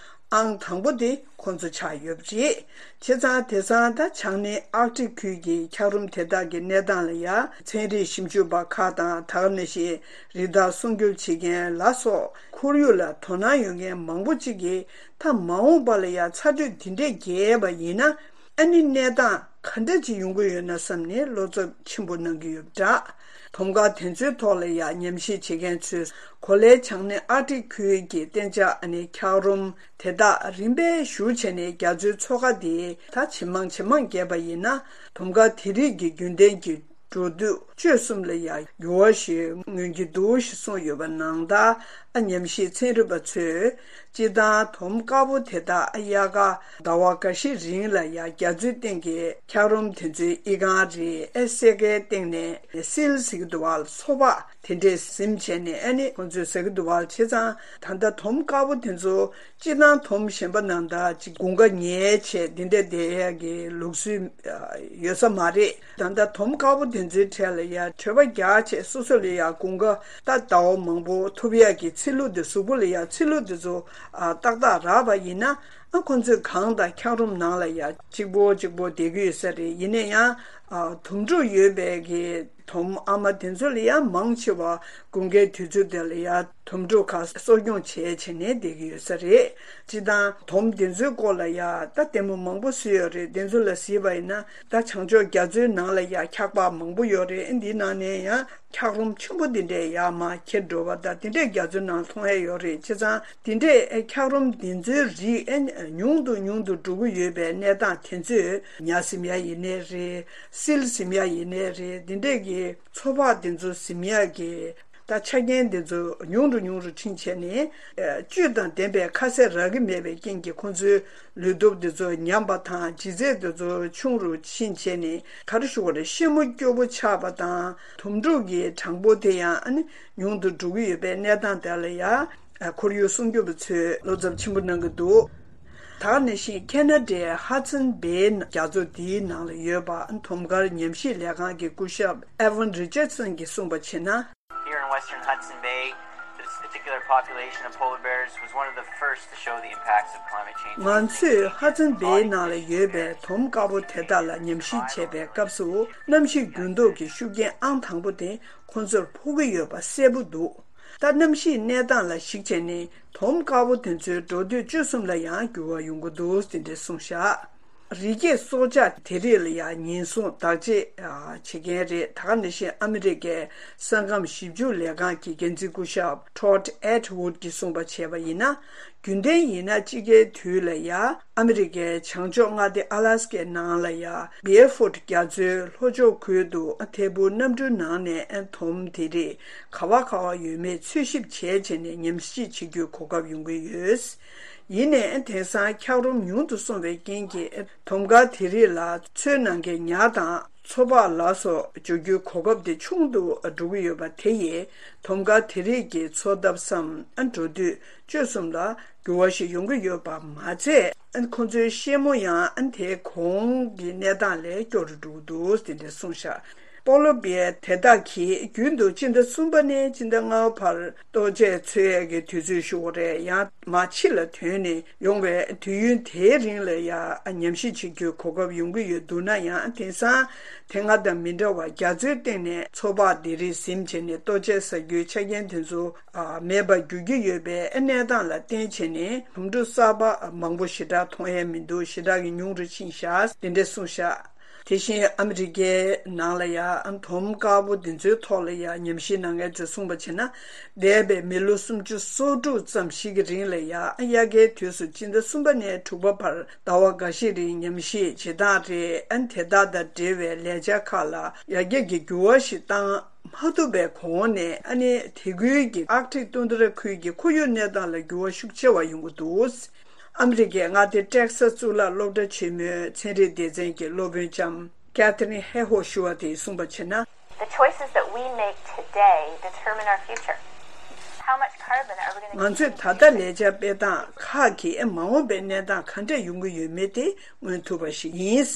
ཨང་དང་པོ་དེ་ཁོང་ཚོ་ཆགས་ཡོད་པ་རེད། བྱས་ཙང་དེང་སང་ད་བྱང་སྣེ་ཨར་ཀ་ཊིག་ཁུལ་གྱི་འཁྱགས་རོམ་དེ་དག་གི་གནས་སྟངས་ལ་ཡང་ཚན་རིག་ཞིབ་འཇུག་པ་ཁག་དང་། ད་ག་ནང་བཞིན་རི་དྭགས་སྲུང་སྐྱོབ་བྱེད་མཁན་ལ་སོགས་ཁོར་ཡུག་ལ་དོ་སྣང་ཡོད་མཁན་མང་པོ་ཅིག་གིས། ད་མ་འོངས་པ་ལ་ཡང་ཚ་དྲོད་འདི་འདྲས་རྒྱས་པ་ཡིན་ན། ཨ་ནི་གནས་སྟངས་ག་འདྲ་ཅིག་ཡོང་གི་ཡོད་ན་བསམ་ནས་བློ་འཚབ་ཆེན་པོ་གནང་གི་ཡོད་པ་འདྲ། དོམ་དཀར་དེ་ཚོའི་ཐོག་ལ་ཡང་ཉམས་ཞིབ་བྱེད་མཁན་ཚོས་གོ་ལའི་བྱང་སྣེ་ཨར་ཀ་ཊིག་ཁུལ་གྱི་གཏན་འཇགས་ཨ་ནི་འཁྱགས་རོམ་དེ་དག་རིམ་པས་ཞུ་བྱས་ནས་རྒྱ་མཚོའི་མཚོ་ཁ་དེ་ད་ཇེ་མང་ཇེ་མང་རྒྱས་པ་ཡིན་ན། དོམ་དཀར་དེ་རིགས་ཀྱི་རྒྱུན་ལྡན་གྱི་འགྲོ་སྡོད་སྤྱོད་གསུམ་ལ་ཡང་འགྱུར་བ་ཞིག་མངོན་གྱི་འདུག་ཞེས་གསུངས་ཡོད་པ་ནང་ལྟར། ཨ་ཉམས་ཞིབ་ཚན་རིག་པ་ཚོས་སྤྱིར་བཏང་དོམ་དཀར་པོ་དེ་དག་ཨ་དབྱར་ཁ་ཟླ་བ་འགའ་ཤས་རིང་ལ་ཡང་རྒྱ་མཚོའི་སྟེང་གི་འཁྱགས་རོམ་དེ་ཚོའི་ཨི་ཁང་རེད། ཨེ་སེ་གའི་སྟེང་ནས་སིལ་ཟེར་གྱི་འདུག་བ། སོ་ཕག་དེ་འདྲས་ཟིན་བྱས་ནས་ཨ་ནི་ཁོང་ཚོས་ཟ་གི་འདུག་བ། བྱས་ཙང་ད་ལྟ་དོམ་དཀར་པོ་དེ་ཚོ་སྤྱིར་བཏང་དོམ་གཞན་པ་ནང་ལྟར་ཅིག་དགུན་ཁ་ཉལ་བྱས་འདི་འདྲ་བསྡད་ཡག་གི་ལུགས་སྲོལ་ཡོད་ས་མ་རེད། ད་ལྟ་དོམ་དཀར་པོ་དེ་ཚོའི་གྲས་ལ་ཡང་གྲོད་པ་རྒྱགས་བྱས་སོ་སོ་ལ་ཡང་དགུན་ཁ་ད་ཟླ་བ་མང་པོ་ཐུབ་ཡག་གི་ཚིལ་ལུ་དེ་གཟུགས་པོ་ལ་ཡང་ཚིལ་ལུ་དེ་ཚོ་ཨ་ཏག་ཏག་རག་པ་ཡིན་ན། ཨ་ཁོ་ཚོས་གངས་དང་འཁྱགས་རོམ་ནང་ལ་ཡང་གཅིག་པོ་གཅིག་པོ་བསྡད་ཀྱི་ཡོད་ས་རེད། ཡིན་ན་ཡང་ཨ་དོམ་ཕྲུག་ཡོད་པའི་གི་དོམ་ཨ་མ་དེ་ཚོ་ལ་ཡང་མང་ཆེ་བ་དགུན་ཁའི་དུས་ཚོད་དེ་ལ་ཡང་དོམ་ཕྲུག་ཁག་གསོ་སྐྱོང་བྱས་བྱས་ནས་བསྡད་ཀྱི་ཡོད་ས་རེད། སྤྱིར་བཏང་དོམ་དེ་ཚོའི་སྐོར་ལ་ཡང་ད་ལྟད་མོ་མང་པོ་བཟོས་ཡོད་རེད། དེ་ཚོ་ལ་གཟིགས་པ་ཡིན་ན་ད་བྱང་ཕྱོགས་རྒྱ་མཚོའི་ནང་ལ་ཡང་འཁྱགས་པ་མང་པོ་ཡོད་རེད། འདིའི་ནང་ནས་ཡང་འཁྱགས་རོམ་ཆེན་པོ་འདི་འདྲས་ཡར་མར་འཁྱེར་འགྲོ་བ་དང་དེ་འདྲས་རྒྱ་མཚོའི་ནང་མཐོང་ཡ་ཡོད་རེད། བྱས་ཙང་དེ་འདྲས་འཁྱགས་རོམ་འདི་ཚོའི་རིགས་ཨེ་ཉུང་དུ་ཉུང་དུ་འགྲོ་གི་ཡོད་པའི་གནས་སྟངས་དེ་ཚོས་ཉ་ཟིན་ཡ་ཡིན་ནའི་རེད། སིལ་ཟིན་ཡ་ཡིན་ནའི་རེད། འདི་འདྲས་ཀྱི་མཚོ་ཕག་འདི་ཚོ་ཟིན་ཡ་གི་ད་ཆ་རྐྱེན་འདི་ཚོ་ཉུང་རུ་ཉུང་རུ་ཕྱིན་བྱས་ནས་བཅུད་དང་ལྡན་པའི་ཁ་ཟས་རག་གི་མེད་པའི་རྐྱེན་གྱིས་ཁོང་ཚོའི་ལུས་སྟོབས་དེ་ཚོ་ཉམས་པ་དང་ལྗིད་ཚད་དེ་ཚོ་ཆུང་རུ་ཕྱིན་བྱས་ནས་ག་རེ་ཞུ་དགོས་རེད། ཤི་མོ་སྐྱོ་པོ་ཆགས་པ་དང་དོམ་ཕྲུག་གི་གྲངས་འབོར་དེ་ཡང་ཨ་ནི་ཉུང་དུ་འགྲོ་གི་ཡོད་པའི་གནས་སྟངས་དེ་ལ་ཡང་ཁོར་ཡུག་སྲུང་སྐྱོབ་པ་ཚོས་བློ་འཚབ་ཆེན་པོ་གནང་གི་འདུག་ད་ག་ནང་བཞིན་ཁེ་ན་ཌའི་ཧ་ཙན་བེའི་རྒྱ་མཚོ་འདིའི་ནང་ལ་ཡོད་པ་དོམ་དཀར་ཉམས་ཞིབ་ལས་ཁང་གི་སྐུ་ཞབས་ཨེ་ཝན་རི་ཅར་སན་གྱིས་གསུངས་པ་བྱས་ན། Here in western Hudson Bay, this particular population of polar bears was one of the first to show the impacts of climate change. ང་ཚོས་ཧ་ཙན་བེའི་ནང་ལ་ཡོད་པའི་དོམ་དཀར་པོ་དེ་དག་ལ་ཉམས་ཞིབ་བྱས་པའི་སྐབས་སུ། གནམ་གཤིས་འགྱུར་ལྡོག་གི་ཤུགས་རྐྱེན་ཨང་དང་པོ་དེ་ཁོ་ཚོར་ཕོག་གི་ཡོད་པ་གསལ་པོ་འདུག་ད་གནམ་གཤིས་གནས་སྟངས་ལ་གཞིགས་བྱས་ནས་དོམ་དཀར་པོ་དེ་ཚོའི་འགྲོ་སྡོད་སྤྱོད་གསུམ་ལ་ཡང་འགྱུར་བ་ཡོང་གི་འདུག་དེ་འདྲས་གསུངས་བཞག་རི་སྐྱེས་སྲོག་ཆགས་དེ་རིགས་ལ་ཡང་ཉེན་སྲུང་བདག་གཅེས་བྱེད་མཁན་རེད། ད་ག་ནང་བཞིན་ཨ་མི་རི་ཀའི་ས་ཁམས་ཞིབ་འཇུག་ལས་ཁང་གི་འགན་འཛིན་སྐུ་ཞབས་Todd Attwood གྱིས་གསུངས་པ་བྱས་པ་ཡིན་ན། རྒྱུན་ལྡན་ཡིན་ན་དཔྱིད་ཀའི་དུས་ལ་ཡ་ཨ་མི་རི་ཀའི་བྱང་ཕྱོགས་མངའ་སྡེ་ཨ་ལ་སི་ཀའི་ནང་ལ་ཡ་Barefoot རྒྱ་མཚོའི་ལྷོ་ཕྱོགས་ཁུལ་དུ་ཐད་འཕུར་གནམ་གྲུའི་ནང་ནས་དོམ་དེ་རིགས་ག་བ་ག་བ་ཡོད་མེད་འཚོལ་ཞིབ་བྱས་བྱས་ནས་ཉམས་ཞིབ་བྱེད་རྒྱུའི་གོ་སྐབས་ཡོང་གི་ཡོད། ཡིན་ནའི་དེང་སང་འཁྱགས་རོམ་ཉུང་དུ་སོང་བའི་རྐྱེན་གྱིས་དོམ་དཀར་དེ་རིགས་ལ་མཚོའི་ནང་གི་ཉ་དང་མཚོ་ཕག་ལ་སོགས་འབྱོར་རྒྱུའི་གོ་སྐབས་དེ་ཆུང་དུ་འགྲོ་གི་ཡོད་པ་དེ་ཡིས་དོམ་དཀར་དེ་རིགས་ཀྱི་འཚོ་ཐབས་སམ་འགྲོ་དུས་སྤྱོད་གསུམ་ལ་འགྱུར་བ་ཞིག་ཡོང་གི་ཡོད་པ་མ་ཚད། ཁོ་ཚོའི་ཤེད་མོ་ཡང་དེའི་གོང་གི་གནས་སྟངས་ལས་སྐྱོ་རུ་འགྲོ་གི་འདུག་དེ་འདྲ་གསུངས་ཤག་སྤོ་ལོ་བེར་དེ་དག་གིས་རྒྱུན་དུ་སྤྱི་ཟླ་གསུམ་པ་ནས་སྤྱི་ཟླ་ལྔ་པ་བར་ལྟོ་ཆས་འཚོལ་ཡས་ཀྱི་དུས་ཚོད་ཞུ་བ་རེད། ཡང་མར་ཕྱི་ལ་ཐོན་ནས་ཡོང་བའི་དུས་ཡུན་དེའི་རིང་ལ་ཡང་ཉམས་ཞིབ་བྱེད་རྒྱུའི་གོ་སྐབས་ཡོང་གི་ཡོད་འདུག་ན་ཡང་། དེང་སང་དེ་སྔ་དང་མི་འདྲ་བར་རྒྱ་མཚོའི་སྟེང་ནས་མཚོ་འཕགས་དེ་རིགས་ཟིན་བྱས་ནས་ལྟོ་ཆས་ཟ་རྒྱུའི་ཆ་རྐྱེན་དེ་ཚོ་མེད་པར་འགྱུར་གྱི་ཡོད་པའི་གནས་སྟངས་ལ་བརྟེན་བྱས་ནས་དོམ་ཕྲུག་གསར་པ་མང་པོ་ཞེ་དྲག་མཐོང་ཡས་མི་འདུག་ཞེ་དྲག་གི་ཉུང་རུ་ཕྱིན་ཤག་དེ་འདྲས་གསུངས་ཤག་དེ་བཞིན་ཨ་མི་རི་ཀའི་ནང་ལ་ཡང་དོམ་དཀར་པོ་འདི་ཚོའི་ཐོག་ལ་ཡང་ཉམས་ཞིབ་གནང་མཁན་ཚོས་གསུངས་པ་བྱས་ན། འདས་པའི་མི་ལོ་སུམ་ཅུ་སོ་དྲུག་ཙམ་ཞིག་གི་རིང་ལ་ཡང་དབྱར་ཁའི་དུས་སུ་སྤྱི་ཟླ་གསུམ་པ་ནས་དྲུག་པ་བར་ཟླ་བ་འགའ་ཤས་རིང་ཉམས་ཞིབ་བྱེད་སྟངས་རེད། དེ་དག་དང་འབྲེལ་བའི་ལས་འཆར་ཁག་ལ་ཡར་རྒྱས་ཀྱི་འགྱུར་བ་ཞིག་བཏང་མ་ཐུབ་པའི་གོང་ནས། ཨ་ནི་དེ་ཁུལ་གྱི་ཨར་ཀ་ཊིག་ཏུན་དྲ་ཁུལ་གྱི་ཁོར་ཡུག་གནས་སྟངས་ལ་འགྱུར་བ་ཤུགས་ཆེ་བ་ཡོང་གི་འདུག་ཨ་མི་རི་ཀའི་མངའ་སྡེ་ཏེག་སཱ་གཙུག་ལག་སློབ་གྲྭ་ཆེན་མོའི་ཚན་རིག་སྡེ་ཚན་གྱི་སློབ་དཔོན་ལྕམ་Katherine Hayhoe ཞུ་བ་དེས་གསུངས་པ་བྱས་ན། The choices that we make today determine our future. How much carbon are we going to ང་ཚོས་ད་ལྟ་ལས་འཆར་སྤེལ་སྟངས་ཁག་གིས་མ་འོངས་པའི་གནས་སྟངས་ག་འདྲ་ཡོང་གི་ཡོད་མེད་དེ་མངོན་ཐུབ་པ་ཞིག་ཡིན།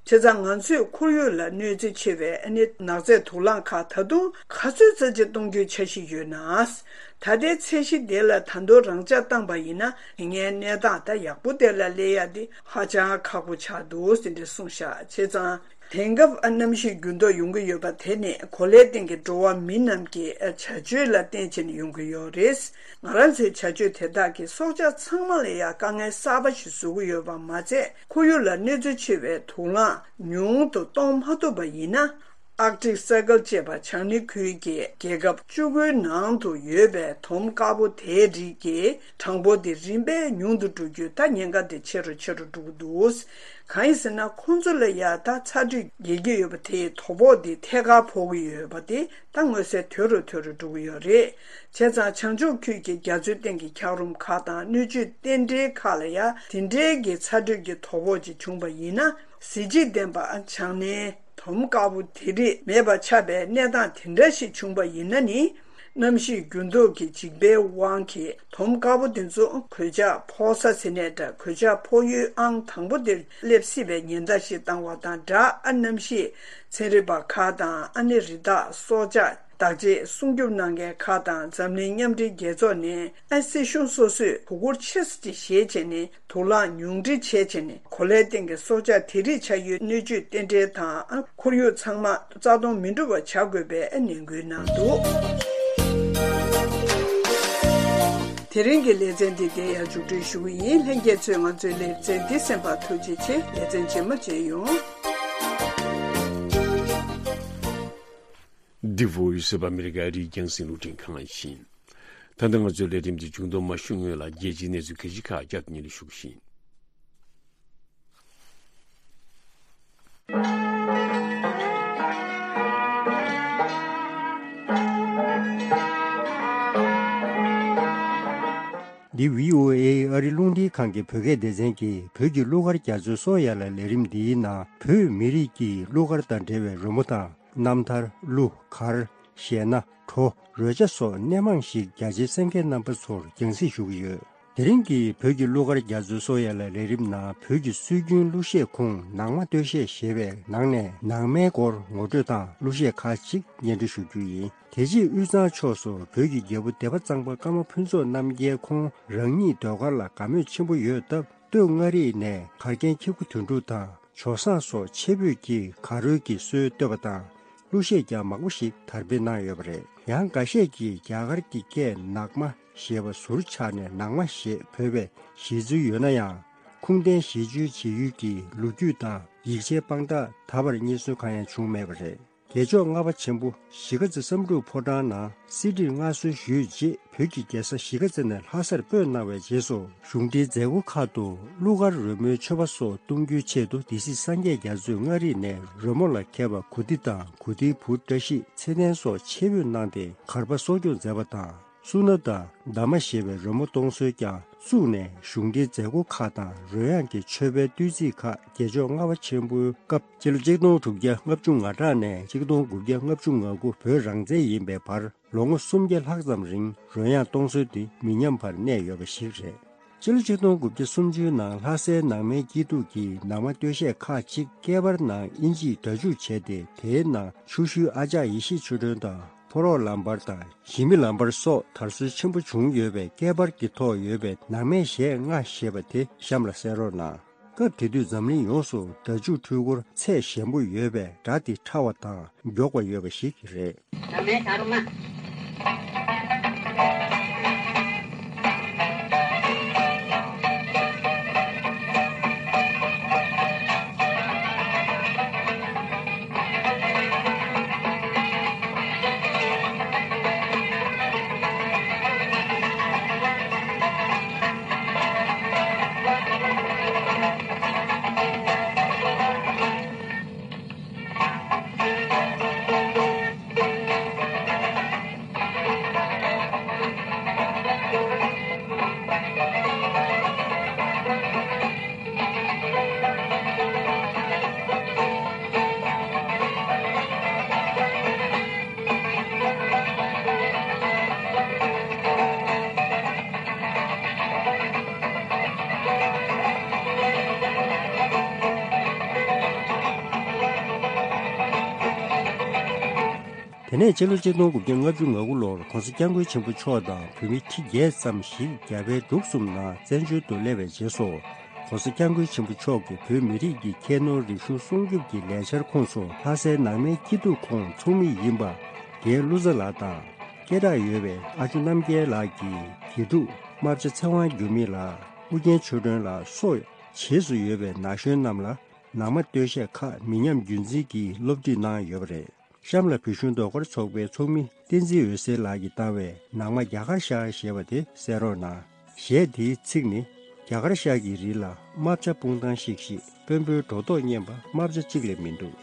བྱས་ཙང་ང་ཚོས་ཁོར་ཡུག་ལ་གནོད་འཚེ་ཆེ་བའི་ནག་རྫས་དུག་རླངས་ཁག་ད་དུང་ག་ཚོད་ཙམ་ཅིག་གཏོང་རྒྱུའི་འཆར་གཞི་ཡོད་ན། ད་ལྟའི་ཚད་གཞི་དེ་ལ་ད་དུང་རང་འཇགས་བཏང་པ་ཡིན་ན། དེ་སྔའི་གནས་སྟངས་ད་ཡག་པོ་དེ་ལ་སླེབས་ཡ་དེ་ཧ་ཅང་ཁག་པོ་ཆགས་འདུག་ཟེར་འདྲ་གསུངས་ཤག་བྱས་ཙང་། དེང་སྐབས་ཨ་གནམ་གཤིས་འགྱུར་ལྡོག་ཡོང་གི་ཡོད་པ་དེ་ནི་གོ་ལའི་སྟེང་གི་འགྲོ་བ་མི་རྣམས་ཀྱི་བྱ་སྤྱོད་ལ་བརྟེན་བྱས་ནས་ཡོང་གི་ཡོད་རེད། ང་རང་ཚོའི་བྱ་སྤྱོད་དེ་དག་གིས་སྲོག་ཆགས་ཚང་མ་ལ་ཡང་དཀའ་ངལ་གསར་པ་ཞིག་བཟོ་གི་ཡོད་པ་མ་ཚད། ཁོར་ཡུག་ལ་གནོད་འཚེ་ཆེ་བའི་དུག་རླངས་ཉུང་དུ་གཏོང་མ་ཐུབ་པ་ཡིན་ན། Arctic Circle ཅེས་པ་བྱང་སྣེ་ཁུལ་གྱི་རྒྱལ་ཁབ་བཅུ་དགུའི་ནང་དུ་ཡོད་པའི་དོམ་དཀར་པོ་དེའི་རིགས་ཀྱི་གྲངས་འབོར་དེ་རིམ་པས་ཉུང་དུ་འགྲོ་རྒྱུའི་ད་ཉེན་ཁ་དེ་ཆེ་རུ་ཆེ་རུ་འགྲོ་གི་འདུག་གང་ཡིན་ཟེར་ན། ཁོང་ཚོ་ལ་ཡ་ད་ཚ་དྲོད་རྒྱས་ཀྱི་ཡོད་པ་དེའི་དོ་ཕོག་དེ་ཐད་ཀར་ཕོག་གི་ཡོད་པ་དེ་ད་མངོན་གསལ་དོད་རུ་དོད་རུ་འགྲོ་གི་ཡོད་རེད། བྱས་ཙང་བྱང་ཕྱོགས་ཁུལ་གྱི་རྒྱ་མཚོའི་སྟེང་གི་འཁྱགས་རོམ་ཁག་དང་སྣོད་བཅུད་རྟེན་འབྲེལ་ཁག་ལ་ཡ་དེ་འདྲའི་གི་ཚ་དྲོད་ཀྱི་དོ་ཕོག་ཅིག་བྱུང་པ་ཡིན་ན། གཟི་བརྗིད་ལྡན་པ་བྱང་སྣེའི་དོམ་དཀར་པོ་དེ་རིགས་མེད་པ་ཆགས་པའི་གནས་སྟངས་དེ་འདྲ་ཞིག་བྱུང་པ་ཡིན་ན་ནི། གནམ་གཤིས་འགྱུར་ལྡོག་གི་འཇིགས་པའི་དབང་གིས་དོམ་དཀར་པོ་དེ་ཚོ་གོད་ཆག་ཕོག་ས་ཟེར་ནའི་འདྲ། གོད་ཆག་ཕོག་ཡུལ་ཨང་དང་པོ་དེར་སླེབས་སྲིད་པའི་ཉེན་བརྡ་ཞིག་བཏང་བ་དང་སྦྲགས། ཨ་གནམ་གཤིས་ཚན་རིག་པ་ཁག་དང་། ཨ་ནི་རི་དྭགས་སྲོག་ཆགས་བདག་གཅེས་སྲུང་སྐྱོབ་གནང་མཁན་ཁག་དང་། འཛམ་གླིང་མཉམ་འབྲེལ་རྒྱལ་ཚོགས་ནས་ཨ་སྲིད་གཞུང་སོ་སོས་གོ་སྐབས་ཆེ་ས་ཅིག་བཞེས་བྱས་ནས། དུག་རླངས་ཉུང་འཕྲི་བྱས་བྱས་ནས། གོ་ལའི་སྟེང་གི་སྲོག་ཆགས་དེ་རིགས་ཆགས་ཡུལ་སྣོད་བཅུད་རྟེན་འབྲེལ་དང་། ཁོར་ཡུག་ཚང་མ་རྩ་སྟོངས་མི་འགྲོ་བ་བྱ་དགོས་པའི་ནན་སྐུལ་གནང་འདུག་དེ་རིང་གི་ལེ་ཚན་འདི་དེ་ཡང་མཇུག་སྒྲིལ་ཞུ་གི་ཡིན། ལྷན་རྒྱས་ཚོས་ང་ཚོའི་ལེ་ཚན་འདི་གསན་པར་ཐུགས་རྗེ་ཆེ། ལེ་ཚན་རྗེས་མ་མཇལ་ཡོང་། The Voice of America རིགས་རྒྱང་སྲིང་རླུང་འཕྲིན་ཁང་ཡིན། ད་ལྟ་ང་ཚོའི་ལས་རིམ་འདི་མཇུག་སྡོམ་མ་ཞུ་སྔོན་ལ། རྒྱལ་སྤྱིའི་གནས་ཚུལ་ཁ་ཤས་ཁག་བསྐྱར་དུ་སྙན་སྒྲོན་ཞུ་གི་ཡིན། འདི་བྷི་ཨོ་ཨེ་ཨ་རི་རླུང་འཕྲིན་ཁང་གི་བོད་སྐད་སྡེ་ཚན་གྱི་བོད་ཀྱི་གླུ་གར་རྒྱ་མཚོའི་སོ་ཡ་ལ་ལས་རིམ་འདིའི་ནང་། བོད་མི་རིགས་ཀྱི་གླུ་གར་དང་འབྲེལ་བའི་རོལ་མོ་དང་། རྣམ་ཐར། གླུ་གར། གཞས་སྣ། བྲོ། རོལ་ཆ་སོགས་སྣེ་མང་ཞིག་རྒྱ་ཆེའི་གསན་མཁན་རྣམ་པ་ཚོར་རྒྱང་སྲིང་ཞུ་གི་ཡོད། དེ་རིང་གི་བོད་ཀྱི་གླུ་གར་རྒྱ་མཚོའི་སོ་ཡ་ལ་ལས་རིམ་ནང་། བོད་ཀྱི་སྲོལ་རྒྱུན་གླུ་གཞས་ཁུངས་ནང་མ་སྟོད་གཞས་ཞེས་པའི་ནང་ནས། ནང་མའི་སྐོར་ངོ་སྤྲོད་དང་གླུ་གཞས་ཁག་ཅིག་སྙན་སྒྲོན་ཞུ་རྒྱུ་ཡིན། དེ་རྗེས་དབུས་གཙང་ཕྱོགས་སུ་བོད་ཀྱི་རྒྱལ་པོ་སྡེ་པ་གཙང་པ་ཀརྨ་ཕུན་ཚོགས་རྣམ་རྒྱལ་ཁོང་རང་ཉིད་ཟློས་གར་ལ་དགའ་མོས་ཆེན་པོ་ཡོད་སྟབས། སྟོད་མངའ་རིས་ནས་གར་མཁན་ཁྱི་གུ་དོན་གྲུབ་དང་། ཇོ་བཟང་སོགས་ཆེ་བོད་ཀྱི་གར་རོལ་གྱི་སྲོལ་བཏོད་པ་དང་། གླུ་གཞས་ཀྱང་མང་པོ་ཞིག་དར་སྤེལ་གནང་ཡོད་པ་རེད། ཡང་། འགའ་ཤས་ཀྱིས་རྒྱ་གར་གྱི་སྐད་ནག་མ་ཞེས་པ་ཟུར་ཆག་ནས་ནང་མ་ཞེས་བོས་པའི་བཞེད་ཚུལ་ཡོད་ན་ཡང་། ཁུངས་ལྡན་ཞི་བཅོས་བྱེད་ཡུལ་གྱི་ལོ་རྒྱུས་དང་ཡིག་ཆའི་དཔང་རྟགས་ད་བར་རྙེད་སོན་གང་ཡང་བྱུང་མེད་པ་རེད། རྒྱལ་མཆོག་ལྔ་པ་ཆེན་པོ་གཞིས་ཀ་རྩེ་བསམ་གྲུབ་ཕོ་བྲང་ནང་གསེར་ཁྲིར་མངའ་གསོལ་ཞུས་རྗེས། བོད་ཀྱི་རྒྱལ་ས་གཞིས་ཀ་རྩེ་ནས་ལྷ་སར་སྤོས་གནང་བའི་རྗེས་སུ། གཞུང་འབྲེལ་མཛད་སྒོ་ཁག་ཏུ་གླུ་གར་རོལ་མོའི་མཆོད་པ་སོགས་གཏོང་རྒྱུའི་ཆེད་དུ། སྡེ་སྲིད་སངས་རྒྱས་རྒྱ་མཚོས་མངའ་རིས་ནས་རོལ་མོ་ལ་མཁས་པ་གོ་ཏི་དང་གོ་ཏིའི་བུ་བཀྲ་ཤིས་ཚེ་བརྟན་སོགས་ཆེད་འབོད་གནང་སྟེ། གར་པ་གསོ་སྐྱོང་མཛད་པ་དང་། སུ་ན་དང་འདབ་མ་ཞེས་པའི་རོལ་མོ་གཏོང་སྲོལ་ཀྱང་བཙུགས་ནས། གཞུང་འབྲེལ་མཛད་སྒོ་ཁག་དང་རོལ་དབྱངས་ཀྱི་མཆོད་པའི་བསྟོད་ཚིག་ཁག་རྒྱལ་མཆོག་ལྔ་པ་ཆེན་པོའི་སྐབས། སྤྱི་ལོ་ཆིག་སྟོང་དྲུག་བརྒྱ་ལྔ་བཅུ་ང་དྲུག་ནས་ཆིག་སྟོང་དགུ་བརྒྱ་ལྔ་བཅུ་ང་དགུ་བོད་རང་བཙན་ཡིན་པའི་བར། ལོ་ངོ་སུམ་བརྒྱ་ལྷག་ཙམ་རིང་རོལ་དབྱངས་གཏོང་སྲོལ་འདི་མི་ཉམས་པར་གནས་ཡོད་པ་ཞིག་རེད། སྤྱི་ལོ་ཆིག་སྟོང་དགུ་བརྒྱ་སུམ་ཅུའི་ནང་ལྷ་སའི་ནང་མའི་སྐྱིད་སྡུག་གི་ནང་མ་སྟོད་གཞས་ཁག་ཅིག་སྐད་འབར་ནང་དབྱིན་ཇིས་སྒྲ་འཇུག་བྱས་ཏེ། དེའི་ནང་ཆུ་ཤུལ་ཨ་ཅག་ཡེ་ཤེས་ཆོས་སྒྲོན་དང་ཕོ་རོག་ལམ་བར་དང་ཞི་མི་ལམ་བར་སོགས་དར་སྲོལ་ཆེན་པོ་བྱུང་ཡོད་པས། སྐད་འབར་གྱི་ཐོག་ཡོད་པའི་ནང་མའི་གཞས་ལྔ་ཞེས་པ་དེ་གཤམ་ལ་གསན་རོགས་གནང་། སྐབས་དེ་དུས་འཛམ་གླིང་ཡོངས་སུ་སྒྲ་འཇུག་འཕྲུལ་འཁོར་ཚད་ཞན་པོ་ཡོད་པས། སྒྲ་དེ་ཕྲ་བ་དང་མགྱོགས་པ་ཡོད་པ་ཞིག་རེད། དེ་ནས་སྤྱི་ལོ་ཆིག་སྟོང་དགུ་བརྒྱ་ལྔ་བཅུ་ང་དགུ་ལོར་༸གོང་ས་༸སྐྱབས་མགོན་ཆེན་པོ་མཆོག་དང་བོད་མི་ཁྲི་བརྒྱད་ཙམ་ཞིག་རྒྱ་བལ་འབྲུག་གསུམ་ནང་བཙན་བྱོལ་དུ་སླེབས་པའི་རྗེས་སུ། ༸གོང་ས་༸སྐྱབས་མགོན་ཆེན་པོ་མཆོག་གིས་བོད་མི་རིགས་ཀྱི་ཁྱད་ནོར་རིག་གཞུང་སྲུང་སྐྱོབ་ཀྱི་ལས་འཆར་ཁོངས་སུ། ལྷ་སའི་ནང་མའི་སྐྱིད་སྡུག་ཁོངས་ཚོགས་མི་ཡིན་པ། རྒན་ཀླུ་ཚ་ལགས་དང་། སྐད་གྲགས་ཡོད་པའི་ཨ་ཇོ་རྣམ་རྒྱལ་ལགས་ཀྱི་དགེ་ཕྲུག་རྨ་བྱ་ཚེ་དབང་འགྱུར་མེད་ལགས། ཨུ་རྒྱན་ཆོས་སྒྲོན་ལགས་སོགས་རྗེས་སུ་ཡོད་པའི་ན་གཞོན་རྣམས་ལ་ནང་མ་སྟོད་གཞས་ཁག་མི་ཉམས་རྒྱུན་འཛིན་གྱིས་སློབ་ཁྲིད་གནང་ཡོད་པ་རེད། གཤམ་ལ་བོད་གཞུང་ཟློས་གར་ཚོགས་པའི་ཚོགས་མི་བསྟན་འཛིན་འོད་ཟེར་ལགས་ཀྱིས་བཏང་བའི་ནང་མ་རྒྱ་གར་ཤར་ཞེས་པ་དེ་གསན་རོགས་གནང་། གཞས་དེའི་ཚིག་ནི། རྒྱ་གར་ཤར་གྱི་རི་ལ་རྨ་བྱ་སྤུངས་ཐང་ཤིག་ཤིག་དཔོན་པོའི་སྒྲོ་འདོགས་སྙན་པ་རྨ་བྱ་གཅིག་ལས་མི་འདུག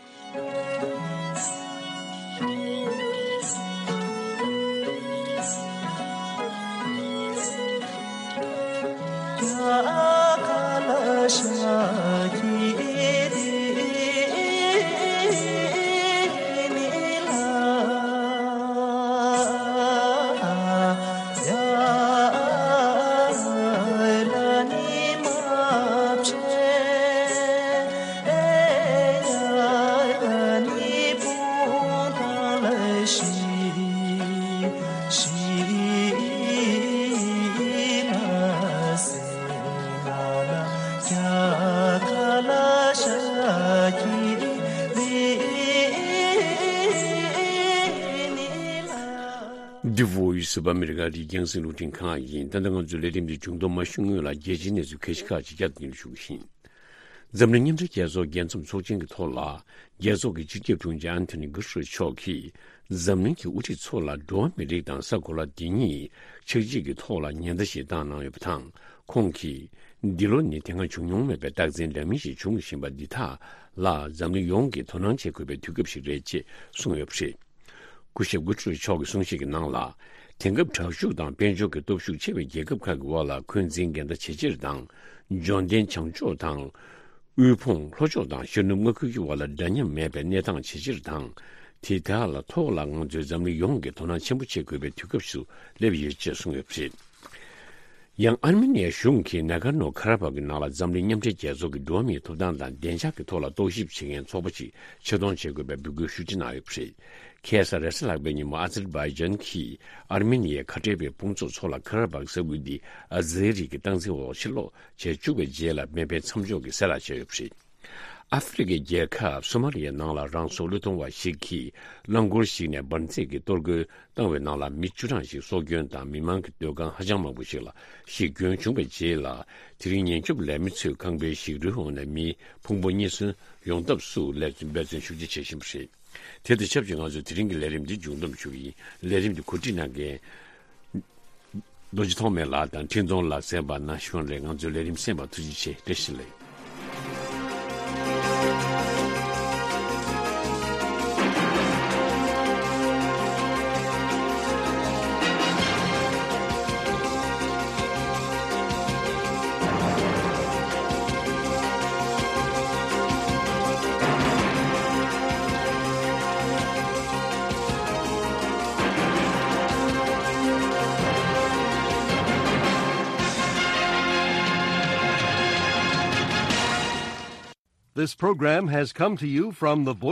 The Voice of America རིགས་རྒྱང་སྲིང་རླུང་འཕྲིན་ཁང་ཡིན། ད་ལྟ་ང་ཚོའི་ལས་རིམ་འདི་མཇུག་བསྡོམས་མ་ཞུ་སྔོན་ལ། རྒྱལ་སྤྱིའི་གནས་ཚུལ་ཁ་ཤས་ཁག་ཅིག་བསྐྱར་དུ་སྙན་སྒྲོན་ཞུ་གི་ཡིན། འཛམ་གླིང་མཉམ་འབྲེལ་རྒྱལ་ཚོགས་རྒྱལ་འཛོམས་ཚོགས་ཆེན་གྱི་ཐོག་ལ། རྒྱལ་ཚོགས་ཀྱི་སྤྱི་ཁྱབ་དྲུང་ཆེ་ཨན་ཐོ་ནི་གུ་ཏེ་རེས་མཆོག་གིས། འཛམ་གླིང་གི་དབུ་ཁྲིད་ཚོ་ལ་འགྲོ་བ་མིའི་རིགས་དང་ས་གོ་ལ་འདི་ཉིད་ཆགས་འཇིག་གི་ཐོག་ལ་ཉེན་བརྡ་ཞིག་བཏང་གནང་ཡོད་པ་དང་། ཁོང་གིས། འདི་ལོ་ནི་དེ་སྔ་བྱུང་མྱོང་མེད་པའི་རྟགས་མཚན་འདྲ་མིན་ཞིག་འབྱུང་བཞིན་པ་འདི་དག་ལ། འཛམ་གླིང་ཡོངས་ཀྱིས་དོ་སྣང་བྱེད་དགོས་པའི་དུས་སྐབས་ཤིག་རེད་ཅེས་གསུངས་ཡོད་པ་རེད། སྐུ་ཞབས་གུ་ཏེ་རེས་མཆོག་གི་གསུང་བཤད་ཀྱི་ནང་ལ། དེང་སྐབས་དྲག་ཤུགས་དང་དཔལ་འབྱོར་གྱི་སྟོབས་ཤུགས་ཆེ་བའི་རྒྱལ་ཁབ་ཁག་གི་དབར་ལ་འཁོན་འཛིན་འགལ་ཟླ་ཇེ་ཆེར་དང་། འབྱོར་ལྡན་བྱང་ཕྱོགས་དང་། དབུལ་ཕོངས་ལྷོ་ཕྱོགས་དང་ཤར་ནུབ་མངའ་ཁུལ་གྱི་དབར་ལ་འདྲ་མཉམ་མེད་པའི་གནས་སྟངས་ཇེ་ཆེར་དང་། དེ་དག་ལ་ཐོག་ལ་ང་ཚོས་འཛམ་གླིང་ཡོངས་ཀྱིས་དོ་སྣང་ཆེན་པོ་བྱེད་དགོས་པའི་དུས་སྐབས་སུ་སླེབས་ཡོད་ཅེས་གསུངས་ཡོད་པ་རེད། ཡང་ཨར་མེ་ནི་ཡའི་གཞུང་གིས་ན་གར་ནོ་ཁ་ར་བྷག་གི་ནང་ལ་འཛམ་གླིང་མཉམ་འབྲེལ་རྒྱལ་ཚོགས་ཀྱི་འགྲོ་བ་མིའི་ཐོབ་ཐང་དང་བདེ་འཇགས་ཀྱི་ཐོག་ལ་རྟོག་ཞིབ་བྱེད་མཁན་ཚོགས་པ་ཞིག་ཆེད་གཏོང་བྱེད་དགོས་པའི་འབོད་སྐུལ་ཤུགས་ཆེ་གནང་ཡོད་པ་རེད། ཁ་སང་རེས་གཟའ་ལྷག་པའི་ཉིན་མོ་ཨ་ཛར་བྷའི་ཇན་གྱིས་ཨར་མེ་ནི་ཡའི་ཁ་བྲལ་བའི་དཔུང་ཚོགས་ཚོ་ལ་ཁ་ར་བྷག་ས་ཁུལ་འདི་ཨ་ཛེ་རི་གི་སྟངས་འཛིན་འོག་ཕྱིར་ལོག་བྱས་བཅུག་པའི་རྗེས་ལ་མེ་འཕེན་མཚམས་འཇོག་གི་གསལ་བསྒྲགས་བྱས་ཡོད་པ་རེད། ཨ་ཧྥེ་རི་ཁའི་རྒྱལ་ཁབ་སོ་མ་ལི་ཡའི་ནང་ལ་རང་སྲོག་བློས་གཏོང་བ་ཞིག་གིས་རླངས་འཁོར་ཞིག་ནས་འབར་རྫས་ཀྱི་གཏོར་རྒོལ་བཏང་བའི་ནང་ལ་མི་བཅུ་གྲངས་ཤིག་སྲོག་སྐྱོན་དང་མི་མང་གི་སྡོད་ཁང་ཧ་ཅང་མང་པོ་ཞིག་ལ་གཞི་སྐྱོན་བྱུང་བའི་རྗེས་ལ། དེ་རིང་ཉེན་སྐྱོབ་ལས་མི་ཚོས་ཁང་པའི་ཞིག་རོའི་འོག་ནས་མི་ཕུང་པོ་རྙེད་སོན་ཡོང་ཐབས་སུ་འབད་བརྩོན་ཤུགས་ཆེ་བྱེད་བཞིན་པ་རེད། དེ་དང་ཆབས་ཅིག་ང་ཚོས་དེ་རིང་གི་ལས་རིམ་འདི་མཇུག་བསྡོམས་ཞུ་གི་ཡིན། ལས་རིམ་འདི་གོ་སྒྲིག་གནང་མཁན། རྡོ་རྗེ་ཐོགས་མེད་ལགས་དང་འཕྲིན་གཏོང་ལགས་གསན་པ་གནང་བཞུགས་རེད། ང་ཚོའི་ལས་རིམ་གསན་པར་ཐུགས་རྗེ་ཆེ། བཀྲ་ཤིས་བདེ་ལེགས། This program has come to you from the Voice